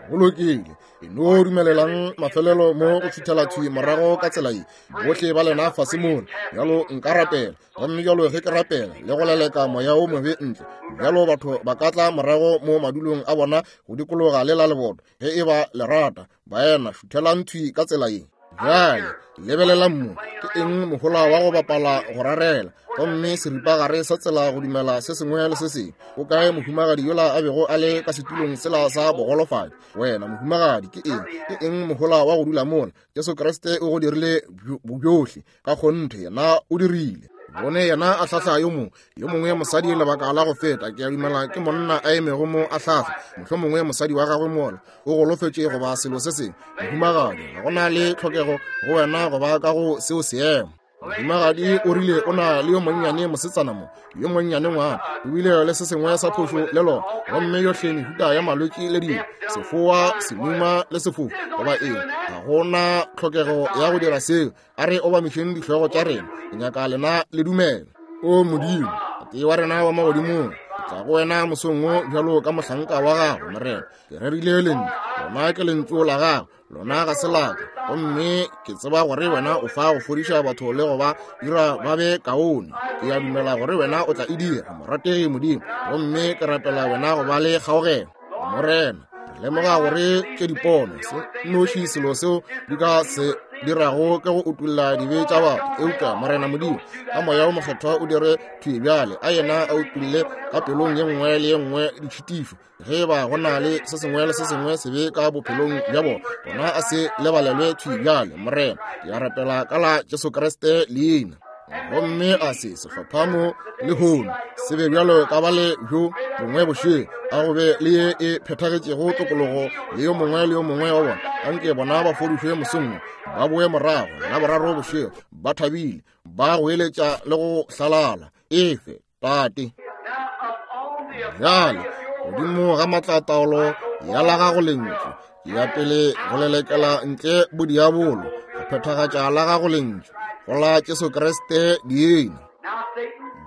Go lokile. E no dumelelang mafelelo mo go šuthela thwi morago ka tsela ye, bohle ba lena fase mola. Bjalo nka rapela, gomme bjalo ge ke rapela le go leleka moya wo mobe ntle, bjalo batho ba ka tla morago mo madulong a bona go dikologa le la leboto, ge e ba le rata. Baena, šuthelang thwi ka tsela ye. Bjale lebelelang mo, ke eng mohola wa go bapala go rarela gomme seripagare sa tsela go dumela se sengwe le se sengwe? O kae mohumagadi yola a bego a le ka setulong sela sa bogolofadi? Wena mohumagadi, ke eng, ke eng mohola wa go dula mola? Jesu Kriste o go dirile bjohle ka kgonthe, yena o dirile. Bone yena a hlahla yo mongwe, yo mongwe mosadi lebaka la go feta, ke a dumela ke monna a emego mo a hlahla, mohlomongwe mosadi wa gagwe mola o golofetše goba selo se sengwe. Mohumagadi, ga go na le tlhokego go wena go ba ka go seo seemo. Mohumagadi o rile o na le yo monnyane mosetsana mo, yo monnyane ngwana, o bile le se sengwe sa phošo le lona, gomme yohle mehuta ya malwetši le dilo, sefoa, semuma le sefofu, goba eng. Ga go na tlhokego ya go dira seo. A re obamišeng dihlogo tša rena. Ke nyaka lena le dumela. O Modimo, Tate wa rena wa magodimong, ke tla go wena mosong wo bjalo ka mohlanka wa gago, Morena. Ke rerile lentšu, lona ke lentšu la gago, lona ga se laka. Gomme ke tseba gore wena o fa go fodiša batho le go ba dira ba be kaone. Ke a dumela gore wena o tla e dira, morategi Modimo. Gomme ke rapela wena go ba le kgaogelo, Morena. Re lemoga gore ke dipono se nnoši selo seo di ka se dirago ke go utulla dibe tša batho. Eupša Morena Modimo, ka Moya wo Mokgethwa o dire thwi bjale, a yena a utulle ka pelong ye nngwe le ye nngwe ditšhitišo, ge ba go na le se sengwe le se sengwe sebe ka bophelong bja bona, gona a se lebalelwe thwi bjale. Morena, ke a rapela ka la Jesu Kriste leina. Gomme a se sehlopha mo lehono se be bjalo ka bale bjo bongwe bošego, a go be le ye e phethagetšego tokologo le yo mongwe le yo mongwe wa bona. Anke bona ba fodišwe mosong, ba boe morago la boraro bošego ba thabile, ba goeletša le go hlalala. Efe, Tate. Bjale godimo ga maatlataolo ya la gago lentšu, ke ya pele go lelekela ntle bodiabolo, go phethagatša la gago lentšu go la Jesu Kriste leina.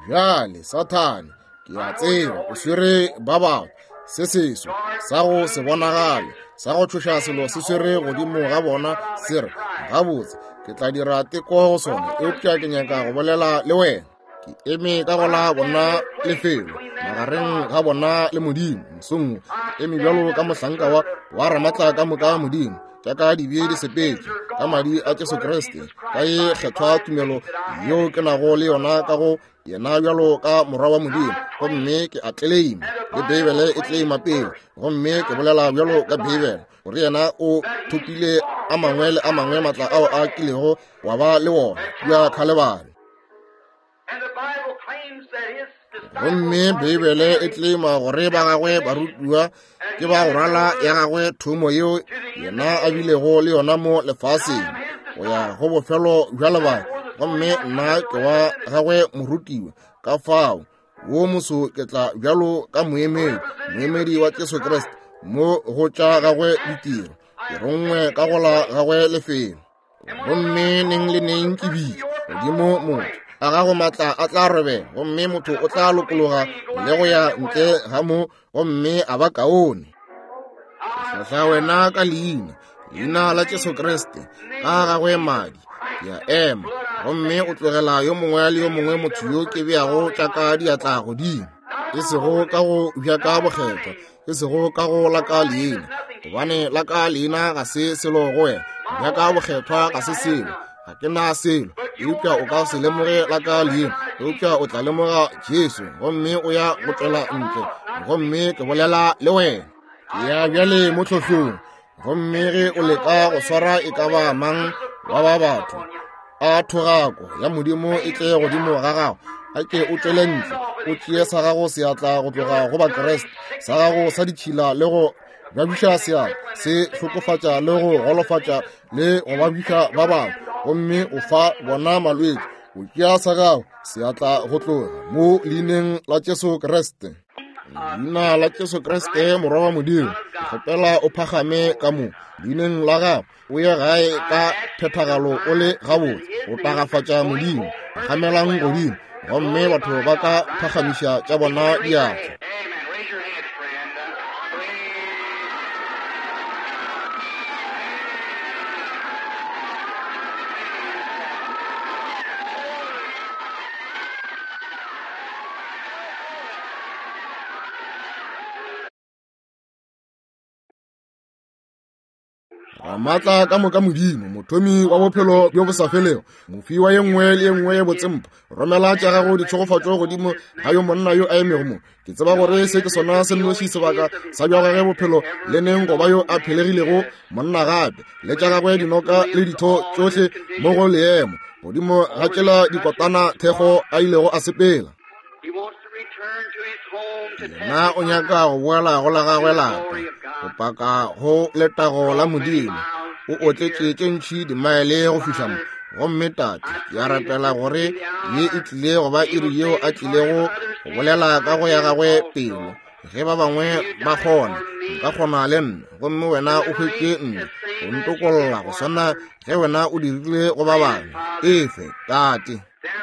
Bjale Sathane, ke a tseba o swere ba batho, se seso sa go se bonagale sa go tšhoša selo se swere godimo ga bona, se re, gabotse ke tla dira teko go sona, eupša ke nyaka go bolela le wena. Ke eme ka go la bona lefelo magareng ga bona le Modimo mosong, ke eme bjalo ka mohlanka wa Ramatla ka moka Modimo, tša ka dibe di sepetše ka madi a Jesu Kriste, ka ye kgethwa tumelo yeo ke nago le yona ka go yena bjalo ka morwa wa Modimo, gomme ke a tleleima le Beibele e tleleima pele, gomme ke bolela bjalo ka Beibele gore yena o thopile a mangwe le a mangwe matla ao a kilego wa ba le wona kua Khalebare. Gomme Beibele e tlema gore ba gagwe barutiwa ke ba go rwala ya gagwe thomo yeo yena a bilego le yona mo lefaseng go ya go bofelo bja lebaka. Gomme nna ke wa gagwe morutiwa, ka fao wo moso ke tla bjalo ka moemedi, moemedi wa Jesu Kriste mo go tša gagwe ditiro, ke rongwe ka go la gagwe lefelo. Gomme neng le neng ke bitša godimo motho, a gago maatla a tla robega, gomme motho o tla lokologa le go ya ntle ga mo, gomme a ba kaone. Ke hlohla wena ka leina, leina la Jesu Kriste, ka gagwe madi, ke a ema, gomme o tlogela yo mongwe le yo mongwe motho yo ke beago tša ka diatla godimo, e sego ka go bja ka bokgethwa, e sego ka go la ka leina, gobane la ka leina ga se selo go wena, bja ka bokgethwa ga se selo, ga ke na selo. Eupša o ka se lemoge la ka leina, eupša o tla lemoga Jesu, gomme o ya go tšwela ntle, gomme ke bolela le wena. Ke ya bjale mo tlhohlong, gomme ge o leka go swara e ka ba mang wa ba batho, a thogako ya Modimo e tle godimo ga gago, a ke o tšwele ntle, o tšee sa gago seatla go tloga go Bakriste, sa gago sa ditšhila le go babiša seatla, se hlokofatša le go golofatša le go babiša ba bangwe, gomme o fa bona malwetši. O tšea sa gago seatla go tloga mo leineng la Jesu Kriste. Leina la Jesu Kriste morwa wa Modimo, ke kgopela o phagame ka mo leineng la gago, o ye gae ka phethagalo o le gabotse, o tagafatša Modimo. Phagamelang godimo, gomme batho ba ka phagamiša tša bona diatla. Ramaatla ka moka Modimo, mothomi wa bophelo bjo bo sa felego, mofi wa ye nngwe le ye nngwe ye botsempa, romela tša gago ditšhegofatšo godimo ga yo monna yo a emego mo. Ke tseba gore se ke sona se nnoši sebaka sa bja gagwe bophelo le neng go ba yo a phelegilego monna gape, le tša gagwe dinoka le ditho tšohle mo go leemo godimo ga tšela dikotana thekgo a ilego a sepela. Yena o nyaka go boela go la gagwe lapa, go paka go letago la Modimo. O otletše tše ntši dimaele go fihla mo. Gomme Tate, ke a rapela gore ye e tlile go ba iri yeo a tlilego go bolela ka go ya gagwe pelo. Ge ba bangwe ba kgona, nka kgona le nna, gomme wena o hwetše nna go ntokolla go swana ge wena o dirile go ba bangwe. Efe, Tate.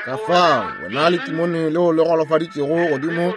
Ka fao wena le timone leo le golofaditšego godimo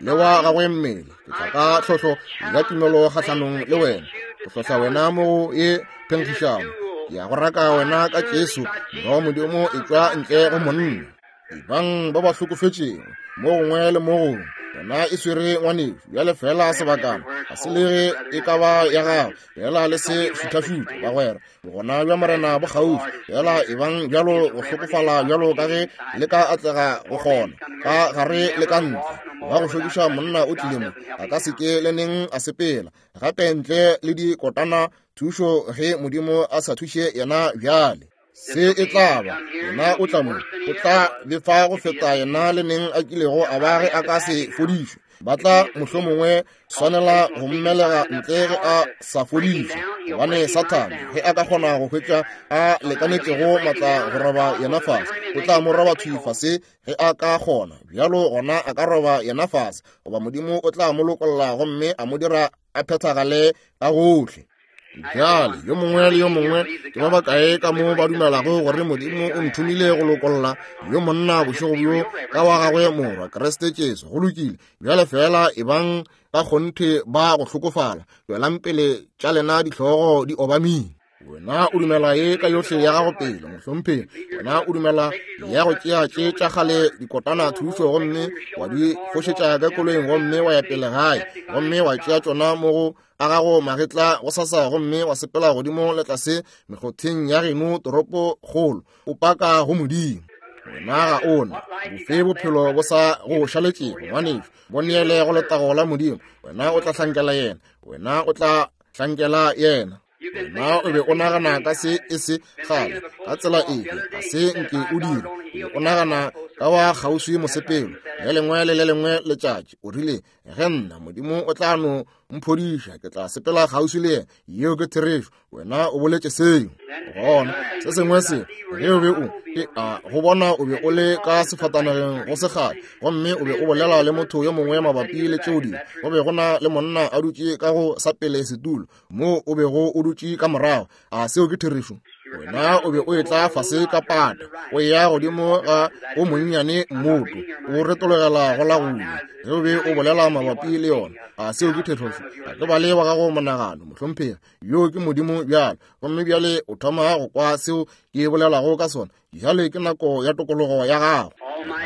le wa gagwe mmele, ke tla ka tlhohlo ya tumelo kgahlanong le wena, go hlohla wena mo go ye phenkgišano. Ke ya go raka wena ka Jesu, Morwa wa Modimo, etšwa ntle go monna. Ebang ba ba hlokofetšego mo gongwe le mo gongwe. Yona e swere ngwanešu bjale fela sebakana, ga se le ge e ka ba ya gago, fela le se šuthašuthe, bagwera. Bogona bja Morena bo kgauswi, fela ebang bjalo go hlokofala bjalo ka ge le ka atlega go kgona, ka gare le ka ntle. Wa go šokiša monna o tlile mo, a ka se ke le neng a sepela gape ntle le dikotana thušo ge Modimo a sa thuše yena bjale. Se e tla ba, yena o tla mo, o tla befa go feta yena le neng a kilego a ba ge a ka se fodišwe. Ba tla mohlomongwe swanela go mmelega ntle ge a sa fodišwe, gobane Sathane ge a ka kgona go hwetša a lekanetšego matla go roba yena fase, o tla mo roba thwi fase ge a ka kgona. Bjalo gona a ka roba yena fase, goba Modimo o tla mo lokolla gomme a mo dira a phethagale ka gohle. Bjale yo mongwe le yo mongwe ke ba bakae ka mo ba dumelago gore Modimo o nthomile go lokolla yo monna bošego bjo ka wa gagwe morwa Kriste Jesu? Go lokile. Bjale fela ebang ka kgonthe ba go hlokofala, tšwelang pele tša lena dihlogo di obamile. Wena o dumela ye ka yohle ya gago pele, mohlomphegi. Wena o dumela ya go tšea tše tša kgale dikotana thušo gomme wa di fošetša ka koloing gomme wa ya pele gae gomme wa tšea tšona mo go a gago magetla go sasa gomme wa sepela godimo le tlase mekgotheng ya geno toropo kgolo o paka go Modimo. Wena ga o na bofe bophelo bo sa go šaletšego, ngwanešu, bo neele go letago la Modimo. Wena o tla hlankela yena, wena o tla hlankela yena. Wena o be o nagana ka se e se kgale ka tsela efe, ga se nke o dire. O be o nagana ka wa kgauswi mosepelo le lengwe le le lengwe letšatši. O rile, ge nna Modimo o tla no mphodiša, ke tla sepela kgauswi le yena. Yeo ke therešo. Wena o boletše seo. Gona se sengwe se, ge o be o e a go bona o be o le ka sefatanageng go sekgale, gomme o be o bolela le motho yo mongwe mabapi le tšeo dilo. Go be go na le monna a dutše ka go sa pele setulo mo o bego o dutše ka morago. A seo ke therešo? Wena o be o etla fase ka pata, o eya godimo ga o monnyane mmoto, o retologela go la go ja ge o be o bolela mabapi le yona. A seo ke therešo? A ke bale wa gago monagano, mohlomphegi. Yoo ke Modimo bjalo. Gomme bjale o thoma go kwa seo ke bolelago ka sona. Bjale ke nako ya tokologo ya gago.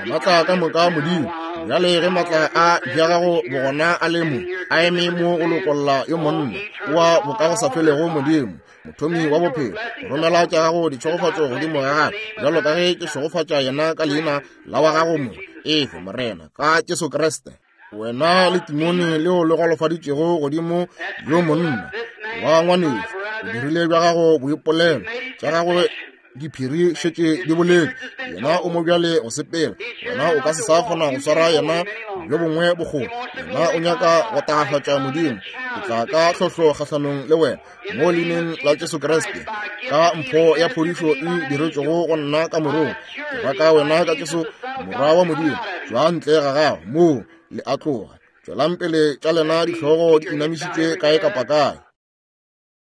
Maatla ka moka Modimo. Bjale ge maatla a bja gago bogona a le mo, a eme mo go lokolla yo monna wa bokagosafelego Modimo, mothomi wa bophelo, romela tša gago ditšhegofatšo godimo ga gagwe, bjalo ka ge ke šegofatša yena ka leina la wa gago mo. Efe, Morena, ka Jesu Kriste. Wena le timone leo le golofaditšego godimo yo monna wa ngwanešu, o dirile bja gago boipolelo, tša gagwe diphiri šetše di boletše. Yena o mo bjale go sepela, wena o ka se sa kgona go swara yena bjo bongwe bokgoni. Yena o nyaka go tagafatša Modimo. Ke tla ka tlhohlo kgahlanong le wena mo leineng la Jesu Kriste, ka mpho ya phodišo e diretšwego go nna ka morong. Ke raka wena ka Jesu Morwa wa Modimo, tšwa ntle ga gago moo le a tloga. Tšwelang pele tša lena dihlogo di inamišitšwe kae kapa kae.